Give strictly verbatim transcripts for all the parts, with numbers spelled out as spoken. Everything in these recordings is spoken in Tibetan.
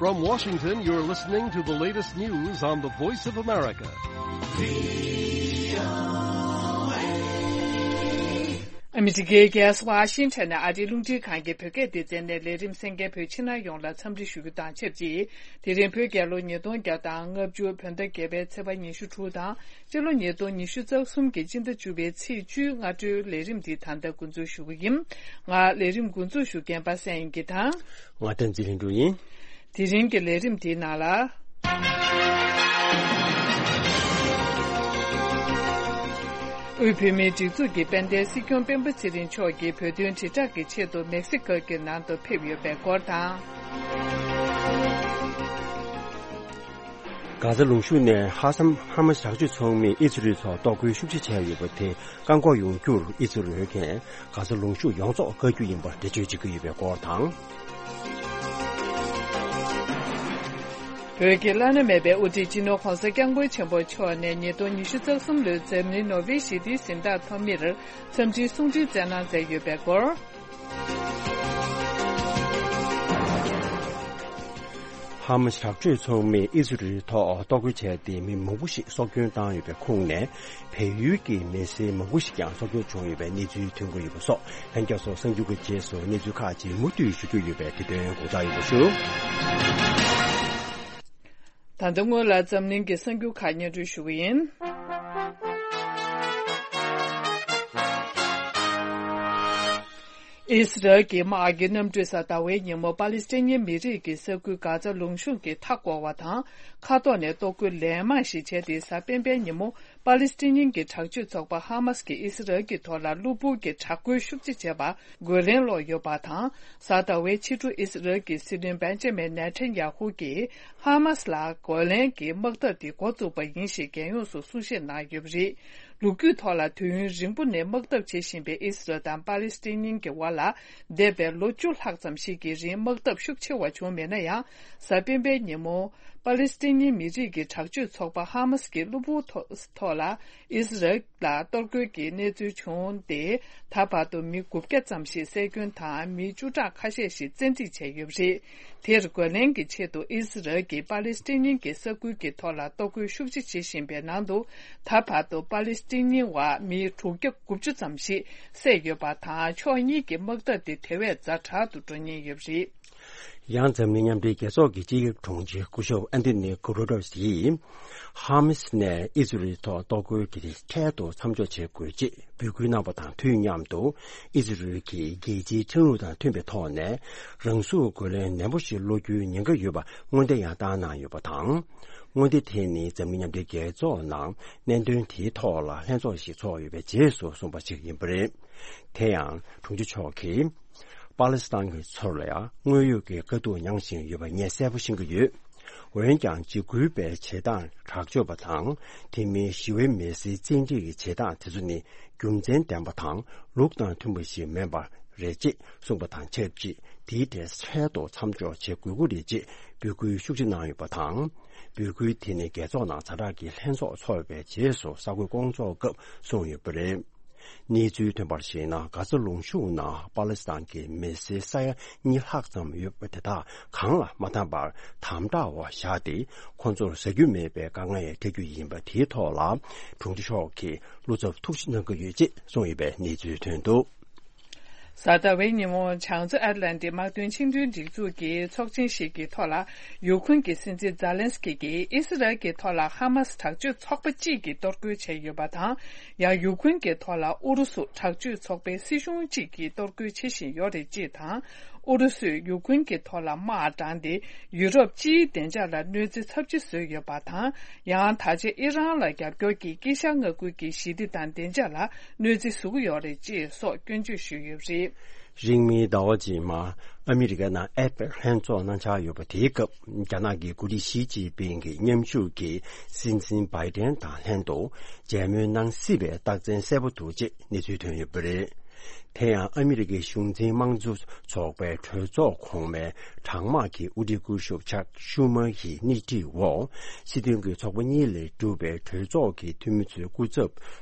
From Washington, you're listening to the latest news on the Voice of America. ཨ་མི་རི་ཀའི་རྒྱལ་ས་ཝ་ཤིང་ཊོན་ནས་ཨ་རིའི་རླུང་འཕྲིན་ཁང་གི་བོད་སྐད་སྡེ་ཚན་ནས་ལས་རིམ་གསན་མཁན་བོད་ཕྱི་ནང་ཡོངས་ལ་འཚམས་འདྲི་ཞུ་རྒྱུ་དང་ཆབས་ཅིག་དེ་རིང་བོད་རྒྱལ་ལོ་ཉིས་སྟོང་བརྒྱ་དང་ལྔ་བཅུ་བོད་ཟླ་བརྒྱད་པའི་ཚེས་པ་ཉི་ཤུ་དྲུག་དང་། སྤྱི་ལོ་ཉིས་སྟོང་ཉི་ཤུ་རྩ་གསུམ་གྱི་སྤྱི་ཟླ་བཅུ་པའི་ཚེས་བཅུའི་སྔ་དྲོའི་ལས་རིམ་འདི་ད་ལྟ་འགོ་འཛུགས་ཞུ་གི་ཡིན། ང་ལས་རིམ་འགོ་འཛུགས་ཞུ་མཁན་པ་སངས་དབྱངས་སྐྱིད་དང་། ང་བསྟན་འཛིན་ལྷུན་གྲུབ་ཡིན། དེ་རིང་གི་ལས་རིམ་འདིའི་ནང་ལ། དབུས་བོད་མིའི་སྒྲིག་འཛུགས་ཀྱི་དཔལ་ལྡན་སྲིད་སྐྱོང་སྤེན་པ་ཚེ་རིང་མཆོག་གིས་བོད་དོན་དྲིལ་བསྒྲགས་ཀྱི་ཆེད་དུ་མེག་སི་ཀོ་གི་ནང་དུ་ཕེབས་ཡོད་པའི་སྐོར་དང་། གྷ་ཛ་ལུང་གཤོང་ནས་ཧ་སམ་ཧ་མ་དྲག་སྤྱོད་ཚོགས་མིས་ཨི་ཛི་རལ་ཐོག་གཏོར་རྒོལ་ཤུགས་ཆེ་བྱས་ཡོད་པ་དེ་བཀག་འགོག་ཡོང་རྒྱུར་ཨི་ཛི་རལ་གྱིས་གྷ་ཛ་ལུང་གཤོང་ཡོངས་རྫོགས་བཀག་རྒྱུ་ཡིན་པར་འགྲེལ་བརྗོད་བྱེད་ཀྱི་ཡོད་པའི་སྐོར་དང་། བོད་ཀྱི་བླ་ན་མེད་པའི་དབུ་ཁྲིད་སྤྱི་ནོར་༧གོང་ས་༧སྐྱབས་མགོན་ཆེན་པོ་མཆོག་ནས་ཉིས་སྟོང་ཉི་ཤུ་རྩ་གསུམ་ལོའི་འཛམ་གླིང་ནོ་བྷེལ་ཞི་བདེའི་གཟེངས་རྟགས་ཐོབ་མིར་འཚམས་འདྲིའི་གསུང་འཕྲིན་བསྩལ་གནང་མཛད་ཡོད་པའི་སྐོར། ཧ་མ་དྲག་སྤྱོད་ཚོགས་མིས་ཨི་ཟི་རལ་ཐོག་གཏོར་རྒོལ་བྱས་ཏེ་མི་མང་པོ་ཞིག་སྲོག་སྐྱོན་བཏང་ཡོད་པའི་ཁོངས་ནས། བལ་ཡུལ་གྱི་མི་སེར་མང་པོ་ཞིག་ཀྱང་སྲོག་སྐྱོན་བྱུང་ཡོད་པའི་གནས་ཚུལ་ཐོན་གྱི་ཡོད་པ་སོགས་ལྷན་རྒྱས་ཚོ་གསར་འགྱུར་གྱི་རྗེས་སུ་གནས་ཚུལ་ཁག་ཅིག་མུ་མཐུད་ཞུ་རྒྱུ་ཡོད་པས་དེ་དོན་དགོངས་དག་ཡོད་པ་ཞུ། ད་ལྟ་སྔོན་ལ་འཛམ་གླིང་གི་གསར་འགྱུར་ཁག་སྙན་སྒྲོན་ཞུ་གི་ཡིན། ཨི་སི་རལ་གྱི་དམག་གི་གནམ་གྲུས་གཟའ་ཟླ་བའི་ཉིན་མོ་པ་ལི་སི་ཐན་མི་རིགས་ཀྱི་ས་ཁུལ་གྷ་ཛ་ལུང་གཤོང་གི་མཐའ་བསྐོར་བ་དང་མཁའ་ཐོག་ནས་གཏོར་རྒོལ་ལན་མང་ཞིག་བྱས་ཏེ། གཟའ་སྤེན་པའི་ཉིན་མོ་པ་ལི་སི་ཐན་གྱི་དྲག་སྤྱོད་ཚོགས་པ་ཧ་མཱས་ཀྱིས་ཨི་སི་རལ་གྱི་ཐོག་ལ་གློ་བུར་གྱི་དྲག་རྒོལ་ཤུགས་ཆེ་བྱས་པར་རྒོལ་ལན་སློག་ཡོད་པ་དང་། གཟའ་ཟླ་བའི་ཕྱི་དྲོ་ཨི་སི་རལ་གྱི་སྲིད་བློན་བེན་ཇ་མིན་ནེ་ཐན་ཡ་ཧུ་གྱིས་ཧ་མཱས་ལ་རྒོལ་ལན་གྱི་དམག་འཐབ་དེ་འགོ་བཙུགས་པ་ཡིན་ཞེས་རྒྱལ་ཡོངས་སུ་གསུང་བཤད་གནང་ཡོད་པ་རེད། ལོ་རྒྱུས་ཐོག་ལ་དུས་ཡུན་རིང་པོ་ནས་དམག་འཐབ་བྱེད་བཞིན་པའི་ཨི་སི་རལ་དང་པ་ལི་སི་ཐན་གཉིས་ཀྱི་དབར་ལ་འདས་པའི་ལོ་བཅུ་ལྷག་ཙམ་ཞིག་གི་རིང་དམག་འཐབ་ཤུགས་ཆེ་བ་བྱུང་མེད་ན་ཡང་། གཟའ་སྤེན་པའི་ཉིན་མོ་པ་ལི་སི་ཐན་མི་རིགས་ཀྱི་དྲག་སྤྱོད་ཚོགས་པ་ཧ་མཱས་ཀྱིས་གློ་བུར་ཐོག་ཐོག་ལ་ཨི་སི་རལ་ལ་གཏོར་རྒོལ་གྱི་གནས་ཚུལ་བྱུང་སྟེ། ད་བར་དུ་མི་དགུ་བརྒྱ་ཙམ་ཞིག་བསད་སྐྱོན་དང་མི་བཅུ་ཕྲག་ཁ་ཤས་ཤིག་བཙན་འཁྲིད་བྱས་ཡོད་པ་རེད། དེར་རྒོལ་ལན་གྱི་ཆེད་དུ་ཨི་སི་རལ་གྱིས་པ་ལི་སི་ཐན་གཉིས་ཀྱི་ས་ཁུལ་གྱི་ཐོག་ལ་གཏོར་རྒོལ་ཤུགས་ཆེ་བྱེད་བཞིན་པའི་ནང་དུ། ད་བར་དུ་པ་ལི་སི་ཐན་གཉིས་བར་མི་དྲུག་བརྒྱ་དགུ་བཅུ་ཙམ་ཞིག་བསད་ཡོད་པ་དང་། ཕྱོགས་གཉིས་ཀྱི་དམག་འཐབ་དེ་དེ་བས་ཛ་དྲག་ཏུ་འགྲོ་ཉེན་ཡོད་པ་རེད། ཡང་འཛམ་གླིང་མཉམ་འབྲེལ་རྒྱལ་ཚོགས་ཀྱི་སྤྱི་ཁྱབ་དྲུང་ཆེ་སྐུ་ཞབས་ཨན་ཐོ་ནི་གུ་ཏེ་རེས་ཡིས། ཧ་མཱས་ནས་ཨི་ཟི་རལ་ཐོག་གཏོར་རྒོལ་གྱི་འཕྲལ་དུ་མཚམས་འཇོག་བྱེད་དགོས་ཅེས་འབོད་སྐུལ་གནང་བ་དང་དུས་མཉམ་དུ། ཨི་ཟི་རལ་གྱིས་རྒྱལ་སྤྱིའི་ཁྲིམས་ལུགས་དང་མཐུན་པའི་ཐོག་ནས། རང་སྲུང་རྒོལ་ལན་ནན་པོ་ཞིག་སློག་རྒྱུའི་ཉེན་ཁ་ཡོད་པ་སྔོན་བརྡ་ཡང་བཏང་གནང་ཡོད་པ་དང་། སྔོན་བརྡ་དེ་ནི་འཛམ་གླིང་མཉམ་འབྲེལ་རྒྱལ་ཚོགས་ནང་གནད་དོན་དེའི་ཐོག་ལ་ལྷན་ཚོགས་ཤིག་ཚོགས་ཡོད་པའི་རྗེས་སུ་གསུངས་པ་ཞིག་ཡིན་པ་རེད། དེ་ཡང་དྲུང་ཆེ་མཆོག་གིས། པ་ལི་སི་ཐན་གྱི་ཚོར་ལ་ཡང་དངོས་ཡོད་ཀྱི་དཀའ་སྡུག་མྱངས་བཞིན་ཡོད་པ་ངས་གསལ་པོ་ཤེས་ཀྱི་ཡོད། འོན་ཀྱང་འཇིགས་སྐུལ་བའི་བྱེད་སྟངས་དྲག་སྤྱོད་པ་དང་། དེ་མིན་ཞི་བའི་མི་སེར་བཙན་ཁྲིད་ཀྱི་བྱེད་སྟངས་དེ་ཚོ་ནི་རྒྱུ་མཚན་ལྡན་པ་དང་ལུགས་དང་མཐུན་པ་ཞིག་མིན་པ་རེད་ཅེས་གསུངས་པ་དང་ཆབས་ཅིག་དེའི་གྲས་འཕྲལ་དུ་མཚམས་འཇོག་བྱེད་དགོས་ཀྱི་རེད་ཅེས་འབོད་སྐུལ་ཤུགས་ཆེ་གནང་ཡོད་པ་དང་། འབོད་སྐུལ་དེ་ནི་རྒྱལ་ཚོགས་ནང་ཛ་དྲག་གི་ལྷན་ཚོགས་ཚོགས་པའི་རྗེས་སུ་གསར་འགོད་སྐོང་ཚོགས་སྐབས་གསུངས་ཡོད་པ་རེད། གནས་ཚུལ་ཐོན་པར་གཞིགས་ན། གྷ་ཛ་ལུང་གཤོང་ནང་པ་ལི་སི་ཐན་གྱི་མི་སེར་ས་ཡ་གཉིས་ལྷག་ཙམ་ཡོད་པ་དེ་དག་གང་ལ་མ་བཏང་བར་དམ་དྲག་འོག་བཞག་སྟེ། ཁོང་ཚོར་ཟ་རྒྱུ་མེད་པའི་དཀའ་ངལ་འཕྲད་རྒྱུ་ཡིན་པ་དེའི་ཐོག་ལ་དྲུང་ཆེ་མཆོག་གིས་བློ་འཚབ་ཤུགས་ཆེ་གནང་གི་ཡོད་ཅེས་གསུངས་ཡོད་པའི་གནས་ཚུལ་ཐོན་འདུག་གཟའ་ཟླ་བའི་ཉིན་མོ་བྱང་མཚོ་ཨེཊ་ལན་ཊིག་དམག་དོན་ཆིངས་དོན་སྒྲིག་འཛུགས་ཀྱི་ཚོགས་ཆེན་ཞིག་གི་ཐོག་ལ། ཡུ་ཁུན་གྱི་སྲིད་འཛིན་ཛཱ་ལན་སི་ཀི་གིས་ཨི་སི་རལ་གྱི་ཐོག་ལ་ཧ་མཱ་སི་དྲག་སྤྱོད་ཚོགས་པ་གཅིག་གིས་གཏོར་རྒོལ་བྱས་ཡོད་པ་དང་། ཡང་ཡུ་ཁུན་གྱི་ཐོག་ལ་ཨུ་རུ་སུ་དྲག་སྤྱོད་ཚོགས་པའི་སྲིད་གཞུང་གཅིག་གིས་གཏོར་རྒོལ་བྱེད་བཞིན་ཡོད་རེད་ཅེས་དང་། ཨུ་རུ་སུས་ཡུ་ཁུན་གྱི་ཐོག་ལ་དམག་དྲངས་ཏེ། ཡུ་རོབ་སྤྱིའི་བདེ་འཇགས་ལ་གནོད་འཚེ་ཚབས་ཆེ་བཟོས་ཡོད་པ་དང་། ཡང་ད་ཆ་ཨི་རན་ལ་རྒྱབ་སྐྱོར་གྱིས་དཀྱིལ་ཤར་མངའ་ཁུལ་གྱི་ཞི་བདེ་དང་བདེ་འཇགས་ལ་གནོད་འཚེ་བཟོ་གི་ཡོད་རེད་ཅེས་སོགས་སྐྱོན་བརྗོད་ཞུས་ཡོད་པ་རེད། རིང་མིན་ཟླ་བ་རྗེས་མ་ཨ་མི་རི་ཀ་ནང་ཨེ་པེག་ལྷན་ཚོགས་གནང་འཆར་ཡོད་པ་དེའི་སྐབས། རྒྱ་ནག་གི་འགོ་ཁྲིད་ཞི་ཅིན་ཕིང་གི་མཉམ་ཞུགས་ཀྱི་སྲིད་འཛིན་བྷའི་ཏན་དང་ལྷན་དུ་མཇལ་མོལ་གནང་སྲིད་པའི་རྟགས་མཚན་གསལ་པོ་འདུག་ཅེས་གནས་ཚུལ་ཐོན་ཡོད་པ་རེད། དེ་ཡང་ཨ་མི་རི་ཀའི་གཞུང་འཛིན་དམངས་གཙོ་ཚོགས་པའི་གྲོས་ཚོགས་གོང་མའི་གྲང་དམག་གི་དབུ་ཁྲིད་སྐུ་ཞབས་ཅག་ཤུ་མར་གྱི་སྣེ་ཁྲིད་འོག་སྲིད་དོན་གྱི་ཚོགས་པ་གཉིས་ལས་གྲུབ་པའི་གྲོས་ཚོགས་ཀྱི་འཐུས་མི་ཚོའི་སྐུ་ཚབ་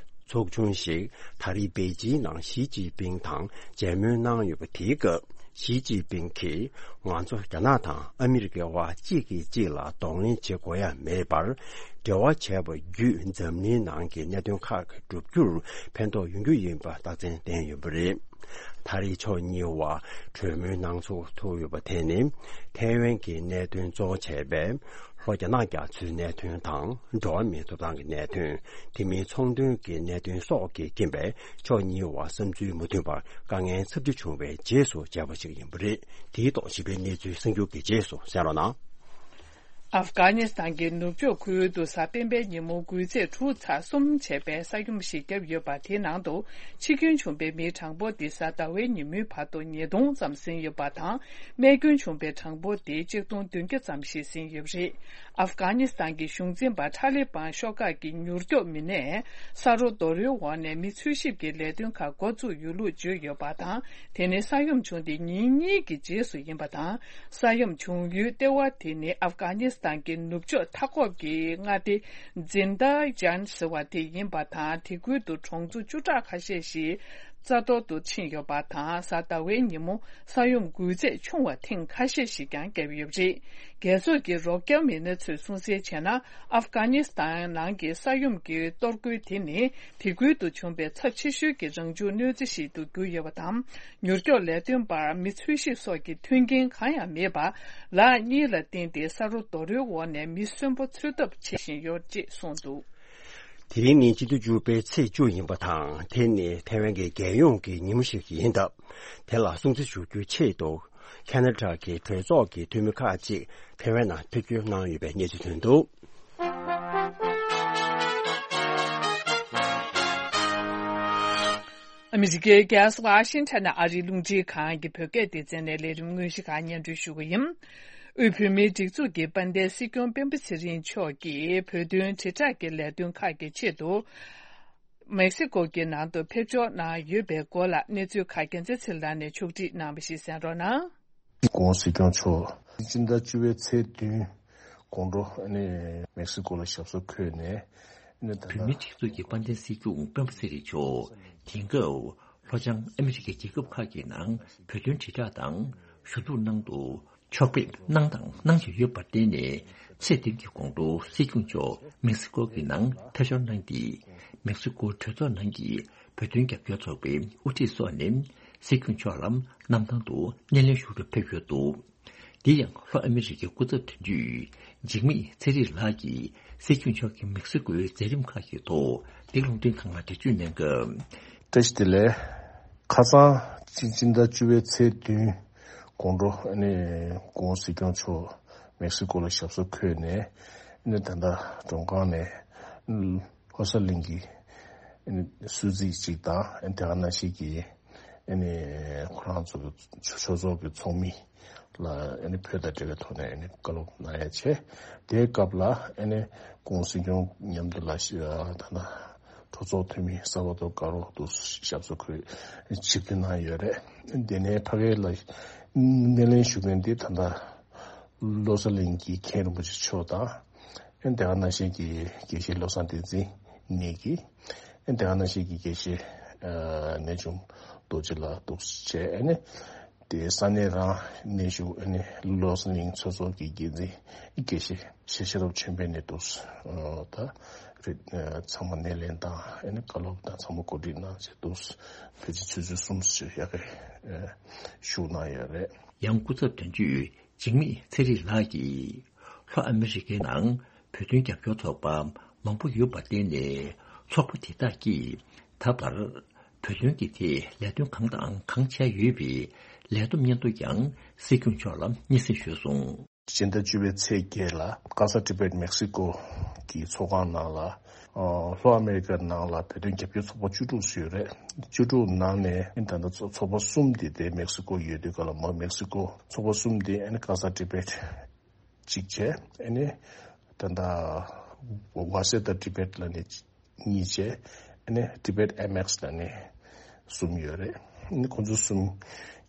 ཚོགས་ཆུང་ཞིག་ད་རེས་པེ་ཅིན་ནང་ཞི་ཅིན་ཕིང་དང་མཇལ་མོལ་གནང་ཡོད་པ་དེའི་སྐབས། ཞི་ཅིན་ཕིང་གིས་ང་ཚོ་རྒྱ་ནག་དང་ཨ་མི་རི་ཀའི་དབར་གཅིག་གིས་གཅིག་ལ་གདོང་ལེན་བྱེད་དགོས་ཡ་མེད་པར། འབྲེལ་བ་བྱས་པ་བརྒྱུད་འཛམ་གླིང་ནང་གི་གནད་དོན་ཁག་གི་བསྒྲུབ་རྒྱུར་ཕན་ཐོགས་ཡོང་རྒྱུ་ཡིན་པ་རྟགས་མཚན་བསྟན་ཡོད་པ་རེད། ད་རེས་ཕྱོགས་གཉིས་བར་གྲོས་མོལ་གནང་ཚུགས་ཐུབ་ཡོད་པ་དེ་ནི། ཐའེ་ཝན་གྱི་གནད་དོན་གཙོ་བོ་བྱས་པའི་ལྷོ་རྒྱ་ནག་རྒྱ་མཚོའི་གནད་དོན་དང་། འགྲོ་བ་མིའི་ཐོབ་ཐང་གི་གནད་དོན། དེ་མིན་ཚོང་དོན་གྱི་གནད་དོན་སོགས་ཀྱི་རྐྱེན་པས། ཕྱོགས་གཉིས་བར་བསམ་ཚུལ་མི་མཐུན་པར་དཀའ་ངལ་ཚབས་ཆེ་བྱུང་བའི་རྗེས་སུ་བྱས་པ་ཞིག་ཡིན་པ་རེད། དེའི་ཐོག་ཞིབ་ཕྲའི་གནས་ཚུལ་གསར་འགྱུར་གྱི་རྗེས་སུ་གསན་རོགས་གནང་། ཨབ་གྷ་ནི་སི་ཐན་གྱི་ནུབ་ཕྱོགས་ཁུལ་དུ་གཟའ་སྤེན་པའི་ཉིན་མོ་འགུལ་ཚད་དྲུག་ཚེག་གསུམ་བྱས་པའི་ས་ཡོམ་ཞིག་བརྒྱབ་ཡོད་པ། དེའི་ནང་དུ་འཆི་སྐྱོན་བྱུང་པའི་མིའི་གྲངས་འབོར་དེ་གཟའ་ཟླ་བའི་ཉིན་མོའི་བར་དུ་ཉིས་སྟོང་ཙམ་ཟིན་ཡོད་པ་དང་། རྨས་སྐྱོན་བྱུང་པའི་གྲངས་འབོར་དེ་ཆིག་སྟོང་བདུན་བརྒྱ་ཙམ་ཞིག་ཟིན་ཡོད་པ་རེད། ཨབ་གྷ་ནི་སི་ཐན་གྱི་གཞུང་འཛིན་པ་ཐ་ལི་བན་ཤོག་ཁག་གི་མྱུར་སྐྱོབ་མི་སྣས་ས་རོ་རྡོ་རོལ་འོག་ནས་མི་འཚོལ་ཞིབ་ཀྱི་ལས་དོན་ཁག་འགོ་བཙུགས་ཡོད་ལུགས་བརྗོད་ཡོད་པ་དང་། དེ་ནི་ས་ཡོམ་བྱུང་སྟེ་ཉིན་གཉིས་ཀྱི་རྗེས་སུ་ཡིན་པ་དང་། ས་ཡོམ་བྱུང་ཡུལ་ལྟེ་བ་དེ་ནི་ཨབ་གྷ་ནི་སི་ཐན་གྱི་ནུབ་ཕྱོགས་མཐའ་འཁོབ་ཀྱི་མངའ་སྡེ་ཛིན་དཱ་ཇན་ཟེར་བ་དེ་ཡིན་པ་དང་། དེ་ཁུལ་དུ་གྲོང་ཚོ་བཅུ་ཕྲག་ཁ་ཤས་ཤིག་རྩ་གཏོར་དུ་ཕྱིན་ཡོད་པ་དང་། གཟའ་ཟླ་བའི་ཉིན་མོ་ས་ཡོམ་འགུལ་ཚད་ཆུང་བ་ཐེངས་ཁ་ཤས་ཤིག་ཀྱང་བརྒྱབ་ཡོད་པ་རེད། རྒྱལ་ཚོགས་ཀྱི་རོགས་སྐྱོར་མི་སྣ་ཚོས་གསུངས་གསལ་བྱས་ན། ཨབ་གྷ་ནི་སི་ཐན་ནང་གི་ས་ཡོམ་གྱི་གཏོར་རྒོལ་དེ་ནི་དེ་ཁུལ་དུ་བྱུང་པའི་ཚབས་ཆེ་ཤོས་ཀྱི་རང་བྱུང་གནོད་འཚེ་ཞིག་ཏུ་གྱུར་ཡོད་པ་དང་། མྱུར་སྐྱོབ་ལས་དོན་པར་མི་འཚོལ་ཞིབ་སོགས་ཀྱི་མཐུན་རྐྱེན་གང་ཡང་མེད་པར། ལག་གཉིས་ལ་བརྟེན་ཏེ་ས་རོ་རྡོ་རོལ་འོག་ནས་མི་གསོན་པོ་འཚོལ་ཐབས་བྱེད་བཞིན་ཡོད་ཅེས་གསུངས་འདུག། དེ་རིང་ནི་སྤྱི་ཟླ་བཅུ་པའི་ཚེས་བཅུ་ཡིན་པ་དང་། དེ་ནི་ཐའེ་ཝན་གྱི་རྒྱལ་ཡོངས་ཀྱི་ཉིན་མོ་ཞིག་ཡིན་སྟབས། དེ་ལ་སྲུང་བརྩི་ཞུ་རྒྱུའི་ཆེད་དུ། ཁ་ན་ཌ་གི་གྲོས་ཚོགས་ཀྱི་འཐུས་མི་ཁག་ཅིག་ཐའེ་ཝན་ནང་ཕེབས་སྐྱོད་གནང་ཡོད་པའི་གནས་ཚུལ་ཐོན་འདུག། ཨ་མི་རི་ཀའི་རྒྱལ་ས་ཝ་ཤིང་ཊོན་ནས་ཨ་རིའི་རླུང་འཕྲིན་ཁང་གི་བོད་སྐད་སྡེ་ཚན་ནས་ལས་རིམ་དངོས་གཞི་ཁག་སྙན་སྒྲོན་ཞུ་གི་ཡིན། དབུས་བོད་མིའི་སྒྲིག་འཛུགས་ཀྱི་དཔལ་ལྡན་སྲིད་སྐྱོང་སྤེན་པ་ཚེ་རིང་མཆོག་གིས་བོད་དོན་དྲིལ་བསྒྲགས་ཀྱི་ལས་དོན་ཁག་གི་ཆེད་དུ། མེག་སི་ཀོ་གི་ནང་དུ་ཕེབས་འབྱོར་གནང་ཡོད་པའི་སྐོར་ལ་གནས་ཚུལ་ཁག་རྒྱལ་མཚན་ཚེ་རིང་ལགས་ནས་ཕྱོགས་སྒྲིག་གནང་བ་ཞིག་གསན་རོགས་གནང་། སྐུ་ངོ་སྲིད་སྐྱོང་མཆོག་སྤྱི་ཟླ་བཅུ་པའི་ཚེས་བདུན་དགོང་དྲོ་ཨ་ནི་མེག་སི་ཀོ་ལ་ཞབས་སོར་འཁོད་ནས་ཨ་ནི་ད་ལྟ། བོད་མིའི་སྒྲིག་འཛུགས་ཀྱི་དཔལ་ལྡན་སྲིད་སྐྱོང་སྤེན་པ་ཚེ་རིང་མཆོག་དེང་སྐབས་ལྷོ་བྱང་ཨ་མི་རི་ཀའི་རྒྱལ་ཁབ་ཁག་གི་ནང་བོད་དོན་དྲིལ་བསྒྲགས་དང་ཞུ་གཏུག་གནང་དུ། ཕྱོགས་ཕེབས་གནང་དང་གནང་བཞིན་ཡོད་པར་བརྟེན་ནས། ཚེས་བདུན་གྱི་དགོང་དྲོ་སྲིད་སྐྱོང་མཆོག་མེག་སི་ཀོ་གི་ནང་ཕེབས་འབྱོར་གནང་སྟེ། མེག་སི་ཀོ་གྲོས་ཚོགས་ནང་གི་བོད་དོན་རྒྱབ་སྐྱོར་ཚོགས་པའི་དབུ་ཁྲིད་སོགས་ནས་སྲིད་སྐྱོང་མཆོག་ལ་གནམ་ཐང་དུ་སྣེ་ལེན་ཞུ་རུ་ཕེབས་ཡོད་འདུག། དེ་ཡང་ལྷོ་ཨ་མི་རི་ཀའི་སྐུ་ཚབ་དོན་གཅོད་འཇིགས་མེད་ཚེ་རིང་ལགས་ཀྱིས་སྲིད་སྐྱོང་མཆོག་གི་མེག་སི་ཀོའི་མཛད་རིམ་ཁག་གི་ཐོག་འདི་རླུང་འཕྲིན་ཁང་ལ་འགྲེལ་བརྗོད་གནང་སྐབས། བཀྲ་ཤིས་བདེ་ལེགས། ཁ་སང་སྤྱི་སྤྱི་ཟླ་བཅུ་པའི་ཚེས་བདུན་དགོང་དྲོ་ཨ་ནི་སྐུ་ངོ་སྲིད་སྐྱོང་མཆོག་མེག་སི་ཀོ་ལ་ཞབས་སོར་འཁོད་ནས་ཨ་ནི་ད་ལྟ་མགྲོན་ཁང་ནས་ལྷོ་གསར་གླིང་གི་ཨ་ནི་གསོལ་ཚིགས་གཅིག་དང་ཨ་ནི་དེ་ག་ནང་བཞིན་གྱི་ཨ་ནི་ཁོ་རང་ཚོ་གི་ཆོས་ཚོགས་ཀྱི་ཚོགས་མི་ལ་ཨ་ནི་བོད་དང་འབྲེལ་བའི་ཐོག་ནས་ཨ་ནི་བཀའ་སློབ་གནང་ཡ་བྱས། དེའི་སྐབས་ལ་ཨ་ནི་སྐུ་ངོ་སྲིད་སྐྱོང་མཉམ་དུ་ལ་ཤི་ད་ལྟ་གྲོས་ཚོགས་འཐུས་མི་ས་བ་ཏོ་དཀར་པོ་དུ་ཞབས་སོར་འཁོད་ཞིབ་བསྡུར་གནང་ཡོད་རེད། དེ་ནས་ཕ་གི་ལ་སྣེ་ལེན་ཞུ་མཁན་དེ་ད་ལྟ་བློ་གསལ་གླིང་གི་མཁན་རིན་པོ་ཆེ་མཆོག་དང་། ཨེ་དེ་ག་ནང་བཞིན་གྱི་དགེ་བཤེས་བློ་བཟང་བསྟན་འཛིན་གཉིས་ཀྱིས་ཨེ་དེ་ག་ནང་བཞིན་གྱི་དགེ་བཤེས་ཨ་གནས་ཆུང་རྡོ་རྗེ་ལགས་འདུག་བྱས། ཨ་ནི་དེ་ས་གནས་རང་གནས་བཞུགས་ཨ་ནི་བློ་གསལ་གླིང་ཚོགས་གཙོ་གི་འགན་འཛིན་དགེ་བཤེས་ཤེས་ཤེས་རབ་ཆོས་འཕེལ་ནས་འདུག་ད་རེད། ཚང་མ་སྣེ་ལེན་དང་ཨ་ནི་བཀའ་སློབ་དང་ཚང་མ་གོ་སྒྲིག་གནང་བྱས་འདུག་ཕལ་ཆེར་ཆུ་ཚོད་གསུམ་ཞིག་ཡག་གི་བཞུགས་གནང་ཡོད་རེད། ཡང་སྐུ་ཚབ་དོན་གཅོད་འཇིགས་མེད་ཚེ་རིང་ལགས་ཀྱིས་ལྷོ་ཨ་མི་རི་ཀའི་ནང་བོད་དོན་རྒྱབ་སྐྱོར་ཚོགས་པ་མང་པོ་ཡོད་པར་བརྟེན་ནས། ཚོགས་པ་དེ་དག་གིས་ད་བར་བོད་དོན་གྱི་ཐད་ལས་དོན་གང་དང་གང་བྱས་ཡོད་པའི་ལས་བསྡོམས་སྙན་ཐོ་ཀྱང་སྲིད་སྐྱོང་མཆོག་ལ་སྙན་སེང་ཞུས་སོང་། སྤྱི་ཟླ་བཅུ་པའི་ཚེས་བརྒྱད་ལ་ཀ་ས་ཊི་བེཊ་མེག་སི་ཀོ་གི་ཚོགས་ཁང་ནང་ལ། ལྷོ་ཨ་མེ་རི་ཀའི་ནང་ལ་བོད་དོན་རྒྱབ་སྐྱོར་ཚོགས་པ་བཅུ་དྲུག་ཞིག་ཡོད་རེད། བཅུ་དྲུག་ནང་ནས་ད་ལྟ་ཚོགས་པ་གསུམ་དེ་དེ་མེག་སི་ཀོ་ཡོད་དུས་ག་ལ་མ་མེག་སི་ཀོ་ཚོགས་པ་གསུམ་དེ་ཨ་ནི་ཀ་ས་ཊི་བེཊ་གཅིག་བྱས། ཨ་ནི་ད་ལྟ་ཝ་སེ་ད་ཊི་བེཊ་ལ་ནི་གཉིས་བྱས། ཨ་ནི་ཊི་བེཊ་ཨེམ་ཨེག་སི་ལ་ནི་གསུམ་ཡོད་རེད། ཨ་ནི་ཁོང་ཚོ་གསུམ་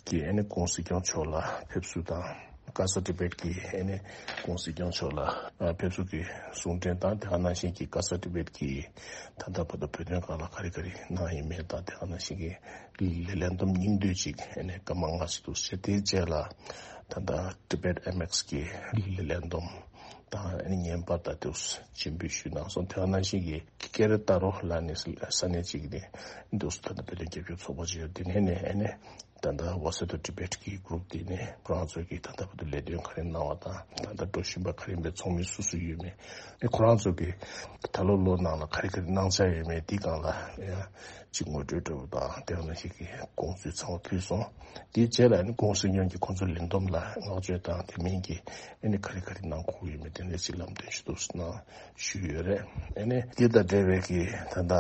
གྱིས་ཨ་ནི་སྐུ་ངོ་སྲིད་སྐྱོང་མཆོག་ལ་ཕེབས་བསུ་དང་ ཀ་ས་ཏི་བེད་ཀྱི་ཨ་ནི་༸གོང་ས་༸སྐྱབས་མགོན་མཆོག་ལ་ཕེབས་བསུ་གི་གསུང་འཕྲིན་དང་། དེ་ག་ནང་བཞིན་གྱི་ཀ་ས་ཏི་བེད་ཀྱི་ད་ལྟ་བར་དུ་བོད་དོན་སྒང་ལ་ག་རེ་ག་རེ་གནང་ཡོད་མེད་དང་། དེ་ག་ནང་བཞིན་གྱི་ལས་ལས་བསྡོམས་སྙིང་བསྡུས་ཅིག་ཨ་ནི་སྐར་མ་ལྔ་ཙམ་འདུག་ཟེར། དེའི་རྗེས་ལ་ད་ལྟ་ཊི་བེད་ཨེམ་ཨེག་སི་གི་ལས་ལས་བསྡོམས་དང་ཨ་ནི་བརྙན་པར་དང་དེ་སྤྱན་འབུལ་ཞུས་གནང་སོང་། དེ་ག་ནང་བཞིན་གྱི་ཀེ་ར་ཏཱ་རོ་ལབ་ནས་ས་གནས་ཅིག་ནས་འདུག་ད་ལྟ་བོད་དོན་རྒྱབ་སྐྱོར་ཚོགས་པ་ཅིག་ཡོད། དེ་ནས་ནས་ཨ་ནི་ད་ལྟ་Voice of Tibet གི་གུ་རུབ་དེ་ནས་ཁོ་རང་ཚོ་གིས་ད་ལྟ་བར་དུ་ལས་དོན་ག་རེ་གནང་བ་དང་། ད་ལྟ་འགྲོ་བཞིན་པ་ག་རེ་ཡིན་པའི་ཚོགས་མི་སུ་སུ་ཡོད་མེད། ཨེ་ཁོ་རང་ཚོ་གིས་ད་ལོ་ལོ་ནང་ལ་ག་རེ་ག་རེ་གནང་འཆར་ཡོད་མེད་དེ་སྒང་ལ་ཡང་ཅིག་ངོ་སྤྲོད་འདྲ་པོ་དང་། དེ་ནང་བཞིན་གྱི་དགོངས་ཚུལ་ཚང་མ་ཕུལ་སོང་། དེའི་རྗེས་ལ་ཨ་ནི་༸གོང་ས་༸སྐྱབས་མགོན་གྱིས་ཁོང་ཚོའི་ལས་བསྡོམས་ལ་བསྔགས་བརྗོད་དང་། དེ་མིན་གྱི་ཨ་ནི་ག་རེ་ག་རེ་གནང་དགོས་ཡོད་མེད་དེ་འདྲ་ཅིག་ལམ་སྟོན་ཞུ་འདུག་གནང་། ཞུས་ཡོད་རེད། ཨ་ནི་འདི་དང་འབྲེལ་བའི་གི་ད་ལྟ་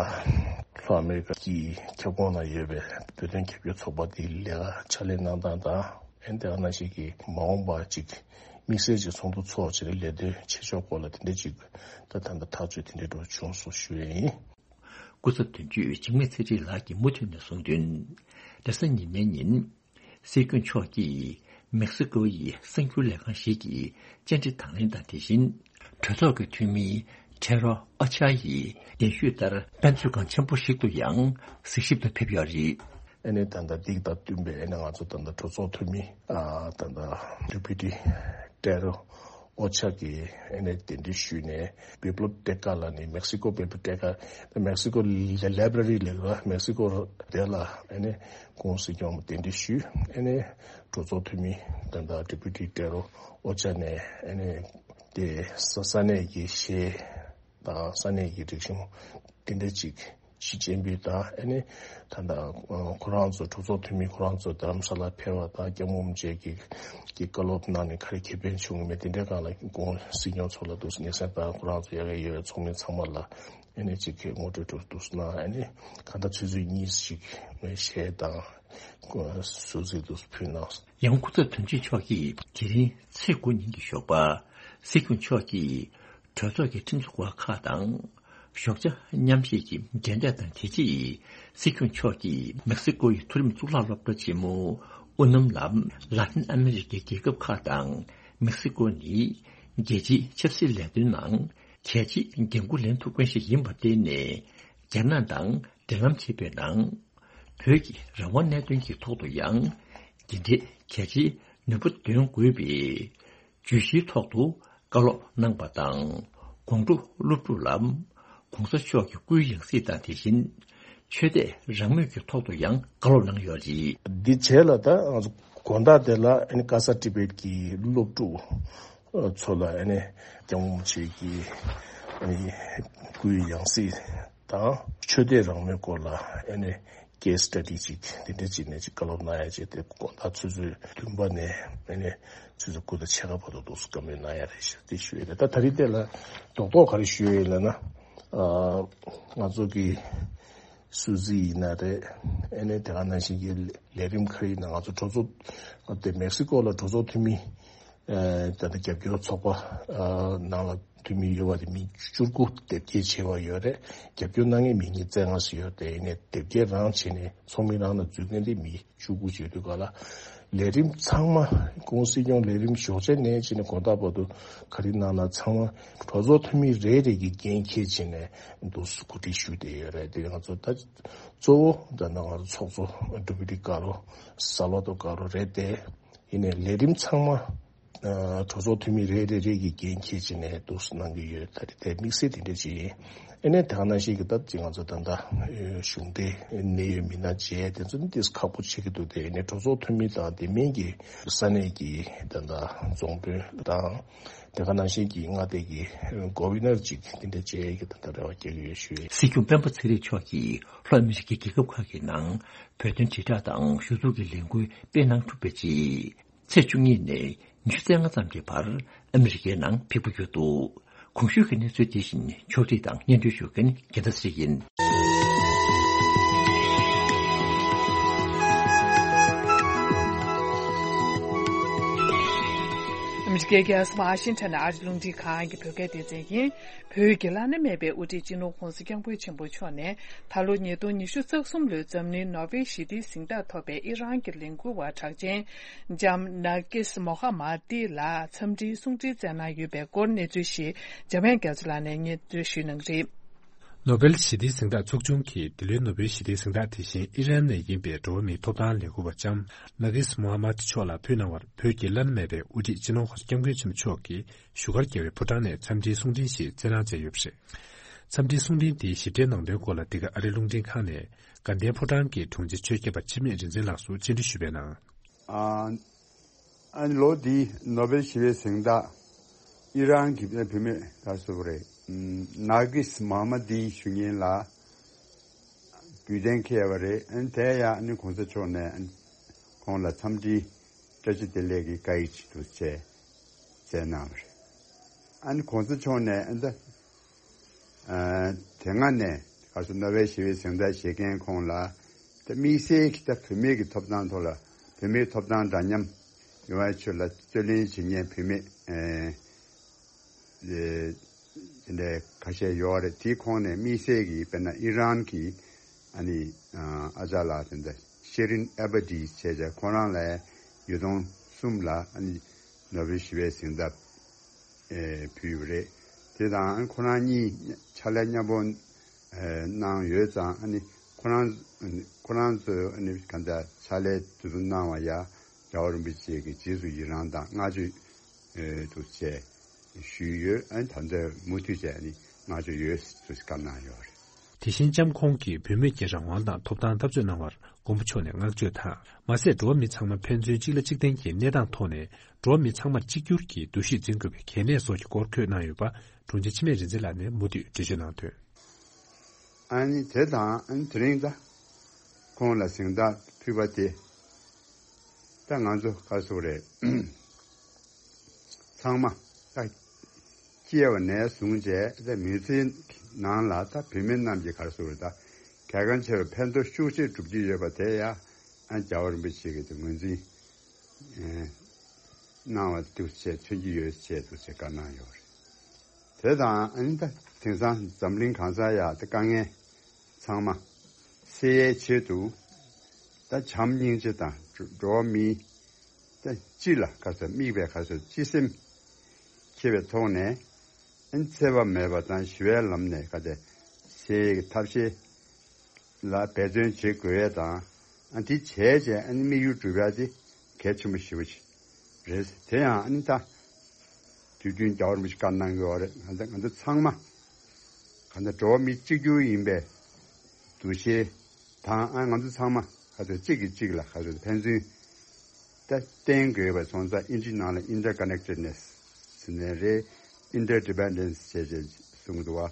ལྷོ་ཨ་མེ་རི་ཀ་གི་ཁྱབ་ཁོངས་ན་ཡོད་པའི་བོད་དོན་རྒྱབ་སྐྱོར་ཚོགས་པ་འདིའི་ལས་ཀ་ཕྱག་ལས་གནང་སྟངས་དང་། ཨ་ནི་དེ་ག་ནང་བཞིན་གྱི་མ་འོངས་པ་ཅིག་དམིགས་བསལ་གྱི་ཚོགས་འདུ་ཚོགས་བྱས་ནས་ལས་དོན་བྱེད་ཕྱོགས་སྐོར་ལ་དེ་འདྲ་ཅིག་ད་ད་ལྟ་ཐག་གཅོད་དེ་འདྲ་འགྲོ་བྱུང་སོང་ཞུ་ཡས་ཡིན། སྐུ་ཚབ་དོན་གཅོད་འཇིགས་མེད་ཚེ་རིང་ལགས་ཀྱིས་མུ་མཐུད་ནས་གསུངས་དོན། རེས་གཟའ་ཉི་མའི་ཉིན། སྲིད་སྐྱོང་མཆོག་གིས་མེག་སི་ཀོ་ཡི་གསར་འགྱུར་ལས་ཁང་ཞིག་གི་བཅར་འདྲི་དང་ལེན་དང་། དེ་བཞིན་གྲོས་ཚོགས་ཀྱི་འཐུས་མི་ཁྲེ་རོ་ཨོ་ཆ་ཡིས་གདན་ཞུས་ལྟར་དཔེ་མཛོད་ཁང་ཆེན་པོ་ཞིག་ཏུ་ཡང་གཟིགས་ཞིབ་ཏུ་ཕེབས་ཡོད་རེད། ཨ་ནི་ད་ལྟ་འདི་དང་བསྟུན་པའི་ཨ་ནི་ང་ཚོ་ད་ལྟ་གྲོས་ཚོགས་འཐུས་མི་ཨ་ད་ལྟ་ཌེ་པུ་ཊི་ཊེ་རོ་ཨོ་ཆ་གིས་ཨ་ནི་གདན་འདྲེན་ཞུས་ནས། བི་པློབ་ཊེ་ཀ་ལབ་ནས་མེག་སི་ཀོ་བི་པློབ་ཊེ་ཀ། མེག་སི་ཀོ་ལ་ལའི་བྷ་ར་རི་ལབ་ཀྱི་རེད། མེག་སི་ཀོ་དེ་ལ་ཨ་ནི་༸གོང་ས་༸སྐྱབས་མགོན་གདན་འདྲེན་ཞུས། ཨ་ནི་གྲོས་ཚོགས་འཐུས་མི་ད་ལྟ་ཌེ་པུ་ཊི་ཊེ་རོ་ཨོ་ཆ་ནས་ཨ་ནི་དེ་ས་ས་གནས་ཀྱི་གཞས་དང་ས་གནས་ཀྱི་རིག་གཞུང་དེ་འདྲ་ཅིག་ཅིག་སྤྱན་འབུལ་དང་། ཨ་ནི་ད་ལྟ་ཁོ་རང་ཚོ་གྲོས་ཚོགས་འཐུས་མི་ཁོ་རང་ཚོ་རྡ་རམ་ས་ལ་ཕེབས་པ་དང་། སྐྱབས་མགོན་རིན་པོ་ཆེ་གི་གི་བཀའ་སློབ་གནང་ནས་ག་རེ་ཁེ་ཕན་བྱུང་མེད་དེ་འདྲའི་སྒང་ལ་༸གོང་ས་༸སྐྱབས་མགོན་མཆོག་ལ་འདུག་སེ་སྙན་སེང་དང་། ཁོ་རང་ཚོ་ཡ་གི་ཡོད་པའི་ཚོགས་མི་ཚང་མ་ལ་ཨ་ནི་ཅིག་གི་ངོ་སྤྲོད་འདྲ་འདུག་སེ་གནང་། ཨ་ནི་གང་ལྟར་ཆུ་ཚོད་གཉིས་ཤིག་གཞས་དང་གཟུགས་གཟིགས་འདུག་སེ་ཕུལ་གནང་། ཡང་སྐུ་ཚབ་དོན་གཅོད་མཆོག་གིས་དེ་རིང་ཚེས་དགུ་ཉིན་གྱི་ཞོགས་པ་སྲིད་སྐྱོང་མཆོག་གིས་གྲོས་ཚོགས་ཀྱི་ཁྲིམས་བཟོ་བཀག་ཁག་དང་། ཞོགས་ཇ་མཉམ་བཞེས་ཀྱི་མཇལ་འཕྲད་དང་། དེ་རྗེས་སྲིད་སྐྱོང་མཆོག་གིས་མེག་སི་ཀོ་ཡི་མཐོ་རིམ་གཙུག་ལག་སློབ་གྲྭ་ཆེན་མོ་ཨུ་ནམ་ལ་ལ་ཏིན་ཨ་མེ་རི་ཀའི་རྒྱལ་ཁབ་ཁག་དང་། མེག་སི་ཀོ་ནི་རྒྱལ་སྤྱིའི་ཆབ་སྲིད་ལས་དོན་ནང་གལ་ཆེའི་འགན་འཁུར་ལེན་ཐུབ་མཁན་ཞིག་ཡིན་པར་བརྟེན་ནས། རྒྱ་ནག་དང་འབྲེལ་ལམ་བྱེད་པའི་ནང་བོད་ཀྱི་རང་དབང་གནད་དོན་གྱི་ཐོག་ཏུ་ཡང་འདི་འདྲའི་གལ་ཆེའི་ནུས་པ་འདོན་དགོས་པའི་བརྗོད་གཞིའི་ཐོག་ཏུ་བཀའ་སློབ་གནང་པ་དང་། ཀོང་ཀྲོའུ་སློབ་ཕྲུག་ལ་༸གོང་ས་མཆོག་གི་སྐུའི་ཡང་སྲིད་དང་། དེ་བཞིན་ཆོས་དད་རང་མོས་ཀྱི་ཐོག་ཏུ་ཡང་བཀའ་སློབ་གནང་ཡོད་རེད། འདི་རྗེས་ལ་ད་ང་ཚོ་དགོང་དག་དེ་ལ་ཨ་ནི་ཀ་ས་ཏི་བེད་ཀྱི་སློབ་ཕྲུག་ཚོ་ལ་ཨ་ནི་༸སྐྱབས་མགོན་རིན་པོ་ཆེ་གི་ཨ་ནི་སྐུའི་ཡང་སྲིད་དང་ཆོས་དད་རང་མོས་སྐོར་ལ་ཨ་ནི་ཀེ་སི་སི་ཊ་ཌི་ཅིག་དེ་འདྲ་ཅིག་ནས་ཅིག་བཀའ་སློབ་གནང་ཡ་བྱས་ཏེ། དགོང་དག་ཆུ་ཚོད་བདུན་པ་ནས་ཨ་ནི་ཆུ་ཚོད་དགུ་དང་ཕྱེད་ཀ་བར་དུ་འདུག་སེ་བཀའ་མོལ་གནང་ཡ་རེད་ཤག་དེ་ཞུ་ཡ་རེད། ད་ད་རེས་དེ་ལ་རྡོག་རྡོག་ག་རེ་ཞུ་ཡ་ཡིན་ལབ་ན། ཨ་ང་ཚོ་གི་སུད་སི་ཡིན་ན་རེད། ཨ་ནི་དེ་ག་ནང་བཞིན་གྱི་ལས་རིམ་ཁག་ཡིན་ན། ང་ཚོ་གྲོས་ཚོགས་དེ་མེག་སི་ཀོ་ལ་གྲོས་ཚོགས་འཐུས་མི་ཨ་ད་ལྟ་རྒྱབ་སྐྱོར་ཚོགས་པ་ཨ་ནང་ལ་འཐུས་མི་ཡོད་པ་དེ་མི་བཅུ་དགུ་དེབ་སྐྱེལ་བྱས་པ་ཡོད་རེད། རྒྱབ་སྐྱོར་གནང་མཁན་མི་ཉིས་རྩ་ལྔ་ཞིག་ཡོད་དེ། ཡིན་ནའི་དེབ་སྐྱེལ་རང་བྱས་ནས་ཚོགས་མི་རང་ལ་འཛུལ་མཁན་དེ་མི་བཅུ་དགུ་བྱེད་དུས་ག་ལ། ལས་རིམ་ཚང་མ་༸གོང་ས་༸སྐྱབས་མགོན་ལས་རིམ་ཞོགས་ཇ་ནས་བྱས་ནས་དགོང་དག་བར་དུ་ག་རེ་གནང་ན་ཚང་མ་གྲོས་ཚོགས་འཐུས་མི་རེ་རེ་གིས་འགན་འཁྱེར་བྱས་ནས་འདུག་སེ་གོ་སྒྲིག་ཞུས་བསྡད་ཡོད་རེད། དེ་ང་ཚོ་ད་གཙོ་བོ་ད་ནང་ང་ཚོ་ཚོགས་གཙོ་ཌེ་པུ་ཊི་ཀ་རོ་སཱལ་ཝ་དོ་ཀ་རོ་རེད་དེ། ཡིན་ནའི་ལས་རིམ་ཚང་མ་ཨ་གྲོས་ཚོགས་འཐུས་མི་རེ་རེ་རེ་གིས་འགན་འཁྱེར་བྱས་ནས་འདུག་སེ་གནང་གི་ཡོད། ད་རེས་དེ་དམིགས་བསལ་དེ་འདྲ་ཅིག་ཡིན། ཨ་ནི་དེ་ག་ནང་བཞིན་གྱི་སྟབས་ཀྱིས་ང་ཚོ་ད་ལྟ་གཞུང་འབྲེལ་གནད་ཡོད་མི་སྣ་མཇལ་དེ་ཚོ་ནི་ཏོག་ཙམ་ཁག་པོ་ཆགས་ཀྱི་འདུག་དེ་ནས་གྲོས་ཚོགས་འཐུས་མི་དང་དེ་མིན་གྱི་ས་གནས་ཀྱི་ད་ལྟ་རྫོང་དཔོན་དང་། དེ་ག་ནང་བཞིན་གྱི་མངའ་སྡེ་གི་ཀོ་མི་ཤ་ནར་ཅིག་དེ་འདྲ་མཇལ་ཡས་ཀྱི་ད་ལྟ་རེ་བ་རྒྱག་གི་ཡོད་ཞུ་ཡས། སྲིད་སྐྱོང་སྤེན་པ་ཚེ་རིང་མཆོག་གིས་ལྷོ་ཨ་མི་རི་ཀའི་རྒྱལ་ཁབ་ཁག་གི་ནང་བོད་དོན་དྲིལ་བསྒྲགས་དང་ཞུ་གཏུག་གི་ལས་འགུལ་སྤེལ་གནང་གྲུབ་པའི་རྗེས། ཚེས་བཅུ་གཉིས་ནས་ཉི་ཤུ་རྩ་ལྔ་ཙམ་གྱི་བར་ཨ་མི་རི་ཀའི་ནང་ཕེབས་ཀྱི་ཡོད་འདུག་གོང་ཞུས་ཀྱི་གནས་ཚུལ་དེ་བཞིན་ཕྱོགས་སྒྲིག་དང་སྙན་སྒྲོན་ཞུ་མཁན་རྒྱལ་མཚན་ཚེ་རིང་ཡིན། ཨ་མི་ རྒྱལ་རྒྱལ་སོ་ཨ་ཤིན་ཊོན་ཨ་རི་རླུང་འཕྲིན་ཁང་གི་བོད་སྐད་སྡེ་ཚན་ཡིན། བོད་ཀྱི་བླ་ན་མེད་པའི་དབུ་ཁྲིད་སྤྱི་ནོར་༧གོང་ས་༧སྐྱབས་མགོན་ཆེན་པོ་མཆོག་ནས་ད་ལོ་ཉིས་སྟོང་ཉི་ཤུ་རྩ་གསུམ་ལོའི་འཛམ་གླིང་ནོ་བེལ་ཞི་བདེའི་གཟེངས་རྟགས་ཐོབ་པའི་ཨི་རན་གྱི་ལས་འགུལ་བ་གྲགས་ཅན་ལྕམ་ནར་ཀིས་མོ་ཧ་མ་ཏི་ལ་འཚམས་འདྲིའི་གསུང་འཕྲིན་བསྩལ་གནང་ཡོད་པའི་སྐོར་གནས་ཚུལ་ཞིག་འཇམ་དབྱངས་རྒྱ་མཚོ་ལགས་ནས་སྙན་སྒྲོན་ཞུ་གནང་གི་རེད། ནོ་བེལ་ཞི་བདེའི་གཟེངས་རྟགས་ཚོགས་ཆུང་གིས་འདི་ལོའི་ནོ་བེལ་ཞི་བདེའི་གཟེངས་རྟགས་དེ་བཞིན་ཨི་རན་ནས་ཡིན་པའི་འགྲོ་བ་མིའི་ཐོབ་ཐང་ལས་འགུལ་བ་ལྕམ་ནར་ཀིས་མོ་ཧ་མ་ཏི་མཆོག་ལ་ཕུལ་གནང་བར་བོད་ཀྱི་བླ་ན་མེད་པའི་དབུ་ཁྲིད་སྤྱི་ནོར་༧གོང་ས་༧སྐྱབས་མགོན་ཆེན་པོ་མཆོག་གིས་བཞུགས་སྒར་རྒྱལ་བའི་ཕོ་བྲང་ནས་འཚམས་འདྲིའི་གསུང་འཕྲིན་ཞིག་བསྩལ་གནང་མཛད་ཡོད་པ་རེད། འཚམས་འདྲིའི་གསུང་འཕྲིན་དེའི་ཞིབ་ཕྲའི་ནང་དོན་སྐོར་ལ་འདི་ག་ཨ་རིའི་རླུང་འཕྲིན་ཁང་ནས་དགའ་ལྡན་ཕོ་བྲང་གི་དྲུང་ཆེ་ཆོས་སྐྱབས་པ་འཆི་མེད་རིག་འཛིན་ལགས་སུ་སྤྱན་འདྲི་ཞུས་པའི་ནང་། ཨ་ཨ་ནི་ལོ་འདིའི་ནོ་བེལ་ཞི་བའི་གཟེངས་རྟགས་ཨི་རན་གྱི་བུད་མེད་ག་སུ་རེད། ནར་གིས་མོ་ཧ་མ་ཏི་ཞུ་མཁན་ལ་རྒྱུད་གཏན་འཁེལ་བ་རེད། ཨ་ནི་དེ་ཡང་ཨ་ནི་གོང་ས་མཆོག་ནས་ཨ་ནི་ཁོང་ལ་འཚམས་འདྲིའི་བཀྲ་ཤིས་བདེ་ལེགས་ཀྱི་བཀའ་ཡིག་ཅིག་ཏུ་བྱས་བྱས་གནང་བ་རེད། ཨ་ནི་གོང་ས་མཆོག་ནས་ཨ་ནི་ད་ཨ་དེ་སྔ་ནས་ག་སུ་ནོ་བེལ་ཞི་བའི་གཟེངས་རྟགས་བཞེས་མཁན་ཁོང་ལ་ད་དམིགས་བསལ་གྱི་ད་བུད་མེད་ཀྱི་ཐོབ་ཐང་ཐོག་ལ་བུད་མེད་ཐོབ་ཐང་འདྲ་མཉམ་ཡོང་བའི་ཆེད་ལ་རྩོད་ལེན་བྱེད་མཁན་བུད་མེད་ཨེ་དེ་འདྲའི་ཁ་ཤས་ཡོད་རེད། དེའི་ཁོངས་ནས་དམིགས་བསལ་གྱི་དཔེར་ན་ཨི་རན་གྱི་ཨ་ནི་ཨ་ཅག་ལགས་དེ་འདྲ་ཤེ་རིན་ཨེ་བ་ཏི་བྱས་བྱས་ཁོ་རང་ལ་ཉིས་སྟོང་གསུམ་ལ་ཨ་ནི་ནོ་བེལ་ཞི་བའི་གཟེངས་རྟགས་ཨེ་ཕུལ་ཡོད་རེད། དེ་དང་ཁོ་རང་གཉིས་ཕྱག་ལས་མཉམ་པོ་ཨེ་གནང་ཡོད་ཙང་ཨ་ནི་ཁོ་རང་ཁོ་རང་ཚོས་ཨ་ནི་གང་ལྟར་ཕྱག་ལས་དེ་ཚོ་གནང་བ་ཡ་རྒྱལ་བ་རིན་པོ་ཆེ་གི་རྗེས་སུ་ཡི་རང་དང་བསྔགས་བརྗོད་ཨེ་དུ་བྱས་ཞུས་ཡོད། ཨ་ནི་ད་ལྟ་མུ་མཐུད་བྱས་ཨ་ནི་བསྔགས་བརྗོད་ཡོད་ཟེར་བཀའ་གནང་ཡོད་རེད། དེ་བཞིན་ལྕམ་ཁོང་གིས་བུད་མེད་ཀྱི་རང་དབང་དང་ཐོབ་ཐང་འཐབ་རྩོད་གནང་བར་མགོན་པོ་མཆོག་ནས་བསྔགས་བརྗོད་དང་མ་ཟད་འགྲོ་བ་མི་ཚང་མ་ཕན་ཚུན་གཅིག་ལ་གཅིག་བརྟེན་གྱི་གནས་སྟངས་ཐོག་ནས་འགྲོ་བ་མི་ཚང་མར་གཅིག་གྱུར་གྱི་འདུ་ཤེས་འཛིན་དགོས་པའི་གལ་གནད་སོགས་ཀྱི་སྐོར་བཀོད་གནང་ཡོད་པ་དྲུང་ཆེ་འཆི་མེད་རིག་འཛིན་ལགས་ནས་མུ་མཐུད་འགྲེལ་བརྗོད་གནང་དོན། ཨ་ནི་དེ་དང་ཨ་ནི་དེ་རིང་ད་ཁོང་ལ་གཟེངས་རྟགས་ཕུལ་བ་དེ་ད་ང་ཚོ་ག་སུ་རེད། ཚང་མ་ད་སྐྱེས་པ་ནས་བཟུང་བྱས་ད་མི་ཚེའི་ནང་ལ་ད་བུད་མེད་རྣམས་ཀྱི་ག་སུ་རེད་ད་གལ་འགངས་ཆེ་བའི་ཕན་ཐོགས་ཤུགས་ཆེ་སྒྲུབ་ཀྱི་ཡོད་པ་དེ་ཡང་ཨ་རྒྱལ་བ་རིན་པོ་ཆེ་གིས་ད་ངོས་འཛིན་གནང་བ་འདུག་ཅེས་མཚོན་གྱི་ཡོད་ཅེས་འདུག་ཅེས་བཀའ་གནང་ཡོད་རེད། དེ་དང་ཨ་ནི་ད་དེང་སང་འཛམ་གླིང་གང་ས་ཡ་ད་དཀའ་ངལ་ཚང་མ་སེལ་ཡའི་ཆེད་དུ་ད་བྱམས་སྙིང་རྗེ་དང་འགྲོ་བ་མིའི་ད་སྤྱི་ལ་ག་ཚོད་དམིགས་པའི་ག་ཚོད་སྤྱི་སེམས་འཁྱེར་བའི་ཐོག་ནས་ཨ་ནི་འཚེ་བ་མེད་པ་དང་ཞི་བའི་ལམ་ནས་ག་ཚོད་སེལ་ཡའི་ཐབས་ཤེས་ལ་འབད་བརྩོན་བྱེད་དགོས་ཡས་དང་། ཨ་འདི་བྱས་རྗེས་ཨ་ནི་དམིགས་ཡུལ་འགྲུབ་ཡ་དེ་གལ་ཆེན་པོ་ཞེ་པོ་ཅིག་རེད། དེ་ཡང་ཨ་ནི་ད་དུས་རྒྱུན་རྒྱལ་བ་རིན་པོ་ཆེ་བཀའ་གནང་གི་ཡོད་རེད། ང་ཚོ་ང་ཚོ་ཚང་མ་གང་ལྟར་འགྲོ་བ་མི་གཅིག་གྱུར་ཡིན་པའི་འདུ་ཤེས་དང་། ཨ་ང་ཚོ་ཚང་མ་ག་ཚོད་གཅིག་གིས་གཅིག་ལ་ག་ཚོད་ཕན་ཚུན་ད་བརྟེན་དགོས་པ་སོང་ཙང་ཨིན་ཇི་ནང་ལ་ཨིན་ཊར་ཀ་ནེག་ཊེཌ་ནེ་སི་ཟེར་ནའི་རེད། ཨིན་ཊར་ཌི་པེན་ཌེན་སི་བྱས་བྱས་གསུང་གི་འདུག་བ།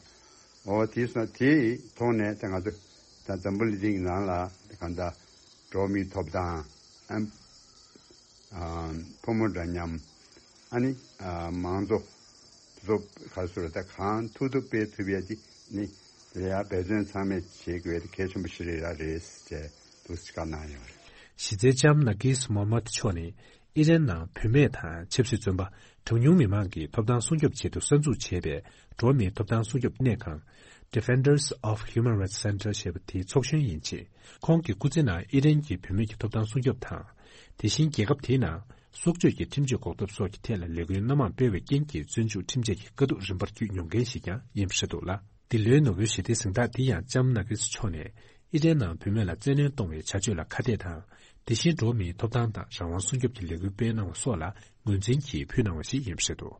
འོ་དེ་སོང་དེའི་ཐོག་ནས་ད་ང་ཚོ་ད་འཛམ་བུ་གླིང་འདིའི་ནང་ལ་གང་ལྟར་འགྲོ་བ་མིའི་ཐོབ་ཐང་ཨ་ཨ་ཕོ་མོ་འདྲ་མཉམ་ཨ་ནི་ཨ་མང་གཙོ་དེ་ཚོ་ག་ཚོད་ད་གང་ཐུབ་ཐུབ་སྤེལ་ཐུབ་ཡས་དེ་ནི་དེ་ལ་ཡང་འབད་བརྩོན་ཚང་མས་བྱེད་དགོས་དེ་གལ་ཆེན་པོ་ཞིག་རེད་ར་རེད་ཅེས་འདུག་སེ་བཀའ་གནང་ཡོད་རེད། གཞི་རྩའི་ལྕམ་ནར་གིས་མོ་ཧམ་མད་མཆོག་ནི་ཨི་རན་ནང་བུད་མེད་དང་ཆབ་སྲིད་བཙོན་པ། གྲངས་ཉུང་མི་མང་གི་ཐོབ་ཐང་སྲུང་སྐྱོབ་ཆེད་དུ་གསར་འཛུགས་བྱས་པའི་འགྲོ་བ་མིའི་ཐོབ་ཐང་སྲུང་སྐྱོབ་གནས་ཁང་། Defenders of Human Rights Center ཞེས་པ་དེའི་ཚོགས་གཞོན་ཡིན་ཕྱིན། ཁོང་གི་སྐུ་ཚེ་ནང་ཨི་རན་གྱི་བུད་མེད་ཀྱི་ཐོབ་ཐང་སྲུང་སྐྱོབ་དང་། དེ་བཞིན་རྒྱལ་ཁབ་དེའི་ནང་སྲོག་གཅོད་ཀྱི་ཁྲིམས་གཅོད་འགོག་ཐབས་སོགས་ཀྱི་ཐད་ལ་ལས་འགུལ་སྣ་མང་སྤེལ་བའི་རྐྱེན་གྱིས་བཙོན་འཇུག་ཁྲིམས་ཆད་ཀྱི་དཀའ་སྡུག་རིམ་པར་བརྒྱུད་མྱོང་མཁན་ཞིག་ཀྱང་ཡིན་པ་རེད་འདུག་ལ། འདི་ལོའི་ནོ་བེལ་ཞི་བདེའི་གཟེངས་རྟགས་འདི་ཡང་ལྕམ་ནར་གིས་མཆོག་ནས་ཨི་རན་ནང་བུད་མེད་ལ་བཙན་གནོན་གཏོང་བའི་བྱ་སྤྱོད་ལ་ཁ་གཏད་དང་། དེ་བཞིན་འགྲོ་བ་མིའི་ཐོབ་ཐང་དང་རང་དབང་སྲུང་སྐྱོབ་ཀྱི་ལས་འགུལ་སྤེལ་གནང་བ་སོགས་ལ་ངོས་འཛིན་གྱིས་ཕུལ་གནང་བ་ཞིག་ཡིན་པ་རེད་འདུག།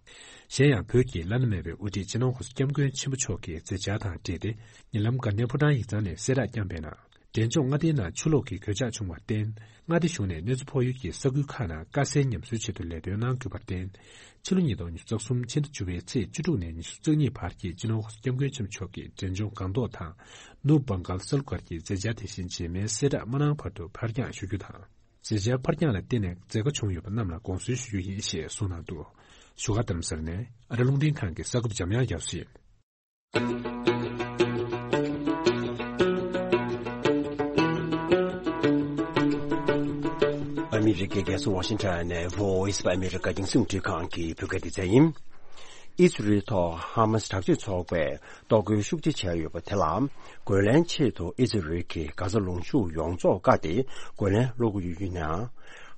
གཞན་ཡང་བོད་ཀྱི་བླ་ན་མེད་པའི་དབུ་ཁྲིད་སྤྱི་ནོར་༧གོང་ས་༧སྐྱབས་མགོན་ཆེན་པོ་མཆོག་གི་མཛད་འཆར་དང་འབྲེལ་ཏེ། ཉེ་ལམ་དགའ་ལྡན་ཕོ་བྲང་ཡིག་ཚང་ནས་གསལ་བསྒྲགས་བསྐྱངས་པའི་ནང་། འབྲས་ལྗོངས་མངའ་སྡེའི་ནང་ཆུ་ལོག་གི་གོད་ཆག་བྱུང་བར་བརྟེན། མངའ་སྡེ་གཞུང་ནས་གནོད་འཚེ་ཕོག་ཡུལ་གྱི་ས་ཁུལ་ཁག་ནང་དཀའ་སེལ་ཉམས་གསོའི་ཆེད་དུ་ལས་དོན་གནང་དགོས་པར་བརྟེན། ཕྱི་ལོ་ཉིས་སྟོང་ཉི་ཤུ་རྩ་གསུམ་ཕྱི་ཟླ་བཅུ་པའི་ཚེས་བཅུ་དྲུག་ནས་ཉི་ཤུ་རྩ་གཉིས་བར་གྱི་སྤྱི་ནོར་༧གོང་ས་༧སྐྱབས་མགོན་ཆེན་པོ་མཆོག་གི་འབྲས་ལྗོངས་སྒང་ཏོག་དང་། ནུབ་བྷང་གཱལ་ས་ལུ་སྒར་གྱི་མཛད་འཆར་དེ་བཞིན་རྗེས་མའི་གསལ་བསྒྲགས་མ་གནང་བར་དུ་ཕར་འགྱངས་ཞུ་རྒྱུ་དང་། མཛད་འཆར་ཕར་འགྱངས་ལ་བརྟེན་ནས་འཛེག་དཀའ་བྱུང་ཡོད་པ་རྣམས་ལ་དགོངས་སེལ་ཞུ་རྒྱུ་ཡིན་ཞེས་གསུངས་གནང་འདུག། བཞུགས་སྒར་རྡ་རམ་ས་ལ་ནས་ཨ་རི་རླུང་འཕྲིན་ཁང་གི་གསར་འགོད་པ་འཇམ་དབྱངས་རྒྱ་མཚོ་ཡིན། ཨ་མི་རི་ཀའི་རྒྱལ་ས་ཝ་ཤིང་ཊོན་ནས་Voice of America རྒྱང་སྲིང་རླུང་འཕྲིན་ཁང་གི་བོད་སྐད་སྡེ་ཚན་ཡིན། ཨི་སི་རེལ་ཐོག་ཧ་མ་སི་དྲག་སྤྱོད་ཚོགས་པས་གཏོར་རྒོལ་ཤུགས་ཆེ་བྱས་ཡོད་པ་དེ་ལ། རྒོལ་ལན་ཆེད་དུ་ཨི་སི་རེལ་གྱིས་གྷ་ཛ་ལུང་གཤོང་ཡོངས་རྫོགས་བཀག་སྟེ་རྒོལ་ལན་སློག་གི་ཡོད་ཡིན་ནའང་།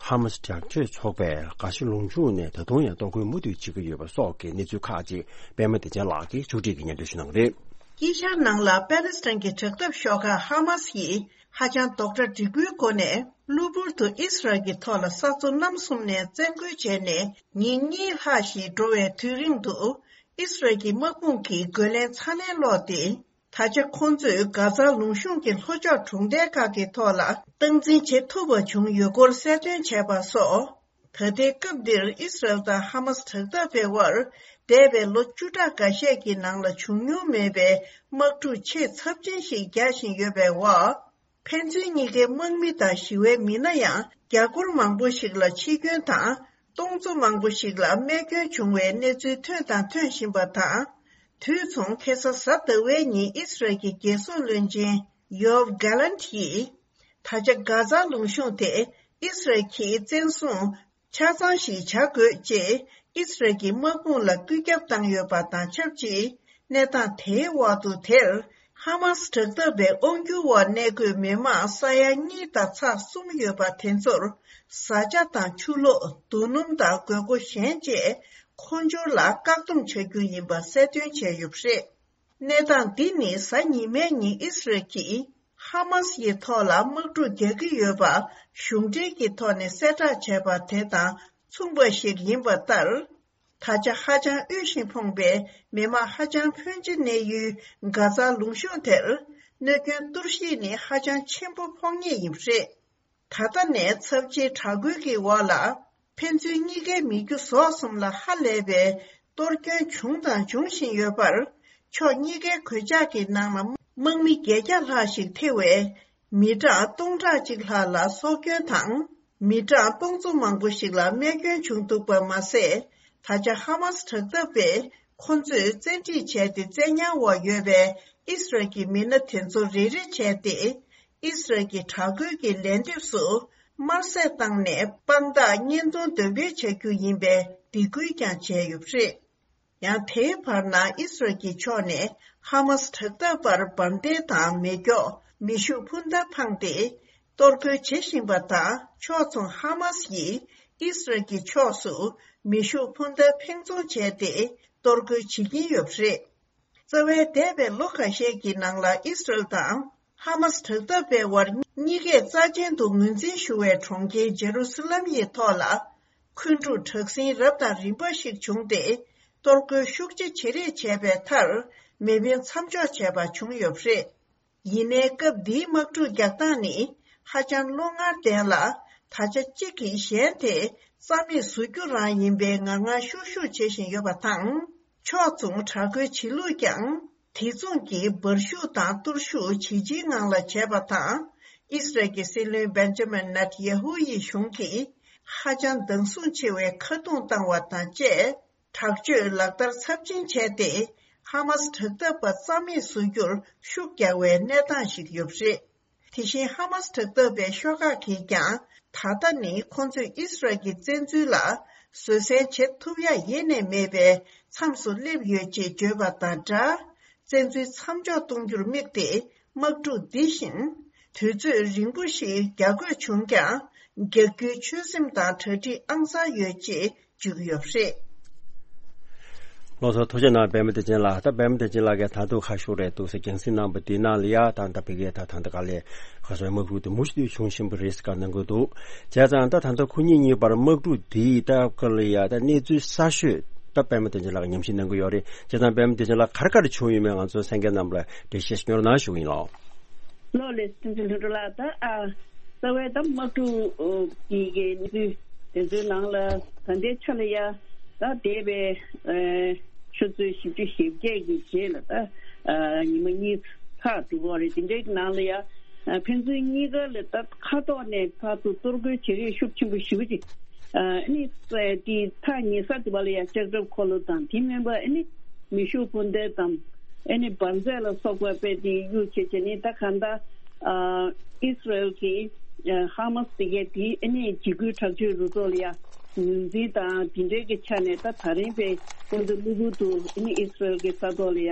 ཧ་མ་སི་དྲག་སྤྱོད་ཚོགས་པས་གྷ་ཛ་ལུང་གཤོང་ནས་ད་དུང་ཡང་གཏོར་རྒོལ་མུ་མཐུད་བྱེད་ཀྱི་ཡོད་པ་སོགས་ཀྱི་གནས་ཚུལ་ཁག་ཅིག་པད་མ་བདེ་ཆེན་ལགས་ཀྱིས་མཇུག་སྒྲིལ་གྱིས་སྙན་སྒྲོན་ཞུ་གནང་གི་རེད། དཀྱིལ་ཤར་ནང་ལ་པ་ལི་སི་ཐན་གྱི་དྲག་འཐབ་ཤོག་ཁག་ཧ་མ་སི་ཡིས་ཧ་ཅང་རྡོག་ཁྲ་སྒྲིག་པོའི་སྒོ་ནས་གློ་བུར་དུ་ཨི་སི་རལ་གྱི་ཐོག་ལ་ས་མཚོ་གནམ་གསུམ་ནས་བཙན་རྒོལ་བྱས་ནས་ཉིན་གཉིས་ལྷག་ཞིག་འགྲོ་བའི་དུས་རིང་དུ། ཨི་སི་རལ་གྱི་དམག་དཔུང་གིས་རྒོལ་ལན་ཚ་ནན་སློག་སྟེ། ད་ཆ་ཁོང་ཚོས་གྷ་ཛ་ལུང་གཤོང་གི་ལྷོ་ཕྱོགས་གྲོང་རྡལ་ཁག་གི་ཐོག་ལ་སྟངས་འཛིན་བྱེད་ཐུབ་པ་བྱུང་ཡོད་སྐོར་གསལ་སྟོན་བྱས་པ་སོགས། ད་ལྟའི་སྐབས་འདིར་ཨི་སི་རལ་དང་ཧ་མ་སི་དྲག་འཐབ་པའི་དབར་འདས་པའི་ལོ་བཅུ་ཕྲག་འགའ་ཤས་ཀྱི་ནང་ལ་བྱུང་མྱོང་མེད་པའི་དམག་འཁྲུག་ཆེས་ཚབས་ཆེན་ཞིག་རྒྱག་བཞིན་ཡོད་པའི་འོག་ཕན་ཚུན་གཉིས་ཀའི་དམག་མི་དང་ཞི་བའི་མི་སྣ་ཡང་རྒྱ་སྒོར་མང་པོ་ཞིག་ལ་འཆི་སྐྱོན་དང་། སྟོང་ཚོ་མང་པོ་ཞིག་ལ་རྨས་སྐྱོན་བྱུང་བའི་གནས་ཚུལ་ཐོན་དང་ཐོན་བཞིན་པ་དང་། དུས་མཚུངས་ཁ་སང་གཟའ་ཟླ་བའི་ཉིན་ཨི་སི་རལ་གྱི་རྒྱལ་སྲུང་བློན་ཆེན་ཡོབ་གྷ་ལན་ཡིས། ད་ཆ་གྷ་ཛ་ལུང་གཤོང་དེ་ཨི་སི་རལ་གྱིས་བཙན་བཟུང་ཆ་ཚང་ཞིག་བྱ་དགོས་ཅེས་ཨི་སི་རལ་གྱི་དམག་དཔུང་ལ་བཀོད་ཁྱབ་བཏང་ཡོད་པ་དང་ཆབས་ཅིག་གནས་སྟངས་དེའི་འོག་ཏུ་དེར་ཧ་མ་སི་དྲག་འཐབ་པའི་དབང་སྒྱུར་འོག་གནས་འཁོད་མི་མང་ས་ཡ་གཉིས་དང་ཚེག་གསུམ་ཡོད་པ་དེ་ཚོར་བཟའ་བཅའ་དང་ཆུ་ལོག་རྡོ་སྣུམ་དང་དགོས་མཁོ་གཞན་བཅས་མཁོ་སྦྱོར་ལ་བཀག་སྡོམ་བྱ་རྒྱུ་ཡིན་པ་གསལ་སྟོན་བྱས་ཡོད་པ་རེད། གནས་སྟངས་འདི་ནི་གཟའ་ཉི་མའི་ཉིན་ཨི་སི་རལ་གྱིས་ཧ་མ་སི་ཡི་ཐོག་ལ་དམག་འཁྲུག་རྒྱག་གི་ཡོད་པ་གཞུང་འབྲེལ་གྱི་ཐོག་ནས་གསལ་བསྒྲགས་བྱས་པ་དེ་དང་མཚུངས་པ་ཞིག་ཡིན་པ་ལྟར། ད་ཆ་ཧ་ཅང་དབུལ་ཞིང་ཕོངས་པའི་མི་མང་ཧ་ཅང་ཕོན་ཆེ་གནས་ཡུལ་གྷ་ཛ་ལུང་གཤོང་དེར་གནོད་སྐྱོན་གཏོར་བཤིག་ནི་ཧ་ཅང་ཆེན་པོ་ཕོག་ངེས་ཡིན་པ་རེད། ད་ལྟ་ནས་ཚབས་ཆེའི་དྲག་རྒོལ་གྱི་འོག་ལ་ཕན་ཚུན་གཉིས་ཀའི་མི་རྒྱུ་ཟོག་གསུམ་ལ་ཧ་ལས་པའི་གཏོར་སྐྱོན་བྱུང་དང་འབྱུང་བཞིན་ཡོད་པར། ཕྱོགས་གཉིས་ཀའི་གོད་ཆག་གི་ནང་ལ་དམག་མི་བརྒྱད་བརྒྱ་ལྷག་ཞིག་ཐེ་བའི་མི་གྲངས་སྟོང་ཕྲག་གཅིག་ལྷག་ལ་སྲོག་སྐྱོན་དང་། མི་གྲངས་སྟོང་ཚོ་མང་པོ་ཞིག་ལ་རྨས་སྐྱོན་བྱུང་འདུག་པ་མ་ཟད། ད་ཆ་ཧ་མ་སི་དྲག་འཐབ་པས་ཁོ་ཚོས་བཙན་ཁྲིད་བྱས་ཏེ་བཙན་ཉར་འོག་ཡོད་པའི་ཨི་སི་རལ་གྱི་མི་སྣ་དེ་ཚོ་རེ་རེ་བྱས་ཏེ། ཨི་སི་རལ་གྱི་དྲག་རྒོལ་གྱི་ལན་འདེབས་སུ་དམར་ཟས་བཏང་ནས་དཔང་རྟགས་བརྙན་ཐུང་འདོན་སྤེལ་བྱ་རྒྱུ་ཡིན་པའི་སྡིགས་སྐུལ་ཀྱང་བྱས་ཡོད་པ་རེད། ཡང་དེའི་བར་ན་ཨི་སི་རལ་གྱི་ཕྱོགས་ནས་ཧ་མ་སི་དྲག་འཐབ་པར་འབར་མདེལ་དང་མེ་སྒྱོགས། མེ་ཤུགས་འཕུར་མདའ་འཕངས་ཏེ་གཏོར་རྒོལ་བྱེད་བཞིན་པ་དང་། ཕྱོགས་མཚུངས་ཧ་མ་སི་ཡིས་ཨི་སི་རལ་གྱི་ཕྱོགས་སུ་མེ་ཤུགས་འཕུར་མདའ་འཕེན་རྫོང་བྱས་ཏེ་གཏོར་རྒོལ་བྱེད་ཀྱིན་ཡོད་པ་རེད། རྩ་བའི་འདས་པའི་ལོ་ཁ་ཤས་ཀྱི་ནང་ལ་ཨི་སི་རལ་དང་ཧ་མ་སི་དྲག་འཐབ་པའི་དབར་གཉིས་ཀས་རྩ་ཆེན་དུ་ངོས་འཛིན་ཞུ་བའི་གྲོང་ཁྱེར་ཇེ་རུ་སི་ལམ་ཡི་ཐོག་ལ་འཁོན་འཁྲུག་དྲག་ཟིང་རབ་དང་རིམ་པ་ཞིག་བྱུང་སྟེ། གཏོར་རྒོལ་ཤུགས་ཆེ་བྱེད་རེས་བྱས་པའི་མཐར་མེ་འཕེན་མཚམས་འཇོག་བྱས་པ་བྱུང་ཡོད་པ་རེད། ཡིན་ནའི་སྐབས་འདིའི་དམག་འཁྲུག་རྒྱག་སྟངས་ནི་ཧ་ཅང་བློ་ངར་ལྡན་ལ། ད་ཆ་གཅིག་གིས་གཞན་དེ་རྩ་མེད་བཟོ་རྒྱུ་རང་ཡིན་པའི་ངར་ངར་ཤུགས་ཤུགས་བྱེད་བཞིན་ཡོད་པ་དང་། ཕྱོགས་མཚུངས་དྲག་རྒོལ་བྱེད་ལུགས་ཀྱང་དེ་མཚུངས་ཀྱི་འབར་ཤུགས་དང་གཏོར་ཤུགས་ཇེ་ཆེའི་ངང་ལ་བྱས་པ་དང་། ཨི་སི་རལ་གྱི་སྲིད་བློན་བེན་ཇ་མིན་ནེ་ཐན་ཡ་ཧུ་ཡི་གཞུང་གིས་ཧ་ཅང་སྡང་ཟུག་ཆེ་བའི་ཁ་རྡུང་བཏང་བ་དང་བཅས། དྲག་སྤྱོད་ལག་བསྟར་ཚབས་ཆེན་བྱས་ཏེ། ཧ་མ་སི་དྲག་འཐབ་པ་རྩ་མེད་བཟོ་རྒྱུར་ཤུགས་རྒྱག་པའི་གནས་སྟངས་ཤིག་ཡོད་པ་རེད། དེ་བཞིན་ཧ་མ་སི་དྲག་འཐབ་པའི་ཤོག་ཁག་གིས་ཀྱང་། ད་ལྟ་ནི་ཁོང་ཚོས་ཨི་སི་རལ་གྱི་བཙན་འཛུལ་ལ་བཟོད་བསྲན་བྱེད་ཐུབ་ཡ་ཡེ་ནས་མེད་པའི་མཚམས་སུ་སླེབས་ཡོད་ཅེས་བརྗོད་པ་དང་སྦྲགས། བཙན་འཛུལ་མཚམས་འཇོག་གཏོང་རྒྱུར་དམིགས་ཏེ། དམག་འཁྲུག་འདི་བཞིན་དུས་ཚོད་རིང་པོ་ཞིག་རྒྱག་དགོས་བྱུང་ཀྱང་། རྒྱག་རྒྱུའི་ཆོད་སེམས་དང་གྲ་སྒྲིག་ཨང་གསར་ཡོད་ཅེས་བརྗོད་ཀྱི་ཡོད་པ་རེད། ལགས་སོ། ཐུགས་རྗེ་གནང་། པད་མ་བདེ་ཆེན་ལགས། ད་པད་མ་བདེ་ཆེན་ལགས་ཀྱིས་ད་དུང་ཁ་ཤོར་རེད་འདུག་ཟེར་རྒྱང་སྲིང་གནང་པ་འདི་ནང་ལ་ཡ། ད་ད་ཕ་གིར་ད་ད་ལྟ་ག་ལེ་ག་སོའི་དམག་འཁྲུག་དེ་མུ་མཐུད་བྱུང་བཞིན་པ་རེད་ཟེར་ག་གནང་གི་འདུག་བྱས་ཙང་ད་ད་ལྟ་ཁོ་གཉིས་གཉིས་བར་དམག་འཁྲུག་འདིའི་ད་ག་ལེ་ཡ་ད་གནས་ཚུལ་གསར་ཤོས་ད་པད་མ་བདེ་ཆེན་ལགས་ཀྱིས་ཉམས་ཞིབ་གནང་གི་ཡོད་རེད། བྱས་ཙང་པད་མ་བདེ་ཆེན་ལགས་ག་རེ་ག་རེ་བྱུང་ཡོད་མེད་ང་ཚོ་གསན་མཁན་རྣམས་ལ་འགྲེལ་བཤད་ཤིག་སྙོར་གནང་ཞུ་གི་ཡིན་ལགས། ལགས་ལགས། བསྟན་འཛིན་ལྷུན་གྲུབ་ལགས། ད་ཨ་རྩ་བའི་ད་དམག་འཁྲུག་གི་གི་གནས་ཚུལ་དེ་ཚོའི་ནང་ལ་ད་ལྟའི་ཆ་ལ་ཡ་ད་འདས་པའི་ཨ་ཆུ་ཚོད་བཞི་བཅུ་ཞེ་བརྒྱད་ཀྱི་རྗེས་ལ་ད་ཨ་ཉི་མ་གཉིས་ལྷག་འགྲོ་གི་རེད། དེ་འདྲའི་ནང་ལ་ཡ་ཨ་ཕན་ཚུན་གཉིས་ཀ་ལ་ད་མཁའ་ཐོག་ནས་ཕར་ཚུར་གཏོར་རྒོལ་བྱེད་རེས་ཤུགས་ཆེན་པོ་ཞེ་པོ་ཅིག་ཨ་ནི་དེ་མཐའ་ཉེ་ས་དེ་བ་ལ་ཡ་ལྕགས་ཁྲབ་འཁོར་ལོ་དང་དེ་མིན་པ་ཨ་ནི་མེ་ཤུགས་འཕུར་མདེལ་དང་ཨ་ནི་འབར་རྫས་ལ་སོགས་པ་དཔེ་དེ་གཡུག་བྱས་བྱས་ནས། ད་གང་ལྟར་ཨ་ཨི་སི་རལ་གྱིས་ ཧ་མ་སི་དེ་གས་དེ་ཨ་ནི་འཇིགས་སྐུལ་དྲག་སྤྱོད་རུ་ཚོགས་ལ་ཡ་ངོས་འཛིན་དང་དེ་འདྲའི་གི་ཆ་ནས། ད་ད་རིང་པའི་ཁོང་ཚོ་གློ་བུར་དུ་ཨ་ནི་ཨི་སི་རལ་གྱི་ས་ཐོག་ལ་ཡ་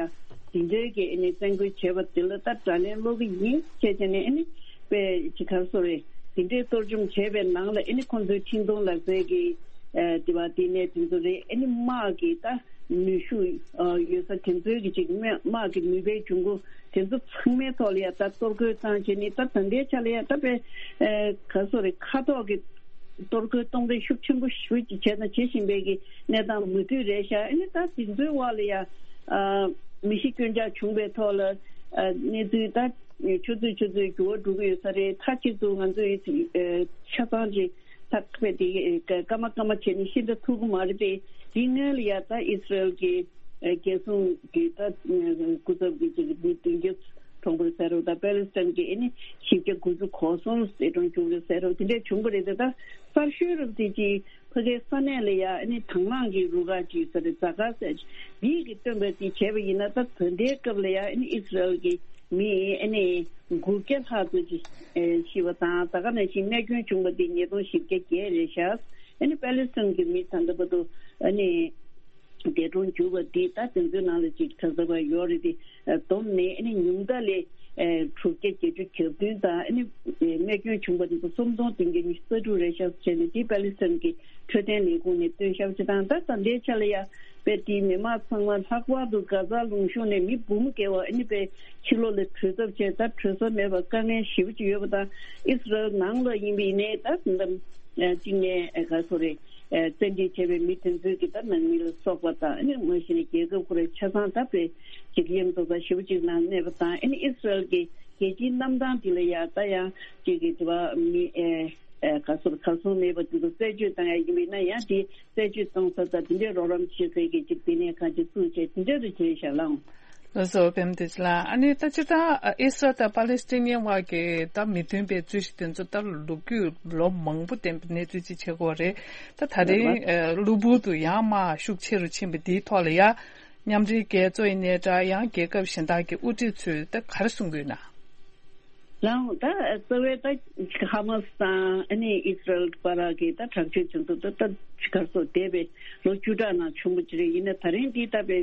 དེ་འདྲའི་གི་ཨ་ནི་བཙན་རྒོལ་བྱས་པ་དེ་ལ་ད་དགྲ་ལན་སློག་གི་ཡིན་བྱས་བྱས་ནས། ཨ་ནི་པའི་ཅི་ག་རེ་ཟེར་རེད། དེ་འདྲའི་གཏོར་བཅོམ་བྱས་པའི་ནང་ལ་ཨ་ནི་ཁོང་ཚོའི་འཕྲིན་གཏོང་ལག་རྩལ་གྱི་ཨ་དེ་བ་དེ་ནས་དེ་ཚོ་རེད། ཨ་ནི་དམག་གི་ད་ནུས་ཤུགས་ཨ་ཡོད་ས་དེ་ཚོའི་གི་ཅིག་དམག་དམག་གི་ནུས་པའི་འབྱུང་ཁུངས་དེ་ཚོ་ཚང་མའི་ཐོག་ལ་ཡ་ད་གཏོར་རྒོལ་བཏང་བྱས་ནས། ད་ད་ལྟའི་ཆ་ལ་ཡ་ད་པའི་ཨ་ག་རེ་ཟེར་རེད། མཁའ་ཐོག་གི་གཏོར་རྒོལ་གཏོང་རེས་ཤུགས་ཆེན་པོ་ཞེ་པོ་ཅིག་བྱས་དང་བྱེད་བཞིན་པའི་གི་གནས་སྟངས་མུ་མཐུད་རེད་ཤག་ཨ་ནི་ད་དེ་ཚོའི་འོག་ལ་ཡ་ཨ་མི་ཤི་སྐྱོན་ཆག་བྱུང་བའི་ཐོག་ལ་ཨ་གནས་ཚུལ་ད་ཆུ་ཚོད་ཆུ་ཚོད་འགྱུར་བ་འགྲོ་གི་ཡོད་ས་རེད། མཐའ་གཅིག་ཏུ་ང་ཚོས་ཨ་ཆ་ཚང་ཅིག་ད་ཁ་དེ་སྐར་མ་སྐར་མ་བྱས་ནས་ཤེས་འདྲ་ཐུབ་ཀྱི་མ་རེད་པས། དེ་སྔོན་ལ་ཡ་ད་ཨི་སི་རལ་གྱི་ཨ་རྒྱལ་སྲུང་གི་ད་ཨ་སྐུ་ཚབ་ཀྱི་ཅིག་མི་བདུན་བརྒྱ་གྲོངས་པ་ཟེར་རོ། ད་པ་ལི་སི་ཐན་གྱི་ཨ་ནི་བཞི་བརྒྱ་དགུ་བཅུ་གོ་གསུམ་ཟེར་གྲོངས་བྱུང་རེད་ཟེར་རོ། དེ་འདྲས་བྱུང་བ་རེད་དེ། ད་གསར་ཤོས་རབ་དེ་ཅིག་ཕ་གའི་ས་གནས་ལ་ཡ་ཨ་ནི་དང་བླངས་ཀྱི་རུ་ཁག་ཅིག་ཟེར་རེད། ཛ་ག་ཟེར་འདི་གི་སྟོན་པ་དེ་བྱས་པ་ཡིན་ན། ད་ད་ལྟའི་སྐབས་ལ་ཡ་ཨ་ནི་ཨི་སི་རལ་གྱི་མི་ཨ་ནི་དགུ་བརྒྱ་ལྷག་ཙམ་ཅིག་ཨེ་ཤི་བ་དང་། ད་ག་ནང་བཞིན་རྨས་སྐྱོན་བྱུང་བ་དེ་ཉིས་སྟོང་བཞི་བརྒྱ་བརྒྱད་རེད་ཤག་ཨ་ནི་པ་ལི་སི་ཐན་གྱི་མི་ད་ལྟ་བར་དུ་ཨ་ནི་འདས་གྲོངས་གྱུར་བ་དེ་ད་དེ་ཚོའི་ནང་ལ་ཅིག་གྲངས་ཚད་པ་ཡོད་རེད་དེ། ཨ་བསྡོམས་ནས་ཨ་ནི་ཉུང་མཐའ་ལ་ཨ་དྲུག་བརྒྱ་བརྒྱད་ཅུ་གྱ་བདུན་དང་། ཨ་ནི་ཨ་རྨས་སྐྱོན་བྱུང་བ་དེ་ཚོ་སུམ་སྟོང་བདུན་བརྒྱ་ཉི་ཤུ་རྩ་དྲུག་རེད་ཤག་བྱས་ནས། དེ་པ་ལི་སི་ཐན་གྱི་འཕྲོད་བསྟེན་ལས་ཁུངས་ནས་བཏོན་ཤག་ཅིག་དང་། ད་ད་ལྟའི་ཆ་ལ་ཡ་པའི་དེའི་མི་མང་ཚང་མ་ལྷག་པར་དུ་གྷ་ཛ་ལུང་གཤོང་ནས་མི་འབུམ་བརྒལ་བ་ཨ་ནི་པའི་ཕྱི་ལོགས་ལ་བྲོས་ཐབས་བྱས། ད་བྲོས་ས་མེད་པར་དཀའ་ངལ་ཞེ་པོ་ཅིག་ཡོད་པ་དང་། ཨི་སི་རལ་ནང་ལ་ཡིན་པ་ཡིན་ནའི་ད་ད་ལྟ་གཅིག་ནས་ཨ་ག་རེ་ཟེར་རེད། ཨ་བཙན་ཁྲིད་བྱས་པའི་མི་དེ་ཚོའི་གི་ད་ནང་མི་ལ་སོགས་པ་དང་། ཨ་ནི་མ་གཞི་ནས་རྒྱལ་ཁབ་ཁོ་རའི་ཆ་ཚང་ད་པའི་འཇིགས་སྐྱོབ་ཚོགས་པ་ཞེ་པོ་ཅིག་ནང་གནས་པ་དང་། ཨ་ནི་ཨི་སི་རལ་གྱི་རྒྱལ་སྤྱིའི་གནམ་ཐང་འདི་ལ་ཡ་ད་ཡང་ཅིག་གི་དེ་བ་མི་ཨེ་ཨེ་ག་སོར་ག་སོང་མེད་པ་དེ་ཚོ་རྩད་གཅོད་བཏང་ཡ་ཡིན་པས་ན། ཡང་དེ་རྩད་གཅོད་གཏོང་ས་ད་དེ་འདྲའི་རོགས་རམ་བྱེད་སའི་གི་ཅིག་ལྟེ་གནས་ཁང་ཅིག་བཙུགས་བྱས་དེ་འདྲ་རེ་བྱས་ཤག་ལགས། ལགས་སོ། བེམ་བདེ་ཆེ་ལགས། ཨ་ནི་ད་སྤྱིར་བཏང་ཨ་ཨི་སི་རལ་དང་པ་ལི་སི་ཐན་བར་གྱི་ད་མི་མཐུན་པའི་རྩོད་གཞི་དེ་ཚོ་ད་ལོ་རྒྱུས་ལོ་མང་པོ་ལྡན་པའི་གནས་ཚུལ་ཅིག་ཆགས་ཀྱི་ཡོད་རེད། ད་ད་རེད་རེད་པ། རེད་ཨ་གློ་བུར་དུ་ཡང་དམག་ཤུགས་ཆེ་རུ་ཕྱིན་པ་འདིའི་ཐོག་ལ་ཡ། མཉམ་འབྲེལ་རྒྱལ་ཚོགས་ཡིན་ནའི་འདྲ། ཡང་རྒྱལ་ཁབ་གཞན་དག་གི་དབུ་ཁྲིད་ཚོས་ད་ག་རེ་གསུང་གི་ཡོད་ན། ལགས་འོང་། ད་རྩ་བའི་ད་ཧ་མ་སི་དང་ཨ་ནི་ཨི་སི་རལ་བར་གྱི་ད་དྲག་སྤྱོད་དེ་ཚོ་ད་ད་ག་རེ་ཟེར། འདས་པའི་ལོ་བཅུ་ཕྲག་ནང་བྱུང་བ་ཅིག་རེད། ཡིན་ན་ད་རིང་འདི་ད་པའི་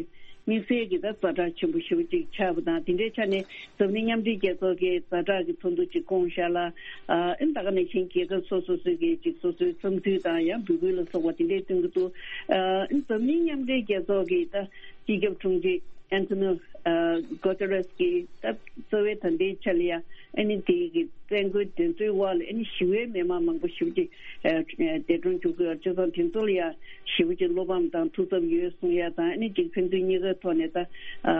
དམིགས་བསལ་གྱི་ད་ཛ་དྲག་ཆེན་པོ་ཞེ་པོ་ཅིག་ཆགས་པ་དང་། དེ་འདྲའི་ཆ་ནས་འཛམ་གླིང་མཉམ་འབྲེལ་རྒྱལ་ཚོགས་ཀྱིས་ཛ་དྲག་གི་ཚོགས་འདུ་ཅིག་བསྐོངས་ཤག་ལ། ཨ་ཨིན་ད་ག་ནང་བཞིན་རྒྱལ་ཁབ་སོ་སོ་སོའི་གི་ཅིག་སོ་སོའི་འཚམས་འདྲི་དང་ཡང་འབོད་སྐུལ་ལ་སོགས་པ་དེ་འདྲའི་སྟོན་གྱི་འདུག་ཨ་ཨིན་འཛམ་གླིང་མཉམ་འབྲེལ་རྒྱལ་ཚོགས་ཀྱི་ད་སྤྱི་ཁྱབ་དྲུང་ཆེ་ཨན་ཐོ་ནིའོ་ཨ་གོ་ཏེ་རེས་ཀྱིས་ད་རྩ་བའི་ད་ལྟའི་ཆ་ལ་ཡ་ཨ་ནི་དེ་གི་བཙན་རྒོལ་དེ་ཚོའི་འོག་ལ་ཨ་ནི་ཞི་བའི་མི་མང་མང་པོ་ཞེ་པོ་ཅིག་ཨ་འདས་གྲོངས་གྱུར་གྱི་ཡོད། བྱས་ཙང་དེ་ཚོ་ལ་ཡ་ཞེ་པོ་ཅིག་བློ་ཕམ་དང་ཐུགས་འཚབ་ཡོད་གསུང་ཡ་དང་། ཨ་ནི་ཅིག་ཕན་ཚུན་གཉིས་ཀའི་ཐོག་ནས་ད་ཨ་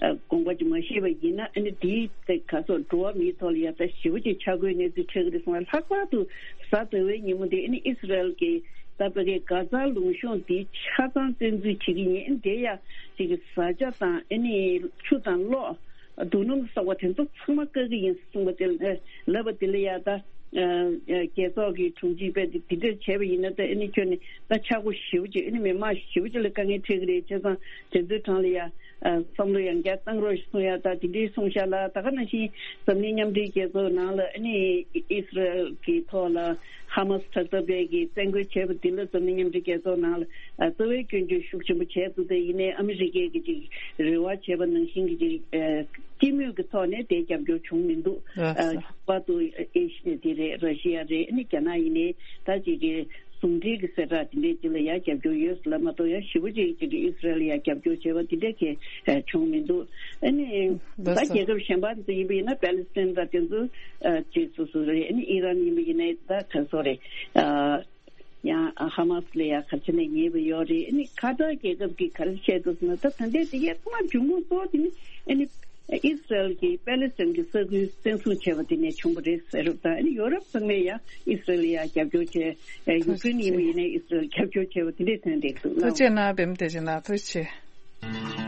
ཨ་དགོངས་པ་ཅིག་མ་བཞེས་པ་ཡིན་ན། ཨ་ནི་དེའི་ད་ག་སོགས་འགྲོ་བ་མིའི་ཐོག་ལ་ཡ་ད་ཞེ་པོ་ཅིག་ཆག་སྒོའི་གནས་ཚུལ་འཕྲད་ཀྱི་རེད་གསུང་བ། ལྷག་པར་དུ་གཟའ་ཟླ་བའི་ཉིན་མོ་དེ་ཨ་ནི་ཨི་སི་རལ་གྱི་ད་ཕ་གི་གྷ་ཛ་ལུང་གཤོང་དེ་ཆ་ཚང་བཙན་འཛུལ་བྱེད་ཀྱི་ཡིན། དེ་ཡ་ཅིག་གི་བཟའ་བཅའ་དང་ཨ་ནི་ཆུ་དང་གློག་རྡོ་སྣུམ་སོགས་པ་དེ་ཚོ་ཚང་མ་བཀག་གི་ཡིན་གསུངས་པ་དེ་ལ་ལབ་པ་དེ་ལ་ཡ་ད་རྒྱལ་ཚོགས་ཀྱི་དྲུང་ཆེ་པས་དེ་འདྲ་བྱས་པ་ཡིན་ན། ད་ཨ་ནི་ཁྱོན་ནས་ད་ཆག་སྒོ་ཞེ་པོ་ཅིག་ཨ་ནི་མི་མང་ཞེ་པོ་ཅིག་ལ་དཀའ་ངལ་འཕྲད་ཀྱི་རེད། བྱས་ཙང་དེ་ཚོའི་གྲས་ལ་ཡ་བསམ་བློ་ཡང་བསྐྱར་བཏང་རོགས་ཞེས་གསུང་ཡ་ད་དེ་འདྲའི་གསུང་ཤག་ལ། ད་ག་ནང་བཞིན་འཛམ་གླིང་མཉམ་འབྲེལ་རྒྱལ་ཚོགས་ནང་ལ་ཨ་ནི་ཨི་སི་རལ་གྱི་ཐོག་ལ་ཧ་མ་སི་དྲག་འཐབ་པས་ཀྱི་བཙན་རྒོལ་བྱས་པ་དེ་ལ་འཛམ་གླིང་མཉམ་འབྲེལ་རྒྱལ་ཚོགས་ནང་ལ་རྩ་བའི་སྐྱོན་བརྗོད་ཤུགས་ཆེན་པོ་བྱས་འདུག་དེ་ཡིན་ནའི་ཨ་མི་རི་ཀས་ཀྱི་ཅིག་རེ་བ་བྱས་པ་ནང་བཞིན་གྱི་ཅིག་སྤྱི་མོས་ཀྱི་ཐོག་ནས་དེ་རྒྱབ་སྐྱོར་བྱུང་མི་འདུག་ལགས་སོ། ལྷག་པར་དུ་ཨེ་ཤི་ཡ་དེ་རེད། ར་ཤི་ཡ་རེད། ཨ་ནི་རྒྱ་ནག་ཡིན་ནའི་ད་ཅིག་གི་ཟུང་འབྲེལ་གྱི་གསལ་བསྒྲགས་དེ་འདྲས་ཅིག་ལ་ཡང་རྒྱབ་སྐྱོར་ཡོད་ལབ་མ་གཏོགས། ཡང་ཞེ་པོ་ཅིག་ཅིག་གི་ཨི་སི་རལ་ལ་ཡང་རྒྱབ་སྐྱོར་བྱས་པ་དེ་འདྲས་གས་བྱུང་མི་འདུག་ཨ་ནི་ད་ལགས་སོ། རྒྱལ་ཁབ་གཞན་པ་ཚོ་ཡིན་པ་ཡིན་ན་པེ་ལི་སི་ཐན་དང་དེ་ཚོ་ཅིག་སོ་སོ་རེད། ཨ་ནི་ཨི་རན་ཡིན་པ་ཡིན་ན་ད་ག་སོ་རེད། ཡང་ཧ་མ་སི་ལ་ཡང་ག་རེ་བྱས་ནས་ཉེས་པ་ཡོད་རེད། ཨ་ནི་ཁ་ཐར་རྒྱལ་ཁབ་ཀྱིས་ག་རེ་བཤད་འདུག་ཟེར་ན། ད་ད་ལྟའི་དེ་གའི་ཚང་མ་འབྱུང་ཁུངས་གཙོ་བོ་དེ་ནི་ཨ་ནི་ཨི་སི་རལ་གྱིས་པེ་ལི་སི་ཐན་གྱི་ས་ཁུལ་བཙན་བཟུང་བྱས་པ་དེ་ནས་བྱུང་བ་རེད་ཟེར་རབས་དང་། ཨ་ནི་ཡོ་རོབ་ཚང་མས་ཡང་ཨི་སི་རལ་ལ་ཡང་རྒྱབ་སྐྱོར་བྱས། ཨ་ཡུཀ་རེན་ཡིན་པ་ཡིན་ནའི་ཨི་སི་རལ་རྒྱབ་སྐྱོར་བྱས་པ་དེ་འདྲས་ཐོན་བསྡད་འདུག་ལགས། ཐུགས་རྗེ་གནང་། བེམ་བདེ་ཆེན་ལགས་ཐུགས་རྗེ་ཆེ།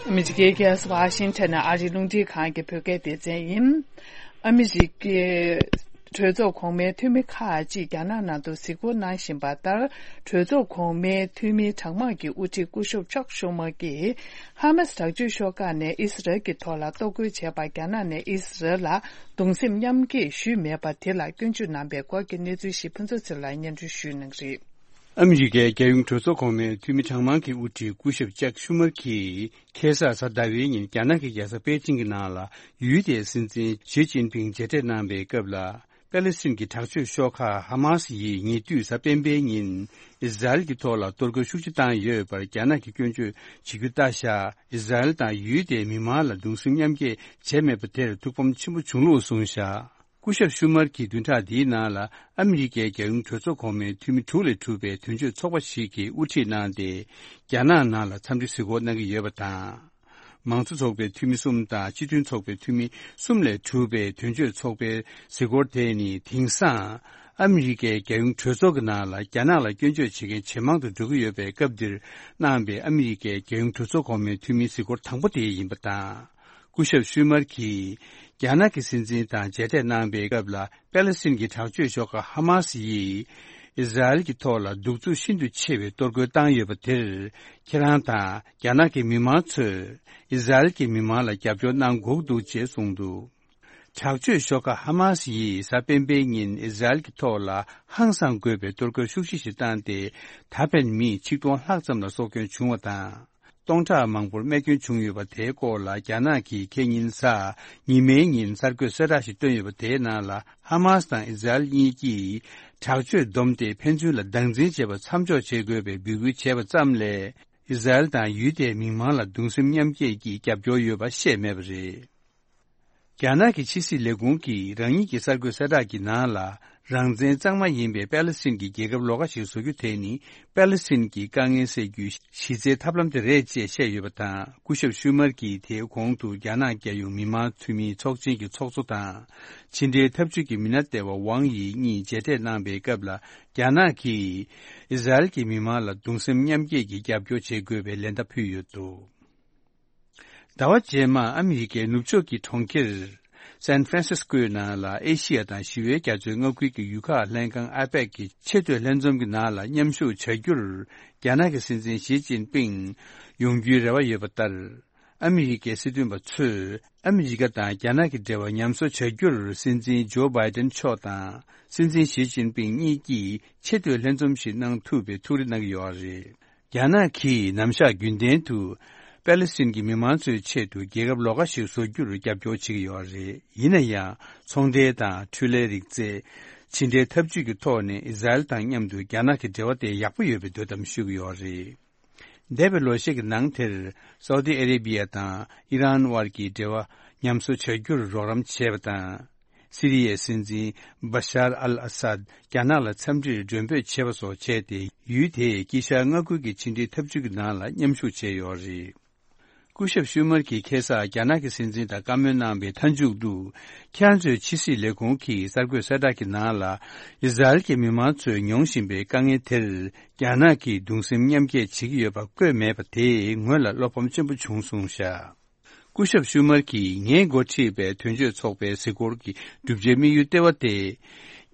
ཨ་མི་རི་ཀའི་རྒྱལ་ས་ཝ་ཤིང་ཊོན་ནས་ཨ་རིའི་རླུང་འཕྲིན་ཁང་གི་བོད་སྐད་སྡེ་ཚན་ཡིན། ཨ་མི་རི་ཀའི་ གྲོས་ཚོགས་གོང་མའི་འཐུས་མི་ཁག་ཅིག་རྒྱ་ནག་ནང་དུ་གཟིགས་སྐོར་གནང་བཞིན་པ་ལྟར། གྲོས་ཚོགས་གོང་མའི་འཐུས་མི་གྲངས་མང་གི་དབུ་ཁྲིད་སྐུ་ཞབས་ཅག་ཤུ་མར་གྱིས་ཧ་མཱ་སི་དྲག་སྤྱོད་ཤོག་ཁག་ནས་ཨི་སི་རལ་གྱི་ཐོག་ལ་གཏོར་རྒོལ་བྱས་པར་རྒྱ་ནག་ནས་ཨི་སི་རལ་ལ་གདུང་སེམས་མཉམ་སྐྱེད་ཞུས་མེད་པ་དེ་ལ་སྐྱོན་བརྗོད་གནང་པའི་སྐོར་གྱི་གནས་ཚུལ་ཞིག་ཕུན་ཚོགས་ཚེ་རིང་ལགས་སྙན་སྒྲོན་ཞུ་གནང་གི་རེད། ཨ་མི་རི་ཀའི་རྒྱལ་ཡོངས་གྲོས་ཚོགས་གོང་མའི་འཐུས་མི་གྲངས་མང་གི་དབུ་ཁྲིད་སྐུ་ཞབས་ཅག་ཤུ་མར་གྱིས་ཁ་སང་གཟའ་ཟླ་བའི་ཉིན་རྒྱ་ནག་གི་རྒྱལ་ས་པེ་ཅིང་གི་ནང་ལ་ཡུལ་དེའི་སྲིད་འཛིན་ཞི་ཅིན་ཕིང་མཇལ་འཕྲད་གནང་པའི་སྐབས་ལ། པེ་ལེ་སི་ཐན་གྱི་དྲག་སྤྱོད་ཤོག་ཁག་ཧ་མཱ་སི་ཡིས་ཉེ་དུས་གཟའ་སྤེན་པའི་ཉིན་ཨི་སི་རལ་གྱི་ཐོག་ལ་གཏོར་རྒོལ་ཤུགས་ཆེ་བཏང་ཡོད་པར་རྒྱ་ནག་གིས་སྐྱོན་བརྗོད་བྱེད་རྒྱུ་ལྟ་བཞག་ཨི་སི་རལ་དང་ཡུལ་དེའི་མི་མང་ལ་གདུང་སེམས་མཉམ་སྐྱེད་བྱས་མེད་པ་དེར་ཐུགས་ཕམ་ཆེན་པོ་བྱུང་ལུགས་གསུངས་བཞག་སྐུ་ཞབས་ཤུ་མར་གྱིས་བདུན་ཕྲག་འདིའི་ནང་ལ་ཨ་མི་རི་ཀའི་རྒྱལ་ཡོངས་གྲོས་ཚོགས་གོང་མའི་འཐུས་མི་དྲུག་ལས་གྲུབ་པའི་དོན་གཅོད་ཚོགས་པ་ཞིག་གི་དབུ་ཁྲིད་གནང་སྟེ། རྒྱ་ནག་ནང་ལ་འཚམས་འདྲི་གཟིགས་སྐོར་གནང་གི་ཡོད་པ་དང་། མང་གཙོ་ཚོགས་པའི་འཐུས་མི་གསུམ་དང་སྤྱི་མཐུན་ཚོགས་པའི་འཐུས་མི་གསུམ་ལས་གྲུབ་པའི་དོན་གཅོད་ཚོགས་པའི་གཟིགས་སྐོར་དེ་ནི་དེང་སང་ཨ་མི་རི་ཀའི་རྒྱལ་ཡོངས་གྲོས་ཚོགས་ཀྱི་ནང་ལ་རྒྱ་ནག་ལ་སྐྱོན་བརྗོད་བྱེད་མཁན་ཇེ་མང་དུ་འགྲོ་གི་ཡོད་པའི་སྐབས་འདིར་གནང་པའི་ཨ་མི་རི་ཀའི་རྒྱལ་ཡོངས་གྲོས་ཚོགས་གོང་མའི་འཐུས་མིའི་གཟིགས་སྐོར་དང་པོ་དེ་ཡིན་པ་དང་། སྐུ་ཞབས་ཤུ་མར་གྱིས་རྒྱ་ནག་གི་སྲིད་འཛིན་དང་མཇལ་འཕྲད་གནང་པའི་སྐབས་ལ། པེ་ལེ་སི་ཐན་གྱི་དྲག་སྤྱོད་ཤོག་ཁག་ཧ་མཱ་སི་ཡིས་ཨི་སི་རལ་གྱི་ཐོག་ལ་གདུག་རྩུབ་ཤིན་ཏུ་ཆེ་བའི་གཏོར་རྒོལ་བཏང་ཡོད་པ་དེར། ཁྱེད་རང་དང་རྒྱ་ནག་གི་མི་མང་ཚོས་ཨི་སི་རལ་གྱི་མི་མང་ལ་རྒྱབ་སྐྱོར་གནང་དགོས་འདུག་ཅེས་གསུངས་འདུག་དྲག་སྤྱོད་ཤོག་ཁག་ཧ་མཱ་སི་ཡིས་གཟའ་སྤེན་པའི་ཉིན་ཨི་སི་རལ་གྱི་ཐོག་ལ་ཧང་སང་དགོས་པའི་གཏོར་རྒོལ་ཤུགས་ཆེ་ཞིག་བཏང་སྟེ། ད་ཕན་མི་ཆིག་སྟོང་ལྷག་ཙམ་ལ་སྲོག་སྐྱོན་བྱུང་བ་དང་། སྟོང་ཕྲག་མང་པོར་རྨས་སྐྱོན་བྱུང་ཡོད་པ་དེའི་སྐོར་ལ་རྒྱ་ནག་གིས་ཁེ་ཉིན་གཟའ་ཉི་མའི་ཉིན་གསར་འགོད་གསལ་བསྒྲགས་ཤིག་བཏོན་ཡོད་པ། དེའི་ནང་ལ་ཧ་མཱ་སི་དང་ཨི་སི་རལ་གཉིས་ཀྱིས་དྲག་སྤྱོད་བསྡོམས་ཏེ་ཕན་ཚུན་ལ་སྡང་འཛིན་བྱེད་པ་མཚམས་འཇོག་བྱེད་དགོས་པའི་འབོད་སྐུལ་བྱས་པ་ཙམ་ལས། ཨི་སི་རལ་དང་ཡུལ་དེའི་མི་མང་ལ་གདུང་སེམས་མཉམ་སྐྱེད་ཀྱི་རྒྱབ་སྐྱོར་ཡོད་པ་བཤད་མེད་པ་རེད། རྒྱ་ནག་གི་ཕྱི་སྲིད་ལས་ཁུངས་ཀྱིས་རང་ཉིད་ཀྱི་གསར་འགོད་གསལ་བསྒྲགས་ཀྱི་ནང་ལ། རང་བཙན་གཙང་མ་ཡིན་པའི་པེ་ལེ་སི་ཐན་གྱི་རྒྱལ་ཁབ་ལོགས་ཀ་ཞིག་བཟོ་རྒྱུ་དེ་ནི། པེ་ལེ་སི་ཐན་གྱི་དཀའ་ངལ་སེལ་རྒྱུའི་གཞི་རྩའི་ཐབས་ལམ་དེ་རེད་ཅེས་བཤད་ཡོད་པ་དང་། སྐུ་ཞབས་ཤུ་མར་གྱིས་དེའི་གོང་དུ་རྒྱ་ནག་རྒྱལ་ཡོངས་མི་མང་འཐུས་མིའི་ཚོགས་ཆེན་གྱི་ཚོགས་གཙོ་དང་། ཕྱི་འབྲེལ་འཐབ་ཇུས་ཀྱི་མི་སྣ་ལྟེ་བ་ཝང་ཡི་གཉིས་མཇལ་འཕྲད་གནང་པའི་སྐབས་ལ། རྒྱ་ནག་གིས་ཨི་སི་རལ་གྱི་མི་མང་ལ་གདུང་སེམས་མཉམ་སྐྱེད་ཀྱི་རྒྱབ་སྐྱོར་བྱེད་དགོས་པའི་ལན་བརྡ་ཕུལ་ཡོད་འདུག་ཟླ་བ་རྗེས་མར་ཨ་མི་རི་ཀའི་ནུབ་ཕྱོགས་ཀྱི་གྲོང་ཁྱེར་སན་ཧྥ་རན་སིས་ཀོའི་ནང་ལ་ཨེ་ཤི་ཡ་དང་ཞི་བའི་རྒྱ་མཚོའི་མངའ་ཁུལ་གྱི་ཡུལ་ཁག་ལྷན་ཁང་ཨ་པེག་གི་ཆེས་མཐོའི་ལྷན་འཛོམས་ཀྱི་ནང་ལ་མཉམ་ཞུགས་བྱ་རྒྱུར་རྒྱ་ནག་གི་སྲིད་འཛིན་ཞི་ཅིན་ཕིང་ཡོང་རྒྱུའི་རེ་བ་ཡོད་པ་ལྟར། ཨ་མི་རི་ཀའི་སྲིད་དོན་པ་ཚོས་ཨ་མི་རི་ཀ་དང་རྒྱ་ནག་གི་འབྲེལ་བ་ཉམས་གསོ་བྱ་རྒྱུར་སྲིད་འཛིན་ཇོ་བྷའི་ཏན་མཆོག་དང་སྲིད་འཛིན་ཞི་ཅིན་ཕིང་གཉིས་ཀྱིས་ཆེས་མཐོའི་ལྷན་འཛོམས་ཤིག་གནང་ཐུབ་པའི་ཐུགས་རེ་གནང་གི་ཡོད་རེད། རྒྱ་ནག་གིས་ནམ་ཞག་རྒྱུན་ལྡན་དུ་པེ་ལེ་སི་ཐན་གྱི་མི་མང་ཚོའི་ཆེད་དུ་རྒྱལ་ཁབ་ལོགས་ཀ་ཞིག་བཟོ་རྒྱུར་རྒྱབ་སྐྱོར་བྱེད་ཀྱི་ཡོད་རེད། ཡིན་ན་ཡང་ཚོང་འབྲེལ་དང་འཕྲུལ་ལས་རིག་རྩལ། ཕྱི་འབྲེལ་འཐབ་ཇུས་ཀྱི་ཐོག་ནས་ཨི་སི་རལ་དང་མཉམ་དུ་རྒྱ་ནག་གི་འབྲེལ་བ་དེ་ཡག་པོ་ཡོད་པའི་འདོད་གཏམ་ཤོད་ཀྱི་ཡོད་རེད། འདས་པའི་ལོ་ཤས་ཀྱི་ནང་དེར་སའུ་ཏི་ཨ་རེ་བྷི་ཡ་དང་ཨི་རན་དབར་གྱི་འབྲེལ་བ་ཉམས་གསོ་བྱ་རྒྱུར་རོགས་རམ་བྱས་པ་དང་། སི་རི་ཡའི་སྲིད་འཛིན་བ་ཤར་ཨལ་ཨ་སཱད་རྒྱ་ནག་ལ་འཚམས་འདྲིར་མགྲོན་འབོད་བྱས་པ་སོགས་བྱས་ཏེ། ཡུལ་དེའི་དཀྱིལ་ཤར་མངའ་ཁུལ་གྱི་ཕྱི་འབྲེལ་འཐབ་ཇུས་ཀྱི་ནང་ལ་མཉམ་ཞུགས་བྱས་ཡོད་རེད། སྐུ་ཞབས་ཤུ་མར་གྱིས་ཁ་སང་རྒྱ་ནག་གི་སྲིད་འཛིན་དང་བཀའ་མོལ་གནང་པའི་མཐའ་མཇུག་ཏུ། ཁྱེད་རང་ཚོའི་ཕྱི་སྲིད་ལས་ཁུངས་ཀྱིས་གསར་འགོད་གསལ་བསྒྲགས་ཀྱི་ནང་ལ། ཨི་སི་རལ་གྱི་མི་མང་ཚོས་མྱོང་བཞིན་པའི་དཀའ་ངལ་དེར། རྒྱ་ནག་གིས་གདུང་སེམས་མཉམ་སྐྱེད་བྱེད་ཀྱི་ཡོད་པ་བཀོད་མེད་པ་དེས་ངོས་ལ་བློ་ཕམ་ཆེན་པོ་བྱུང་གསུངས་བཞག་སྐུ་ཞབས་ཤུ་མར་གྱིས་ངས་འགོ་ཁྲིད་པའི་དོན་གཅོད་ཚོགས་པའི་གཟིགས་སྐོར་གྱི་བསྒྲུབ་བྱའི་དམིགས་ཡུལ་ལྟེ་བ་དེ།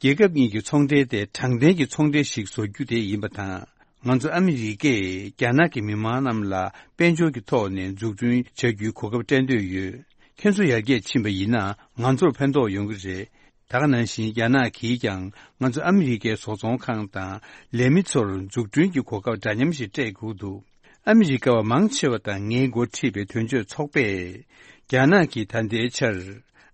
རྒྱལ་ཁབ་གཉིས་ཀྱི་ཚོང་འབྲེལ་དེ་དྲང་བདེན་གྱི་ཚོང་འབྲེལ་ཞིག་བཟོ་རྒྱུ་དེ་ཡིན་པ་དང་། ང་ཚོ་ཨ་མི་རི་ཀས་རྒྱ་ནག་གི་མི་མང་རྣམས་ལ་དཔལ་འབྱོར་གྱི་ཐོག་ནས་འཛུགས་སྐྲུན་བྱ་རྒྱུའི་གོ་སྐབས་སྤྲད་འདོད་ཡོད། ཁྱེད་ཚོ་ཡར་རྒྱས་ཕྱིན་པ་ཡིན་ན་ང་ཚོར་ཕན་ཐོགས་ཡོང་གི་རེད། ད་ག་ནང་བཞིན་རྒྱ་ནག་གིས་ཀྱང་ང་ཚོ་ཨ་མི་རི་ཀའི་བཟོ་ཚོང་ཁང་དང་ལས་མི་ཚོར་འཛུགས་སྐྲུན་གྱི་གོ་སྐབས་འདྲ་མཉམ་ཞིག་སྤྲད་དགོས་འདུག་ཨ་མི་རི་ཀ་བ་མང་ཆེ་བ་དང་ངས་འགོ་ཁྲིད་པའི་དོན་གཅོད་ཚོགས་པས། རྒྱ་ནག་གིས་ད་ལྟའི་ཆར་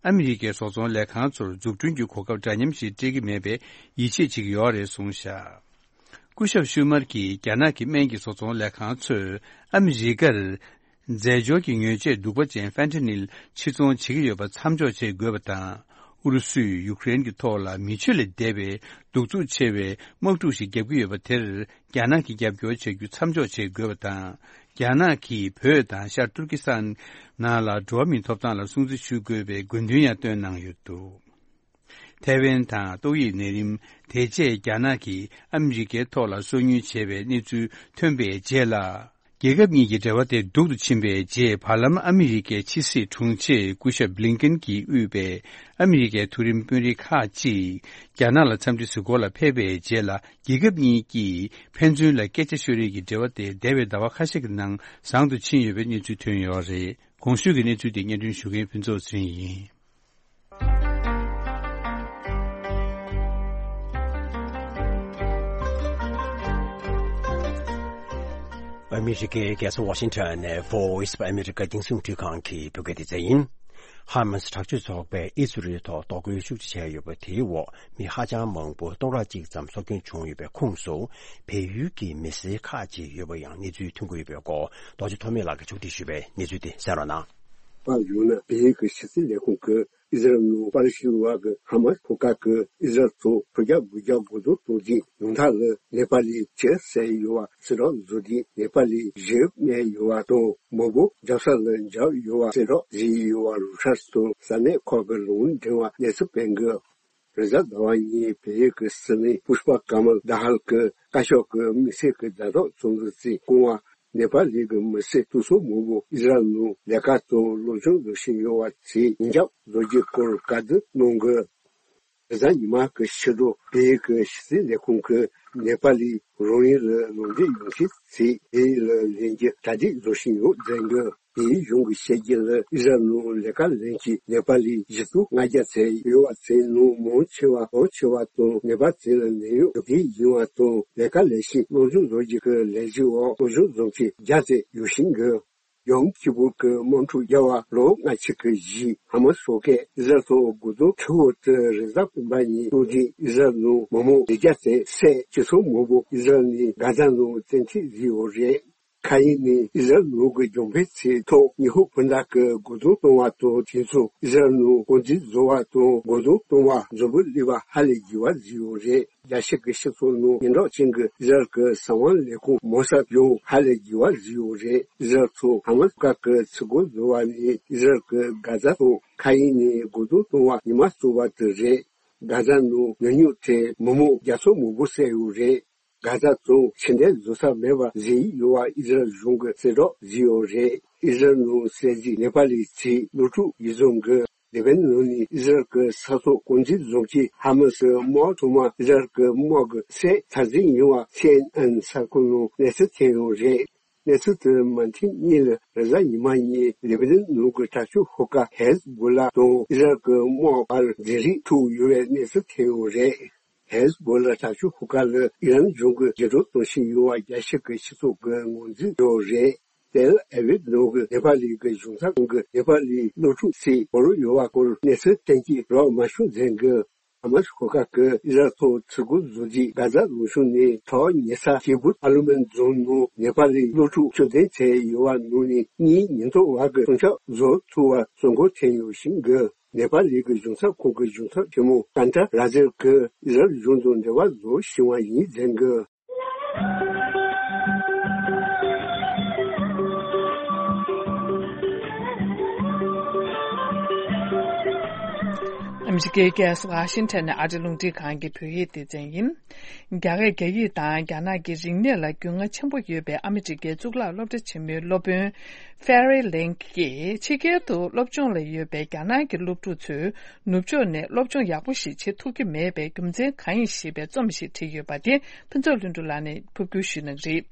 ཨ་མི་རི་ཀའི་བཟོ་ཚོང་ལས་ཁང་ཚོར་འཛུགས་སྐྲུན་གྱི་གོ་སྐབས་འདྲ་མཉམ་ཞིག་སྤྲད་ཀྱི་མེད་པའི་ཡིད་ཆེས་བྱེད་ཀྱི་ཡོད་རེད་གསུངས་བཞག་སྐུ་ཞབས་ཤུ་མར་གྱིས་རྒྱ་ནག་གི་སྨན་གྱི་བཟོ་ཚོང་ལས་ཁང་ཚོས་ཨ་མི་རི་ཀར། རྫས་སྦྱོར་གྱི་མྱོས་ཆས་གདུག་པ་ཅན་ཧྥེན་ཐ་ནིལ་ཕྱིར་ཚོང་བྱེད་ཀྱི་ཡོད་པ་མཚམས་འཇོག་བྱེད་དགོས་པ་དང་། ཨུ་རུ་སུས་ཡུཀ་རེན་གྱི་ཐོག་ལ་མི་ཆོས་ལས་འདས་པའི་གདུག་རྩུབ་ཆེ་བའི་དམག་འཁྲུག་ཞིག་བརྒྱབ་ཀྱི་ཡོད་པ་དེར། རྒྱ་ནག་གིས་རྒྱབ་སྐྱོར་བྱ་རྒྱུ་མཚམས་འཇོག་བྱེད་དགོས་པ་དང་། རྒྱ་ནག་གིས་བོད་དང་ཤར་ཏུར་ཀི་སི་ཐན་ནང་ལ་འགྲོ་བ་མིའི་ཐོབ་ཐང་ལ་སྲུང་བརྩི་ཞུ་དགོས་པའི་དགོས་འདུན་ཡང་བཏོན་གནང་ཡོད་འདུག་ཐའེ་ཝན་དང་ཏོག་དབྱིབས་ནད་རིམས་དེ་རྗེས་རྒྱ་ནག་གིས་ཨ་མི་རི་ཀའི་ཐོག་ལ་སོ་ཉུལ་བྱས་པའི་གནས་ཚུལ་ཐོན་པའི་རྗེས་ལ། རྒྱལ་ཁབ་གཉིས་ཀྱི་འབྲེལ་བ་དེ་སྡུག་ཏུ་ཕྱིན་པའི་རྗེས། བར་ལམ་ཨ་མི་རི་ཀའི་ཕྱི་སྲིད་དྲུང་ཆེ་སྐུ་ཞབས་བྷི་ལིན་ཀེན་གྱིས་དབུས་པའི་ཨ་མི་རི་ཀའི་མཐོ་རིམ་དཔོན་རིགས་ཁག་ཅིག་རྒྱ་ནག་ལ་འཚམས་འདྲི་ཞུ་སྒོ་ལ་ཕེབས་པའི་རྗེས་ལ། རྒྱལ་ཁབ་གཉིས་ཀྱིས་ཕན་ཚུན་ལ་སྐད་ཆ་ཤོད་རེས་ཀྱི་འབྲེལ་བ་དེ་འདས་པའི་ཟླ་བ་ཁ་ཤས་ཀྱི་ནང་བཟང་དུ་ཕྱིན་ཡོད་པའི་གནས་ཚུལ་ཐོན་ཡོད་རེད། གོང་ཞུས་ཀྱི་གནས་ཚུལ་དེ་སྙན་སྒྲོན་ཞུ་མཁན་ཕུན་ཚོགས་ཚེ་རིང་ཡིན། ཨ་མི་རི་ཀའི་རྒྱལ་ས་ཝ་ཤིང་ཊོན་ནས་Voice of America་རྒྱང་སྲིང་རླུང་འཕྲིན་ཁང་གི་བོད་སྐད་སྡེ་ཚན་ཡིན། ཧ་མ་སི་དྲག་སྤྱོད་ཚོགས་པས་ཨི་སི་རེལ་ཐོག་གཏོར་རྒོལ་ཤུགས་ཆེ་བྱས་ཡོད་པ་དེའི་འོག་མི་ཧ་ཅང་མང་པོ་སྟོང་ཕྲག་གཅིག་ཙམ་སྲོག་སྐྱོན་བྱུང་ཡོད་པའི་ཁོངས་སུ། བལ་ཡུལ་གྱི་མི་སེར་ཁག་ཅིག་ཡོད་པ་ཡང་གནས་ཚུལ་ཐོན་གྱི་ཡོད་པའི་སྐོར། རྡོ་རྗེ་ཐོགས་མེད་ལགས་ཀྱིས་ཕྱོགས་སྒྲིག་ཞུས་པའི་གནས་ཚུལ་དེ་གསན་རོགས་གནང་། པར་ཡོང་ན། བལ་ཡུལ་གྱི་ཕྱི་སྲིད་ལས་ཁུངས་ཀྱིས་ཨི་ཟི་རལ་ནང་པ་ལི་སི་བ་གི་ཧ་མ་སི་ཤོག་ཁག་གིས་ཨི་ཟི་རལ་ཐོག་དྲུག་བརྒྱ་དགུ་བརྒྱ་འགོ་འཛུགས་གཏོང་རྗེས། ཡང་ཐག་ལ་ནེ་པ་ལི་བྱེད་ཟེར་ཡོད་པ་གསལ་བསྒྲགས་བཟོ་དུས། ནེ་པ་ལི་གཞས་སྨྲས་ཡོད་པ་དང་། མང་པོ་རྒྱབ་ས་ལ་འབྱོར་ཡོད་པ་གསལ་བསྒྲགས་བཟོས་ཡོད་པ་རོའི་ཊར་སི་དང་ས་གནས་ཁག་གི་ལུང་འདྲེན་པ་གནས་ཚུལ་སྤེལ་གི། རེས་གཟའ་ཟླ་བ་ཉིན་བལ་ཡུལ་གྱི་སྲིད་བློན་པུཤ་པ་ཀ་མལ་དྷ་ཧལ་གྱི་བཀའ་ཤག་གི་དམིགས་བསལ་གྱི་ཟླ་གྲོགས་ཚོགས་འདུ་དེས་བསྐུལ་བ། ནེ་པ་ལི་གི་མི་སེར་སྟོང་ཚོ་མང་པོ་ཨི་ཟི་རལ་ནང་ལས་ཀ་དང་སློབ་སྦྱོང་བྱེད་བཞིན་ཡོད་པ་དེའི་ཉེན་ཆར་བཟོ་རྒྱུའི་སྐོར་བཀའ་བསྡུར་གནང་གི། རེས་གཟའ་ཉི་མ་གི་ཕྱི་དྲོ་བལ་ཡུལ་གྱི་ཕྱི་སྲིད་ལས་ཁུངས་ཀྱིས་ནེ་པ་ལི་རང་ཡུལ་ལ་ལོག་འགྲོ་ཡོང་ཆེད་དེ་བལ་ཡུལ་ལ་ལེན་རྒྱུ་གྲ་སྒྲིག་བཟོ་བཞིན་ཡོད་ཟེར་གི། དེའི་གཞུང་གིས་བཤད་རྒྱུ་ལ། ཨི་ཟི་རལ་ནང་ལས་ཀ་ལེན་མཁན་ནེ་པ་ལི་བཞི་སྟོང་ལྔ་བརྒྱ་ཙམ་ཡོད་པ་དེའི་ནང་མང་ཆེ་བ་གྲངས་ཆེ་བ་དང་། ནེ་པ་ལི་ལ་ནད་གཡོག་སྒྲུབ་མཁན་ཡིན་པ་དང་། ལས་ཀ་ལས་ཤིང་སློབ་སྦྱོང་བཟོ་རྒྱུ་གི་ལས་གཞི་འོག་སློབ་སྦྱོང་བཟོ་མཁན་བརྒྱ་ཙམ་ཡོད་བཞིན་གི། ཡོམ་ཁི་པུར་གྱི་དམག་འཁྲུག་བརྒྱབ་པ་ལོ་ལྔ་བཅུ་གི་རྗེས། ཧ་མ་སི་ཤོག་ཁག་ཨི་ཟི་རལ་ཐོག་རྒོལ་རྡུང་འཕྲོད་པ་དེ་རེས་གཟའ་སྤེན་པ་ཉིན་གཏོར་རྗེས། ཨི་ཟི་རལ་ནང་མི་མང་བཞི་བརྒྱ་ཙམ་བསད། སྤྱི་ཚོགས་མང་པོ་ཨི་ཟི་རལ་ནས་གྷ་ཛ་ནང་བཙན་ཁྲིད་བཟོས་ཡོད་རེད། མཁའ་དབྱིངས་ནས་ཨི་ཟི་རལ་ནང་གི་རྒྱང་འཕེན་ཚད་ཐོག་ཉི་ཧོང་སྤུན་ཟླ་གིས་རྒོལ་རྡུང་གཏོང་བ་དང་། དེ་མཚུངས་ཨི་ཟི་རལ་ནང་དཀོན་འཛིན་བཟོ་བ་དང་རྒོལ་རྡུང་གཏོང་བ་འཛོམས་པོ་སླེབས་པ་ཧ་ལས་དགོས་པ་བཟོས་ཡོད་རེད། རྒྱལ་སྤྱི་གི་སྤྱི་ཚོགས་ནང་སྙན་གྲགས་ཅན་གྱི་ཨི་ཟི་རལ་གྱི་གསང་བ་ལས་ཁུངས་མོ་སཱད་ཡང་ཧ་ལས་དགོས་པ་བཟོས་ཡོད་རེད། ཨི་ཟི་རལ་ཐོག་ཧ་མ་སི་ཁག་གིས་ཚུར་རྒོལ་བཟོ་བ་ནས་ཨི་ཟི་རལ་གྱི་གྷ་ཛ་ཐོག་མཁའ་དབྱིངས་ནས་རྒོལ་རྡུང་གཏོང་བ་ཉི་མ་གསུམ་པ་དེ་རེད། གྷ་ཛ་ནང་ཉེན་ཉེན་ཐོག་མི་མང་བརྒྱ་ཚོ་མང་པོ་བསད་ཡོད་རེད། གྷ་ཛ་ཐོག་ཕྱི་འབྲེལ་བཟོ་ས་མེད་པ་བཟོས་ཡོད་པ་ཨི་ཟི་རལ་གཞུང་གིས་གསལ་བསྒྲགས་བཟོས་ཡོད་རེད། ཨི་ཟི་རལ་ནང་གསར་བརྗེ་ནེ་པ་ལི་ཚོའི་སློབ་ཕྲུག་ཡིག་ཚང་གིས་ལེ་བྷ་ནན་ནང་ནས་ཨི་ཟི་རལ་གྱི་ས་ཐོག་དཀོན་འཛིན་བཟུང་རྗེས། ཧ་མ་སི་དམག་ཚང་མ་ཨི་ཟི་རལ་གྱི་དམག་གིས་བསད་ཚར་ཟིན་ཡོད་པ་སི་ཨེན་ཨེན་གསར་ཁང་ནང་གནས་ཚུལ་ཐོན་ཡོད་རེད། གནས་ཚུལ་དེ་མུ་མཐུད་ཉིན་ལ་རེས་གཟའ་ཉི་མ་ཉིན་ལེ་བྷ་ནན་ནང་གི་དྲག་སྤྱོད་ཤོག་ཁག་ཧེ་ཟི་བྷོ་ལ་དང་ཨི་ཟི་རལ་གྱི་དམག་བར་འབྲེལ་རེས་ཐུག་ཡོད་པའི་གནས་ཚུལ་ཐོན་ཡོད་རེད། ཧེ་ཟི་བྷོ་ལ་དྲག་སྤྱོད་ཤོག་ཁག་ལ་ཨི་རན་གཞུང་གིས་འགྱུར་ལྡོག་གཏོང་བཞིན་ཡོད་པ་རྒྱལ་སྤྱི་གི་སྤྱི་ཚོགས་ཀྱིས་ངོས་འཛིན་ཡོད་རེད། ཏེལ་ཨ་བིབ་ནང་གི་ནེ་པ་ལི་གི་གཞུང་ཚབ་ཁང་གིས་ནེ་པ་ལིའི་སློབ་ཕྲུག་ཚོས་བོར་ཡོད་པའི་སྐོར་གནས་ཚུལ་གཏན་འཁེལ་རག་མ་བྱུང་ཟེར་གི། ཧ་མ་སི་ཤོག་ཁག་གིས་ཨི་ཟི་རལ་ཐོག་ཚུར་རྒོལ་བཟོ་རྗེས། གྷ་ཛ་ལུང་གཤོང་ནས་ཐོག་ཉེ་ས་ཁི་བུད་ཨ་ལུ་མན་རྫོང་ནང་ནེ་པ་ལིའི་སློབ་ཕྲུག་བཅུ་བདུན་བསད་ཡོད་པ་ནང་ནས་གཉིས་ཉེན་རྟོག་པ་གིས་སྲུང་སྐྱོབ་བཟོ་ཐུབ་པ་གསོན་སྐོར་ཐོན་ཡོད་བཞིན་གི། ནེ་པ་ལི་གི་གཞུང་ཚབ་ཁང་གི་གཞུང་ཚབ་ཆེན་མོ་ཀན་ཏྲ་ར་ཛེལ་གྱིས་ཨི་ཟི་རལ་གཞུང་དང་འབྲེལ་བ་བཟོ་བཞིན་པ་ཡིན་ཟེར་གི། ཨ་མི་རི་ཀའི་རྒྱལ་ས་ཝ་ཤིང་ཊོན་ནས་ཨ་རིའི་རླུང་འཕྲིན་ཁང་གི་བོད་ཡིག་སྡེ་ཚན་ཡིན། རྒྱ་སྐད་རྒྱ་ཡིག་དང་རྒྱ་ནག་གི་རིག་གནས་ལ་རྒྱུས་མངའ་ཆེན་པོ་ཡོད་པའི་ཨ་མི་རི་ཀའི་གཙུག་ལག་སློབ་གྲྭ་ཆེན་མོའི་སློབ་དཔོན་Ferri Link གིས་ཕྱི་རྒྱལ་དུ་སློབ་སྦྱོང་ལ་ཡོད་པའི་རྒྱ་ནག་གི་སློབ་ཕྲུག་ཚོས་ནུབ་ཕྱོགས་ནས་སློབ་སྦྱོང་ཡག་པོ་ཞིག་བྱེད་ཐུབ་ཀྱི་མེད་པའི་རྒྱུ་མཚན་གང་ཡིན་ཞེས་པའི་རྩོམ་ཞིག་བྲིས་ཡོད་པ་དེ་ཕུན་ཚོགས་ལྷུན་གྲུབ་ལགས་ནས་ཕབ་སྒྱུར་ཞུ་གནང་གི་རེད།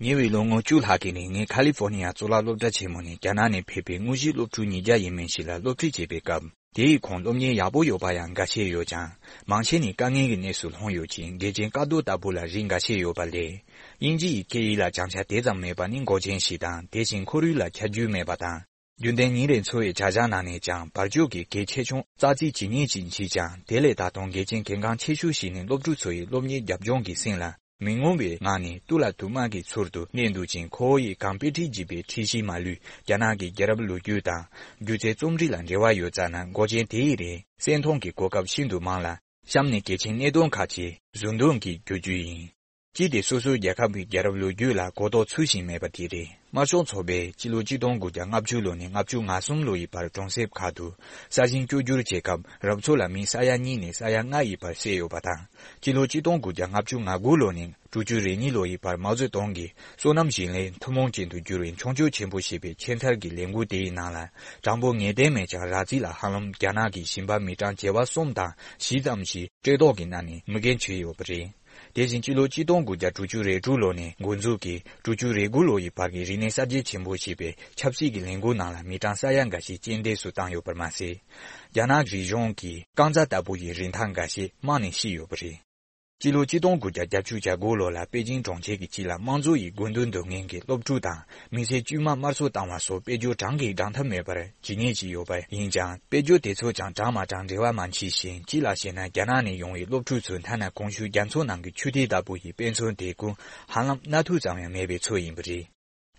ཉེ་བའི་ལོ་ངོ་བཅུ་ལྷག་གི་རིང་ངས་ཁ་ལི་ཧྥོར་ནི་ཡ་གཙུག་ལག་སློབ་གྲྭ་ཆེན་མོ་ནས་རྒྱ་ནག་ནས་ཕེབས་པའི་དངོས་གཞིའི་སློབ་ཕྲུག་ཉིས་བརྒྱ་ཡས་མས་ཤིག་ལ་སློབ་ཁྲིད་བྱེད་པའི་སྐབས། དེ་ཡི་ཁོངས་སློབ་གཉེར་ཡག་པོ་ཡོད་པ་ཡང་འགའ་ཤས་ཡོད་ཀྱང་། མང་ཆེ་ནི་དཀའ་ངལ་གྱི་གནས་སུ་ལྷུང་ཡོད་ཅིང་། དགེ་ཆེན་ཀ་རྡོ་ལྟ་བུ་ལ་རིགས་འགའ་ཤས་ཡོད་པ་ལས། དབྱིན་ཇི་ཡི་སྐད་ཡིག་ལ་སྦྱང་བྱ་དེ་ཙམ་མེད་པ་ནི་འགོག་རྐྱེན་ཞིག་དང་། དེ་བཞིན་ཁོར་ཡུག་ལ་ཁྱབ་རྒྱུས་མེད་པ་དང་། རྒྱུན་ལྡན་ཉིན་རེའི་འཚོ་བའི་བྱ་གཞག་ནང་ནས་ཀྱང་བར་ཕྱོགས་ཀྱི་གལ་ཆེ་ཆུང་ཙག་ཙིག་ཇི་སྙེད་ཅིག་མཆིས་ཀྱང་། དེ་ལས་ད་དུང་དགེ་ཆེན་གལ་འགངས་ཆེ་ཤོས་ཤིག་ནི་སློབ་ཕྲུག་ཚོ་ཡི་སློབ་གཉེར་རྒྱབ་ལྗོངས་ཀྱི་སེམས་ལ་མི་ངོམས་པའི་ངང་ནས་སྟུ་ལ་དུ་དམག་གི་ཚུལ་དུ་གནས་འདུག་ཅིང་། ཁོ་བོ་ཡི་གང་དཔེ་ཁྲིད་བགྱིས་པའི་ཁྲིད་གཞིའི་མ་ལུས་རྒྱ་ནག་གི་རྒྱལ་རབས་ལོ་རྒྱུས་དང་སྒྱུ་རྩལ་རྩོམ་རིག་ལ་འབྲེལ་བ་ཡོད་ཙང་ན། འགོག་རྐྱེན་དེ་ཡི་རིགས་སེལ་གཏོང་གི་གོ་སྐབས་ཤིན་ཏུ་མང་ལ། གཤམ་ནས་གལ་ཆེན་གནད་དོན་ཁག་ཅིག་གཟུང་དུ་གི་བསྒྱུར་རྒྱུ་ཡིན། གཅིག་དེ་སོ་སོའི་རྒྱལ་ཁབ་ཀྱི་རྒྱལ་རབས་ལོ་རྒྱུས་ལ་གོ་རྟོགས་ཚུལ་བཞིན་མེད་པ་དེ་རེད། དམར་ཤོག་ཚོགས་པས་སྤྱི་ལོ་གཅིག་སྟོང་དགུ་བརྒྱ་ལྔ་བཅུ་ལོ་ནས་ལྔ་བཅུ་ང་གསུམ་ལོ་ཡི་བར་གྲོང་གསེབ་ཁག་ཏུ་ས་ཞིང་བཅོས་བསྒྱུར་བྱེད་སྐབས་རང་ཚོ་ལ་མི་ས་ཡ་གཉིས་ནས་ས་ཡ་ལྔ་ཡི་བར་བསད་ཡོད་པ་དང་། སྤྱི་ལོ་གཅིག་སྟོང་དགུ་བརྒྱ་ལྔ་བཅུ་ང་དགུ་ལོ་ནས་དྲུག་ཅུ་རེ་གཉིས་ལོ་ཡི་བར་མའོ་ཙེ་ཏུང་གིས་སོ་ནམ་ཞིང་ལས་ཐུན་མོང་ཅན་དུ་བསྒྱུར་བའི་མཆོང་སྐྱོད་ཆེན་པོ་ཞེས་པའི་ཆེད་མཚར་གྱི་ལས་འགུལ་དེའི་ནང་ལ་གྲངས་འབོར་ངེས་གཏན་མེད་ཀྱང་རགས་རྩིས་ལ་ཧ་ལམ་རྒྱ་ནག་གི་ཞིང་པ་མི་གྲངས་བྱེ་བ་གསུམ་དང་བཞི་ཙམ་ཞིག་བཀྲེས་ལྟོགས་ཀྱིས་མནར་ནས་མུ་གེར་གྱུར་ཡོད་པ་རེད། དེ་བཞིན་སྤྱི་ལོ་གཅིག་སྟོང་དགུ་བརྒྱ་དྲུག་ཅུ་རེ་དྲུག་ལོ་ནས་འགོ་འཛུགས་ཀྱིས་དྲུག་ཅུ་རེ་དགུ་ལོ་ཡི་བར་གྱི་རིག་གནས་གསར་བརྗེ་ཆེན་པོ་ཞེས་པའི་ཆབ་སྲིད་ཀྱི་ལས་འགུལ་ནང་ལ་མི་གྲངས་ས་ཡ་འགའ་ཞིག་རྐྱེན་འདས་སུ་བཏང་ཡོད་པར་མ་ཟད། རྒྱ་ནག་རིག་གཞུང་གི་རྐང་རྩ་ལྟ་བུ་ཡི་རིན་ཐང་འགའ་ཤས་རྨང་ནས་བཤིག་ཡོད་པ་རེད། སྤྱི་ལོ་གཅིག་སྟོང་དགུ་བརྒྱ་བརྒྱད་ཅུ་གྱ་དགུ་ལོ་ལ་པེ་ཅིང་གྲོང་ཁྱེར་གྱི་དཀྱིལ་ལ་དམངས་གཙོ་ཡི་དགོས་འདུན་འདོན་མཁན་གྱི་སློབ་ཕྲུག་དང་མི་སེར་དཀྱུས་མ་དམར་གསོད་བཏང་བ་སོགས་དཔེ་བརྗོད་གྲངས་ཀྱིས་བགྲང་ཐབས་མེད་པར་ཇི་སྙེད་ཅིག་ཡོད་པ་ཡིན་ཀྱང་། དཔེ་བརྗོད་དེ་ཚོ་ཀྱང་གྲངས་མ་གྲངས་འབྲེལ་བ་མ་མཆིས་ཤིང་། གཅིག་ལ་བཤད་ན་རྒྱ་ནག་ནས་ཡོང་བའི་སློབ་ཕྲུག་ཚོས་ཐ་ན་གོང་ཞུས་རྒྱ་མཚོ་ནང་གི་ཆུ་ཐིགས་ལྟ་བུ་ཡི་དཔེ་མཚོན་དེ་ཀུན་ཧ་ལམ་སྣ་ཐུག་ཙམ་ཡང་མེད་པའི་ཚོད་ཡིན་པ་རེད།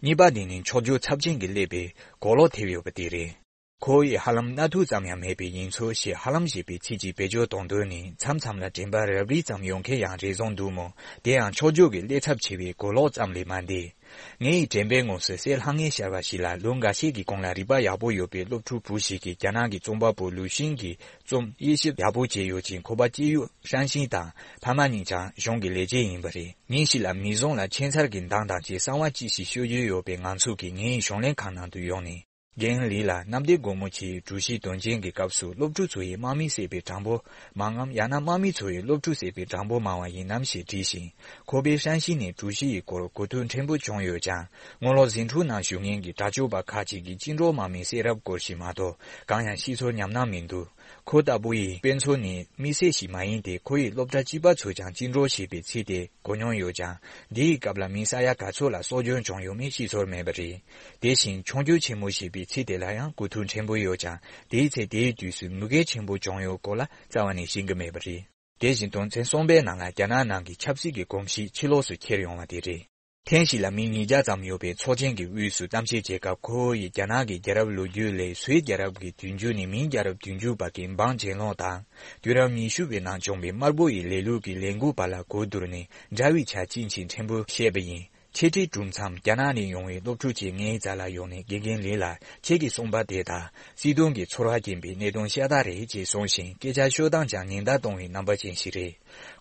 གཉིས་པ་དེ་ནི་འཁྱོག་བརྗོད་ཚབས་ཆེན་གྱིས་བསླད་པའི་གོ་ལོག་ཐེབས་ཡོད་པ་དེ་རེད། ཁོ་བོས་ཧ་ལམ་སྣ་ཐུག་ཙམ་ཡང་མེད་པའི་ཡིན་ཚོད་ཞེས་ཧ་ལམ་ཞེས་པའི་ཚིག་གཅིག་བེད་སྤྱོད་གཏོང་དོན་ནི་མཚམས་མཚམས་ལ་དྲན་པ་རབ་རིབ་ཙམ་ཡོང་མཁན་ཡང་རེ་ཟུང་འདུག་མོད། དེ་ཡང་འཁྱོག་བརྗོད་ཀྱི་བསླད་ཚབས་ཆེ་བའི་གོ་ལོག་ཙམ་ལས་མ་འདས། ངེད་ཡི་དྲན་པའི་ངོས་སུ་གསལ་ལྷང་ངེར་ཤར་བ་ཞིག་ལ། ལོ་འགའ་ཤས་ཀྱི་གོང་ལ་རིག་པ་ཡག་པོ་ཡོད་པའི་སློབ་ཕྲུག་བུ་ཞིག་གིས་རྒྱ་ནག་གི་རྩོམ་པ་པོ་ལུའུ་ཤིན་གྱི་རྩོམ་དབྱེ་ཞིབ་ཡག་པོ་བྱས་ཡོད་ཅིང་། ཁོ་པ་སྐྱེས་ཡུལ་ཧྲན་ཤིང་དང་ཕ་མ་གཉིས་ཀྱང་གཞུང་གི་ལས་བྱེད་ཡིན་པ་རེད། ཉིན་ཞིག་ལ་མིག་ཟུང་ལ་ཁྱད་མཚར་གྱི་མདངས་དང་བཅས་གསང་བ་ཅི་ཞིག་ཤོད་རྒྱུ་ཡོད་པའི་ངང་ཚུལ་གྱིས་ངེད་ཡི་གཞུང་ལས་ཁང་ནང་དུ་ཡོང་ནས། རྒན་ལི་ལགས། གནམ་བདེ་སྒོ་མོ་ཆེའི་གྲོས་གཞི་དོན་རྐྱེན་གྱི་སྐབས་སུ་སློབ་ཕྲུག་ཚོ་ཡིས་དམག་མི་བསད་པའི་གྲངས་འབོར་མང་ངམ། ཡང་ན་དམག་མི་ཚོ་ཡིས་སློབ་ཕྲུག་བསད་པའི་གྲངས་འབོར་མང་བ་ཡིན་ནམ་ཞེས་དྲིས་ཤིང་། ཁོ་པས་ཧྲན་ཤིན་ནས་གྲོས་གཞི་ཡི་སྐོར་གོ་ཐོས་ཕྲན་བུ་བྱུང་ཡོད་ཀྱང་། སྔོན་ལོགས་ཟིང་འཁྲུག་ནང་ཞུགས་མཁན་གྱི་དྲག་སྤྱོད་པ་ཁག་ཅིག་གིས་བཅིངས་འགྲོལ་དམག་མིའི་བསད་རབས་སྐོར་ཞིག་མ་གཏོགས་གང་ཡང་ཤེས་ཚོར་ཉམས་སྣང་མི་འདུག་ཁོ་ལྟ་བུ་ཡི་དཔེ་མཚོན་ནི་དམིགས་བསལ་ཞིག་མ་ཡིན་ཏེ། ཁོ་ཡི་སློབ་གྲྭ་གཅིག་པ་ཚོས་ཀྱང་བཅིངས་འགྲོལ་ཞེས་པའི་ཚིག་དེ་གོ་མྱོང་ཡོད་ཀྱང་། འདིའི་སྐབས་ལ་མི་ས་ཡ་ག་ཚོད་ལ་སྲོག་སྐྱོན་བྱུང་ཡོད་མེད་ཤེས་ཚོར་མེད་པ་རེད། དེ་བཞིན་མཆོང་སྐྱོད་ཆེན་མོ་ཞེས་པའི་ཚིག་དེ་ལ་ཡང་གོ་ཐོས་ཕྲན་བུ་ཡོད་ཀྱང་། དེའི་ཚེ་དེའི་དུས་སུ་མུ་གེ་ཆེན་པོ་བྱུང་ཡོད་སྐོར་ལ་རྩ་བ་ནས་ཤེས་ཀྱི་མེད་པ་རེད། དེ་བཞིན་དོན་ཚན་གསུམ་པའི་ནང་ལ་རྒྱ་ནག་ནང་གི་ཆབ་སྲིད་ཀྱི་གོམས་གཤིས་ཕྱི་ལོགས་སུ་ཁྱེར་ཡོང་བ་དེ་རེད། ཐེངས་ཤིག་ལ་མི་ཉིས་བརྒྱ་ཙམ་ཡོད་པའི་ཚོགས་ཆེན་གྱི་དབུས་སུ་གཏམ་བཤད་བྱེད་སྐབས། ཁོ་བོ་ཡིས་རྒྱ་ནག་གི་རྒྱལ་རབས་ལོ་རྒྱུས་ལས་སུད་རྒྱལ་རབས་ཀྱི་དུས་མཇུག་ནས་མིང་རྒྱལ་རབས་དུས་མཇུག་བར་གྱི་འབངས་གྱེན་ལོག་དང་། དུས་རབས་ཉི་ཤུ་པའི་ནང་བྱུང་བའི་དམར་པོ་ཡི་ལས་ལུགས་ཀྱི་ལས་འགུལ་བར་ལ་གོ་བསྡུར་ནས། འདྲ་བའི་ཆ་ཅིན་ཆིན་ཕྲན་བུ་བཤད་པ་ཡིན། འཆད་ཁྲིད་གྲུབ་མཚམས། རྒྱ་ནག་ནས་ཡོང་བའི་སློབ་ཕྲུག་ཅིག་ངའི་རྩ་ལ་ཡོང་ནས། དགེ་རྒན་ལི་ལགས། ཁྱེད་ཀྱིས་གསུངས་པ་དེ་དག་སྲིད་དོན་གྱི་ཚོར་བ་སྐྱེན་པའི་གནད་དོན་ཤ་སྟག་རེད་ཅེས་གསུངས་ཤིང་། སྐད་ཆ་ཤོད་སྟངས་ཀྱང་ཉེན་བརྡ་གཏོང་བའི་རྣམ་པ་ཅན་ཞིག་རེད།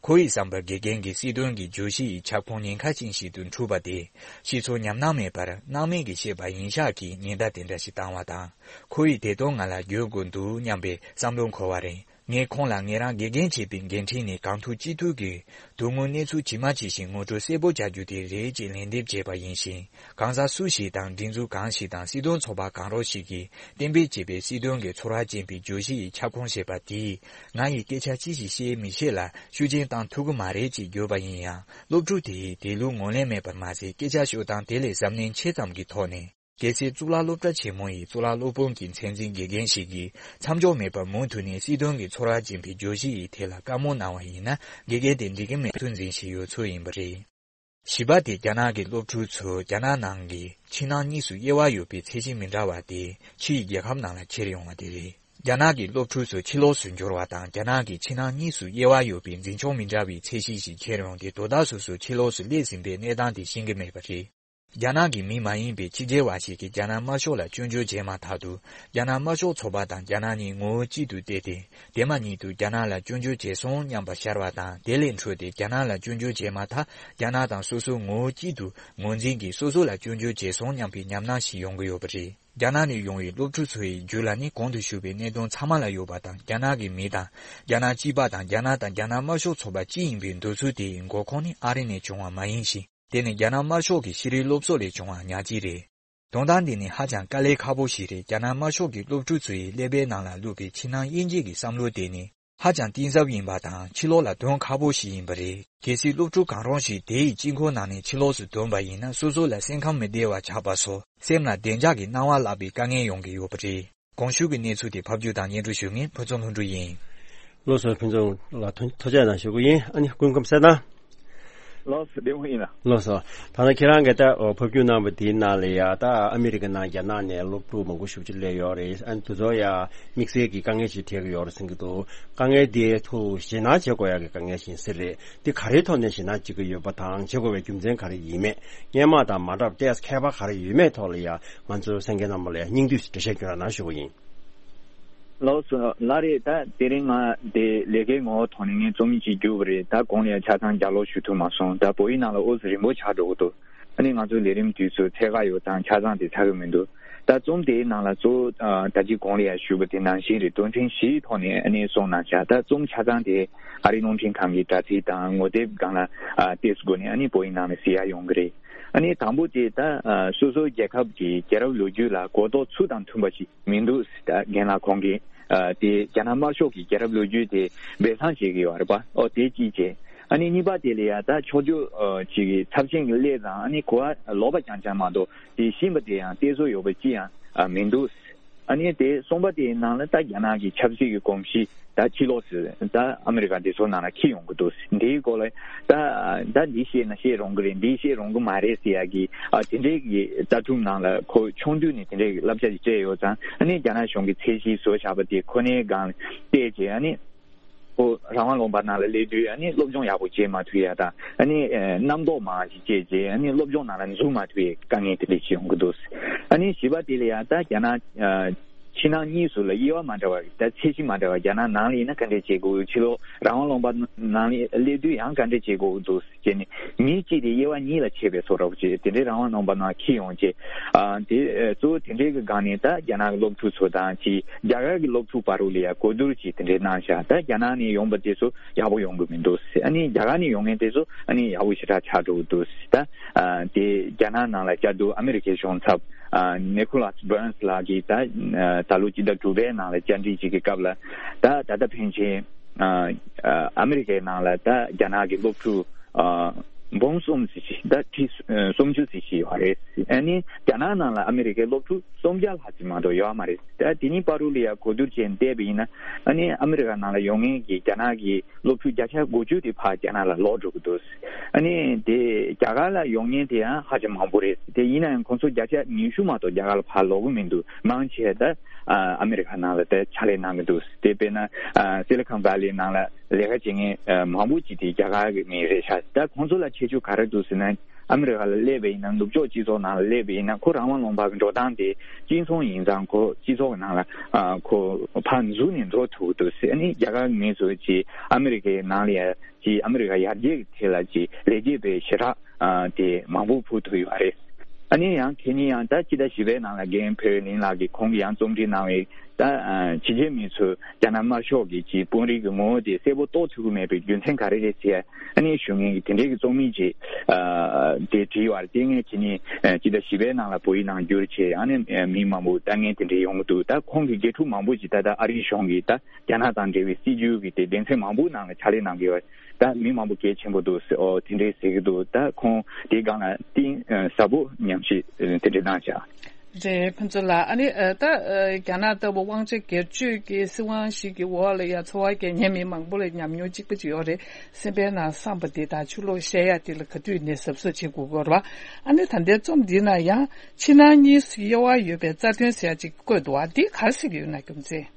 ཁོ་ཡི་བསམ་པར་དགེ་རྒན་གྱིས་སྲིད་དོན་གྱི་བརྗོད་གཞི་ཡི་ཁྱབ་ཁོངས་ཉེན་ཁ་ཅན་ཞིག་ཏུ་འཁྲུལ་པ་དེ། ཤེས་ཚོར་ཉམས་སྣང་མེད་པར་སྣང་མེད་ཀྱིས་བཤད་པ་ཡིན་ཤག་གིས་ཉེན་བརྡ་དེ་འདྲ་ཞིག་བཏང་བ་དང་། ཁོ་ཡིས་དེ་དོན་ང་ལ་བརྗོད་དགོས་འདུག་སྙམ་པའི་བསམ་བློ་འཁོར་བ་རེད། ངས་ཁོང་ལ་ངེད་རང་དགེ་རྒན་བྱས་པའི་འགན་འཁྲི་ནས་གང་ཐུབ་ཅི་ཐུབ་ཀྱིས་དོན་དངོས་གནས་ཚུལ་ཇི་མ་ཇི་བཞིན་ངོ་སྤྲོད་གསལ་པོ་བྱ་རྒྱུ་དེ་རེད་ཅེས་ལན་འདེབས་བྱས་པ་ཡིན་ཞིང་། གང་ཟག་སུ་ཞིག་དང་སྒྲིག་འཛུགས་གང་ཞིག་དང་སྲིད་དོན་ཚོགས་པ་གང་རུང་ཞིག་གིས་གཏན་འབེབས་བྱས་པའི་སྲིད་དོན་གྱི་ཚོར་བ་ཅན་པའི་བརྗོད་གཞི་ཡི་ཁྱབ་ཁོངས་ཞེས་པ་དེས་ང་ཡིས་སྐད་ཆ་ཅི་ཞིག་བཤད་མི་བཤད་ལ་ཤུགས་རྐྱེན་བཏང་ཐུབ་ཀྱི་མ་རེད་ཅེས་བརྗོད་པ་ཡིན་ཡང་། སློབ་ཕྲུག་དེ་ཡིས་དེ་ལུགས་ངོས་ལེན་མེད་པར་མ་ཟད། སྐད་ཆ་ཤོད་སྟངས་དེ་ལས་གཟབ་ནན་ཆེ་ཙམ་གྱི་ཐོག་ནས། གལ་སྲིད་གཙུག་ལག་སློབ་གྲྭ་ཆེན་མོ་ཡི་གཙུག་ལག་སློབ་དཔོན་གྱི་མཚན་འཛིན་དགེ་རྒན་ཞིག་གིས་མཚམས་འཇོག་མེད་པར་མུ་མཐུད་ནས་སྲིད་དོན་གྱི་ཚོར་བ་ཅན་པའི་བརྗོད་གཞི་ཡི་ཐད་ལ་བཀའ་མོལ་གནང་བ་ཡིན་ན། དགེ་རྒན་དེ་འགྲིག་གི་མེད་ཐུགས་འཛིན་བཞིན་ཡོད་ཚོད་ཡིན་པ་རེད། བཞི་པ་དེ་རྒྱ་ནག་གི་སློབ་ཕྲུག་ཚོ་རྒྱ་ནག་ནང་གི་ཕྱི་ནང་གཉིས་སུ་དབྱེ་བ་ཡོད་པའི་ཚད་གཞི་མི་འདྲ་བ་དེ་ཕྱི་ཡི་རྒྱལ་ཁབ་ནང་ལ་ཁྱེར་ཡོང་བ་དེ་རེད། རྒྱ་ནག་གི་སློབ་ཕྲུག་ཚོ་ཕྱི་ལོགས་སུ་འབྱོར་བ་དང་། རྒྱ་ནག་གི་ཕྱི་ནང་གཉིས་སུ་དབྱེ་བ་ཡོད་པའི་འཛིན་སྐྱོང་མི་འདྲ་བའི་ཚད་གཞི་ཞིག་ཁྱེར་ཡོང་སྟེ། དོ་བདག་སོ་སོ་ཕྱི་ལོགས་སུ་སླེབས་ཟིན་པའི་གནས་སྟངས་དེ་ཤེས་ཀྱི་མེད་པ་རེད། རྒྱ་ནག་གི་མི་མ་ཡིན་པའི་ཕྱི་རྒྱལ་བ་ཞིག་གིས་རྒྱ་ནག་དམར་ཤོག་ལ་སྐྱོན་བརྗོད་བྱས་མ་ཐག་ཏུ། རྒྱ་ནག་དམར་ཤོག་ཚོགས་པ་དང་རྒྱ་ནག་གཉིས་ངོ་བོ་གཅིག་ཏུ་བལྟས་ཏེ། དེ་མ་ཉིད་དུ་རྒྱ་ནག་ལ་སྐྱོན་བརྗོད་བྱས་སོང་སྙམ་པ་ཤར་བ་དང་། དེ་ལས་འཕྲོས་ཏེ་རྒྱ་ནག་ལ་སྐྱོན་བརྗོད་བྱས་མ་ཐག་རྒྱ་ནག་དང་སོ་སོ་ངོ་བོ་གཅིག་ཏུ་ངོས་འཛིན་གྱིས་སོ་སོ་ལ་སྐྱོན་བརྗོད་བྱས་སོང་སྙམ་པའི་ཉམས་སྣང་ཞིག་ཡོང་གི་ཡོད་པ་རེད། རྒྱ་ནག་ནས་ཡོང་བའི་སློབ་ཕྲུག་ཚོ་ཡི་རྒྱུད་ལ་ནི་གོང་དུ་ཞུས་པའི་གནད་དོན་ཚང་མ་ལ་ཡོད་པ་དང་། རྒྱ་ནག་གི་མི་དང་། རྒྱ་ནག་གཅིག་པ་དང་། རྒྱ་ནག་དང་རྒྱ་ནག་དམར་ཤོག་ཚོགས་པ་གཅིག་ཡིན་པའི་འདོད་ཚུལ་དེ་ཡི་འགོ་ཁུངས་ནི་ཨ་རི་ནས་བྱུང་བ་མ་ཡིན་ཞིང་། དེ་ནི་རྒྱ་ནག་དམར་ཤོག་གི་ཤེས་རིག་སློབ་གསོ་ལས་བྱུང་བ་ཉག་གཅིག་རེད། དོན་དག་འདི་ནི་ཧ་ཅང་དཀའ་ལས་ཁག་པོ་ཞིག་རེད། རྒྱ་ནག་དམར་ཤོག་གི་སློབ་ཕྲུག་ཚོ་ཡི་ཀླད་པའི་ནང་ལ་བླུགས་པའི་ཕྱི་ནང་དབྱེ་འབྱེད་ཀྱི་བསམ་བློ་དེ་ནི་ཧ་ཅང་གཏིང་ཟབ་ཡིན་པ་དང་། ཕྱི་ལོགས་ལ་དོན་ཁག་པོ་ཞིག་ཡིན་པ་རེད། གལ་སྲིད་སློབ་ཕྲུག་གང་རུང་ཞིག་དེ་ཡི་དཀྱིལ་འཁོར་ནང་ནས་ཕྱི་ལོགས་སུ་ཐོན་པ་ཡིན་ན། སོ་སོ་ལ་སེམས་ཁམས་མི་བདེ་བ་ཆགས་པ་སོགས། སེམས་ལ་བདེ་འཇགས་ཀྱི་སྣང་བ་བརླག་པའི་དཀའ་ངལ་ཡོང་གི་ཡོད་པ་རེད། གོང་ཞུས་ཀྱི་གནས་ཚུལ་དེ་ཕབ་སྒྱུར་དང་སྙན་སྒྲོན་ཞུ་མཁན་ཕུན་ཚོགས་ལྷུན་གྲུབ་ཡིན། ལགས་སོ། ཕུན་ཚོགས་ལགས། ཐུགས་རྗེ་གནང་ཞུ་གི་ཡིན། ཨ་ནི་སྐུ་ཁམས་གསལ་ཐང་། ལགས་སོ། བདེ་མོ་ཡིན་ལ། ལགས་སོ། ད་ལྟ་ཁྱེད་རང་གིས་ད་ཕབ་སྒྱུར་གནང་བ་དེའི་ནང་ལ་ཡ་ད་ཨ་མི་རི་ཀ་ནང་རྒྱ་ནག་ནས་སློབ་ཕྲུག་མང་པོ་ཞེ་པོ་ཅིག་སླེབས་ཡོད་རེད། ཨ་ནི་དེ་ཚོ་ཡ་དམིགས་བསལ་གྱི་དཀའ་ངལ་ཅིག་འཕྲད་ཀྱི་ཡོད་རེད་གསུང་གི་འདུག་དཀའ་ངལ་དེའི་ཐོག་ཞེད་སྣང་བྱེད་དགོས་ཡ་གི་དཀའ་ངལ་ཞིག་ཡིན་ས་རེད། དེ་ག་རེའི་ཐོག་ནས་ཞེད་སྣང་བྱེད་ཀྱི་ཡོད་པ་དང་བྱེད་དགོས་པའི་རྒྱུ་མཚན་ག་རེ་ཡིན་མེད། སྔོན་མ་དང་མ་འདྲ་བ་ཏོག་ཙམ་ཁྱད་པར་ག་རེ་ཡོད་མེད་ཐོག་ལ་ཡ་ང་ཚོའི་གསན་མཁན་རྣམ་པ་ལ་ཡ་སྙིང་བསྡུས་ཤིག་འགྲེལ་བཤད་སྐྱོན་རོགས་གནང་ཞུ་གི་ཡིན། ལགས་སོ། ལགས་རེད། ད་དེ་རིང་ང་དེ་ལས་ཀའི་ངོ་བོ་ཐོག་ནས་ངས་རྩོམ་ཡིག་ཅིག་བསྒྱུར་བ་རེད། ད་གོང་ལ་ཡང་ཆ་ཚང་ལྗགས་ཀློག་ཞུ་ཐུབ་མ་སོང་། ད་བོད་ཡིག་ནང་ལ་ཨོ་ཙི་རིང་པོ་ཆགས་འགྲོ་གི་འདུག་ཨ་ནི་ང་ཚོ་ལས་རིམ་དུས་ཚོད་ཚད་བཀག་ཡོད་ཙང་ཆ་ཚང་དེ་ཚར་གི་མི་འདུག་ད་རྩོམ་དེའི་ནང་ལ་གཙོ་བོ་ཨ་ད་ཅི་གོང་ལ་ཡང་ཞུས་པ་དེ་ནང་བཞིན་རེད། དོན་ཚན་བཞིའི་ཐོག་ནས་ཨ་ནི་གསུངས་གནང་བཞག་ད་རྩོམ་ཆ་ཚང་དེ་ཨ་རིའི་རླུང་འཕྲིན་ཁང་གི་དྲ་ཚིགས་དང་ངོ་དེབ་སྒང་ལ་ཨ་ཏོག་ཙམ་སྒོ་ནས་ཨ་ནི་བོད་ཡིག་ནང་ལ་གཟིགས་ཡ་ཡོང་གི་རེད། ཨ་ནི་དང་པོ་དེ་ད་ཨ་སོ་སོའི་རྒྱལ་ཁབ་ཀྱི་རྒྱལ་རབས་ལོ་རྒྱུས་ལ་གོ་རྟོགས་ཚུལ་དང་མཐུན་པ་ཞིག་མི་འདུག་ད་རྒན་ལགས་ཁོང་གིས་ཨ་དེ་རྒྱ་ནག་དམར་ཤོག་གི་རྒྱལ་རབས་ལོ་རྒྱུས་དེ་སྦས་གསང་བྱེད་ཀྱི་ཡོད་རེད་པ། ཨོ་དེ་གཅིག་བྱས། ཨ་ནི་གཉིས་པ་དེ་ལ་ཡ་ད་ཕྱོགས་བསྒྱུར་ཨ་ཅིག་གི་ཚབས་ཆེན་གྱི་སླེབས་ཙང་ཨ་ནི་གོ་བ་ལོག་པ་རྐྱང་རྐྱང་མ་གཏོགས་དེ་ཤེས་པ་དེ་ཡང་གཏད་སོ་ཡོད་པ་ཅི་ཡང་ཨ་མི་འདུག་ཨ་ནི་དེ་གསུམ་པ་དེའི་ནང་ལ་ད་རྒྱ་ནག་གི་ཆབ་སྲིད་ཀྱི་གོམས་གཤིས་ད་ཕྱི་ལོགས་སུ་ད་ཨ་མི་རི་ཀ་དེ་ཚོ་ནང་ལ་འཁྱེར་ཡོང་གི་འདུག་འདིའི་སྐོར་ལ་ད་ད་འདི་བཤད་ན་བཤད་རུང་གི་རེད། འདི་བཤད་རུང་གི་མ་རེད་ཟེར་ཡ་གི་ཨ་དེ་འདྲའི་གི་ལྟ་གྲུབ་ནང་ལ་ཁོ་ཆུང་དུས་ནས་དེ་འདྲའི་གི་བསླབ་བྱ་ཞིག་སྤྲད་ཡོད་ཙང་ཨ་ནི་རྒྱ་ནག་གཞུང་གི་ཚད་གཞི་བཟོ་བཞག་པ་དེ་ཁོ་ནའི་སྒང་ལ་བལྟས་རྗེས་ཨ་ནི་ཁོ་རང་དབང་ལུང་པ་ནང་ལ་སླེབས་དུས་ཨ་ནི་སློབ་སྦྱོང་ཡག་པོ་བྱེད་མ་ཐུབ་ཡ་དང་ཨ་ནི་ཨ་རྣམ་རྟོག་མང་ཞིག་སྐྱེས་རྗེས་ཨ་ནི་སློབ་སྦྱོང་ནང་ལ་འཛུལ་མ་ཐུབ་པའི་དཀའ་ངལ་དེ་འདྲ་ཞིག་ཡོང་གི་འདུག་ཨ་ནི་བཞི་པ་དེ་ལ་ཡང་ད་རྒྱ་ནག་ཨ་ཕྱི་ནང་གཉིས་སུ་ལ་དབྱེ་བ་མ་འདྲ་བ་ད་ཚད་གཞི་མ་འདྲ་བ་རྒྱ་ནག་ནང་ལ་ཡིན་ན་ག་འདྲས་བྱེད་དགོས། ཕྱི་ལོགས་རང་དབང་ལུང་པ་ནང་ལ་སླེབས་དུས་ཡང་ག་འདྲས་བྱེད་དགོས་འདུག་ཅེས་ནི་མི་གཅིག་དེ་དབྱེ་བ་གཉིས་ལ་ཕྱེ་བའི་བཟོ་འདྲ་བོ་ཅིག་དེ་འདྲའི་རང་དབང་ལུང་པ་ནང་འཁྱེར་ཡོང་རྗེས་ཨ་དེ་གཙོ་བོ་དེ་འདྲའི་གི་སྒང་ནས་ད་རྒྱ་ནག་གི་སློབ་ཕྲུག་ཚོ་དང་ཅིག་རྒྱ་གར་གྱི་སློབ་ཕྲུག་བར་དུ་ལ་ཡང་གོ་བསྡུར་ཅིག་དེ་འདྲའི་གནང་བཞག་ད་རྒྱ་ནག་ནས་ཡོང་པ་དེ་ཚོ་ཡག་པོ་ཡོང་གི་མི་འདུག་ཨ་ནི་རྒྱ་གར་ནས་ཡོང་མཁན་དེ་ཚོ་ཨ་ནི་ཡག་པོ་ཞེ་དྲག་ཆགས་འགྲོ་གི་འདུག་ད་ཨ་དེ་རྒྱ་ནག་ནང་ལ་བཅའ་བསྡུར་ཨ་མི་རི་ཀའི་གཞུང་ཚབ་ཨ་ནི་ཁོ་ལཱས་བྷར་ནས་ལགས་ཀྱིས་ད་ཨ་ད་ལོ་སྤྱི་ཟླ་དྲུག་པའི་ནང་ལ་བཅར་འདྲི་ཅིག་གི་སྐབས་ལ་ད་ད་ལྟ་ཕན་ཆད་ཨ་ཨ་མི་རི་ཀའི་ནང་ལ་ད་རྒྱ་ནག་གི་སློབ་ཕྲུག་ཨ་འབུམ་གསུམ་ཙམ་ཞིག་ད་ཁྲི་ཨ་སུམ་ཅུ་ཙམ་ཞིག་ཡོད་རེད། ཨ་ནི་རྒྱ་ནག་ནང་ལ་ཨ་མི་རི་ཀའི་སློབ་ཕྲུག་སུམ་བརྒྱ་ལྷག་ཙམ་མ་གཏོགས་ཡོད་མ་རེད། ད་དེ་གཉིས་བར་དུ་ལ་ཡང་གོ་བསྡུར་བྱས་བལྟས་པ་ཡིན་ན་ཨ་ནི་ཨ་མི་རི་ཀ་ནང་ལ་ཡོང་མཁན་གྱི་རྒྱ་ནག་གི་སློབ་ཕྲུག་བརྒྱ་ཆ་དགུ་བཅུ་དེ་ཕར་རྒྱ་ནག་ལ་ལོག་འགྲོ་གི་འདུག་ཨ་ནི་དེ་རྒྱ་གར་ལ་ཡོང་མཁན་དེ་ཡང་ཧ་ཅང་མང་པོ་རེད། དེ་ཡིན་ན་ཡང་ཁོང་ཚོ་བརྒྱ་ཆ་ཉི་ཤུ་མ་གཏོགས་རྒྱ་གར་ལ་ཕར་ལོག་གི་མི་འདུག་མང་ཆེ་ད་ཨ་ཨ་མི་རི་ཀ་ནང་ལ་ད་ཕྱག་ལས་གནང་གི་འདུག་དེ་དཔེར་ན་ཨ་སི་ལི་ཁོན་ཝེ་ལི་ནང་ལ་ལས་ཀ་བྱེད་མཁན་ཨ་མང་པོ་ཅིག་དེ་རྒྱ་གར་གྱི་མི་རེད་ཤག་ད་ཁོང་ཚོ་ལ་ཁྱད་ཆོས་ག་རེ་འདུག་ཟེར་ན། ཨ་མི་རི་ཀ་ལ་སླེབས་པ་ཡིན་ན་ནུབ་ཕྱོགས་སྤྱི་ཚོགས་ནང་ལ་སླེབས་པ་ཡིན་ན་ཁོ་རང་དབང་ལུང་པ་གི་འགྲོ་སྟངས་དེ་གཅིག་མཚུངས་ཡིན་ཙང་ཁོ་སྤྱི་ཚོགས་ནང་ལ་ཨ་ཁོ་ཕར་འཛུལ་ནས་འགྲོ་ཐུབ་ཀྱི་འདུག་ཟེར། ཨ་ནི་རྒྱ་གར་མི་ཚོ་ཅིག་ཨ་མི་རི་ཀའི་ནང་ལ་ཡ་ཅིག་ཨ་མི་རི་ཀ་ཡར་རྒྱས་ཀྱི་ཐད་ལ་ཅིག་ལེགས་སྐྱེས་དཔེ་ཞེ་དྲག་ཨ་དེ་མང་པོ་ཕུལ་ཐུབ་ཡོད་རེད། ཨ་ནི་ཡང་དེ་ནི་ཡང་ད་སྤྱི་ཟླ་བཞི་པའི་ནང་ལ་རྒན་བོད་གླིང་ལགས་ཀྱིས་ཁོང་གིས་ཡང་རྩོམ་བྲིས་གནང་བའི་ད་ཨ་ཕྱི་རྒྱལ་མི་ཚོས་རྒྱ་ནག་དམར་ཤོག་གི་ཅིག་དཔོན་རིགས་ཀྱི་ངོ་བོ་དེ་གསལ་པོ་རྟོགས་ཐུབ་ཀྱི་མེད་པའི་རྒྱུ་མཚན་ག་རེ་རེད་ཟེར། ཨ་ནི་ཞུ་མཁན་གྱི་དེ་འདྲའི་གི་རྩོམ་ཡིག་ཅིག་ཨ་དེ་བྲིས་ཡོད་རེད། དེ་ངས་ཁྱེད་ནི་ཨ་སྤྱི་ཟླ་བཞི་པའི་ནང་ལ་བོད་ཡིག་ནང་བསྒྱུར་བྱས་ཨ་ནི་ཨ་མི་མང་པོ་ལྟ་མཁན་དེ་འདྲའི་ཡོང་གི་འདུག་ད་ཁོང་གི་དགེ་ཕྲུག་མང་པོ་ཅིག་ད་ལྟ་ཨ་རིའི་གཞུང་གི་ད་རྒྱ་ནག་དང་འབྲེལ་བའི་སྲིད་ཇུས་ཀྱི་དེ་སྡེ་ཚན་མང་པོའི་ནང་ལ་ཕྱག་ལས་གནང་གི་ཡོད་རེད། ད་མི་མང་པོ་གལ་ཆེན་པོ་འདུག་ཟེར། ཨོ་དེ་འདྲའི་ཟེར་གི་འདུག་ད་ཁོང་དེའི་སྒང་ལ་གཏིང་ཨ་ཟབ་པོ་ཉམས་ཞིབ་ཨ་དེ་འདྲའི་གནང་བཞག་རེད། ཕུན་ཚོགས་ལགས། ཨ་ནི་ཨ་ད་ཨ་རྒྱ་ནག་ལྟ་བུ་དབང་ཆ་སྒེར་གཅོད་ཀྱི་སྲིད་དབང་ཞིག་གི་འོག་ལ་ཡ་འཚོ་བ་སྐྱེལ་མཁན་མི་མང་པོ་ལ་ཉམས་མྱོང་གཅིག་པ་ཅིག་ཡོད་རེད། སེམས་པའི་ནང་བསམ་པ་འདི་དང་ཆུ་ལོག་བཤད་ཡ་འདི་ལ་ག་དུས་ནས་གཟབ་གཟབ་བྱེད་དགོས་ཀྱི་ཡོད་རེད་པ། ཨ་ནི་ད་ལྟའི་རྩོམ་འདི་ན་ཡང་ཕྱི་ནང་གཉིས་སུ་དབྱེ་བ་ཡོད་པའི་རྩ་དོན་ཟེར་ཡ་ཅིག་བཀོད་འདུག་པ། འདི་ག་རེ་ཟེར་གྱི་ཡོད་ན། རྒྱུ་མཚན།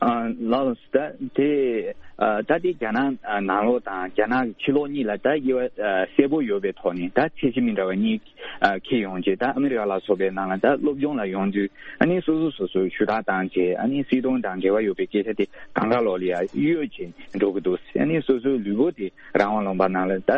ཨ་ལགས་ད་དེ་ཨ་ད་དེ་རྒྱ་ནག་ཨ་ནང་ལོགས་དང་རྒྱ་ནག་གི་ཕྱི་ལོགས་གཉིས་ལ་ད་དབྱེ་བ་ཨ་གསལ་པོ་ཡོད་པའི་ཐོག་ནས་ད་ཚད་གཞི་མི་འདྲ་བ་གཉིས་ཨ་འཁྱེར་ཡོང་རྗེས་ད་ཨ་མི་རི་ཀ་ལ་སོགས་པའི་ནང་ལ་ད་སློབ་སྦྱོང་ལ་ཡོང་དུས་ཨ་ནི་སོ་སོ་སོ་སོའི་ཞུ་དག་བཏང་རྗེས་ཨ་ནི་སྲིད་དོན་དང་འབྲེལ་བ་ཡོད་པའི་སྐད་ཆ་དེ་གང་ག་ལོག་ལ་ཡ་གཡོལ་བྱས་འགྲོ་གི་འདུག་ཨ་ནི་སོ་སོའི་ལུས་པོ་དེ་རང་དབང་ལུང་པ་ནང་ལ་ད་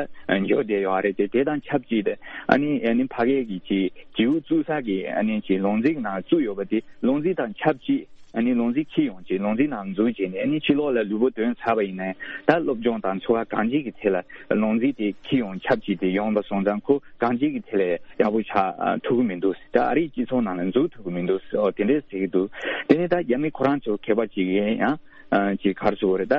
འགྱོ་བསྡད་ཡོད་རེད་དེ། དེ་དང་ཆབས་ཅིག་ཏུ་ཨ་ནི་ཨ་ནི་ཕ་གི་གི་ཅིག་བྱིའུ་བཙུགས་ས་གི་ཨ་ནི་ཅིག་ལུང་འཛིན་ནང་བཙུགས་ཡོད་པ་དེ་ལུང་འཛིན་དང་ཆབས་ཅིག་ཨ་ནི་ལུང་འཛིན་འཁྱེར་ཡོང་རྗེས་ལུང་འཛིན་ནང་འཛུལ་རྗེས་ནས་ཨ་ནི་ཕྱི་ལོགས་ལ་ལུས་པོ་ཐོན་ཚར་བ་ཡིན་ན་ད་སློབ་སྦྱོང་དང་འཚོ་བ་གང་ཅིའི་ཐད་ལ་ལུང་འཛིན་དེ་འཁྱེར་ཡོང་ཆབས་ཅིག་དེ་ཡོང་བ་སོང་ཙང་ཁོ་གང་ཅིའི་ཐད་ལ་ཡག་པོ་ཆགས་ཨ་ཐུབ་ཀྱི་མི་འདུག་ད་ཨ་རིའི་སྤྱི་ཚོགས་ནང་ལ་འཛུལ་ཐུབ་ཀྱི་མི་འདུག་ཨོ་དེ་འདྲས་ཟེར་གྱི་འདུག་དེ་ནས་ད་རྒྱ་མི་ཁོ་རང་ཚོ་མཁས་པ་ཅིག་ཡིན་ཡང་ཨ་ཅིག་ག་རེ་ཟེར་དགོས་རེད། ད་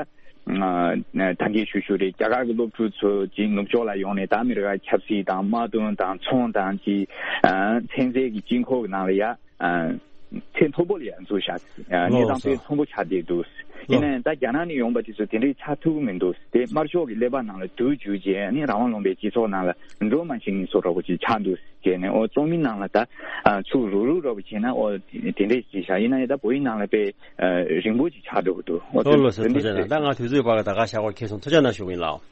ཨ་ད་གིན་ཞུ་ཞུ་རེད། རྒྱ་གར་གྱི་སློབ་ཕྲུག་ཚོ་ཅིག་ནུབ་ཕྱོགས་ལ་ཡོང་ནས་ད་ཨ་མི་རི་ཀ་ཆབ་སྲིད་དང་དམག་དོན་དང་ཚོང་དང་ཅིག་ཨ་ཚན་རྩལ་གྱི་དཀྱིལ་འཁོར་གྱི་ནང་ལ་ཡ། ཚད་མཐོ་པོ་ལ་ཡང་འཛུལ་བཞག་ཨ་གནས་སྟངས་དཔེ་མཐོན་པོ་ཆགས་བསྡད་འདུག་ཡིན་ན་ཡང་ད་རྒྱ་ནག་ནས་ཡོང་པ་དེ་ཚོ་དེ་འདྲའི་ཆགས་ཐུབ་ཀྱི་མི་འདུག་དེ་དམར་ཤོག་གི་ཀླད་པ་ནང་ལ་བསྡུས་བཅུག་རྗེས་ནི་རང་དབང་ལུང་པའི་སྤྱི་ཚོགས་ནང་ལ་འགྲོ་མ་ཤེས་མཁན་བཟོ་འདྲ་པོ་ཅིག་ཆགས་འདུག་ཟེར་ནས། ཨོ་ཚོགས་མི་ནང་ལ་ད་ཨ་ཚུར་རུག་རུག་འདྲ་པོ་བྱས་ན་ཨོ་དེ་འདྲས་ཅིག་བཞག་ཡིན་ན་ཡང་ད་བོད་ཡིག་ནང་ལ་དཔེ་ཨ་རིང་པོ་ཅིག་ཆགས་འགྲོ་གི་འདུག་ཨོ་ལྷོད་ལྷོད་ཟེར། དེ་ཐུགས་རྗེ་གནང་། ད་ང་དུས་ཚོད་བར་ལ་ད་ག་ཞག་གོ་ཁེ་སོང་། ཐུགས་རྗེ་གནང་ཞུ་གི་ཡིན་ལགས།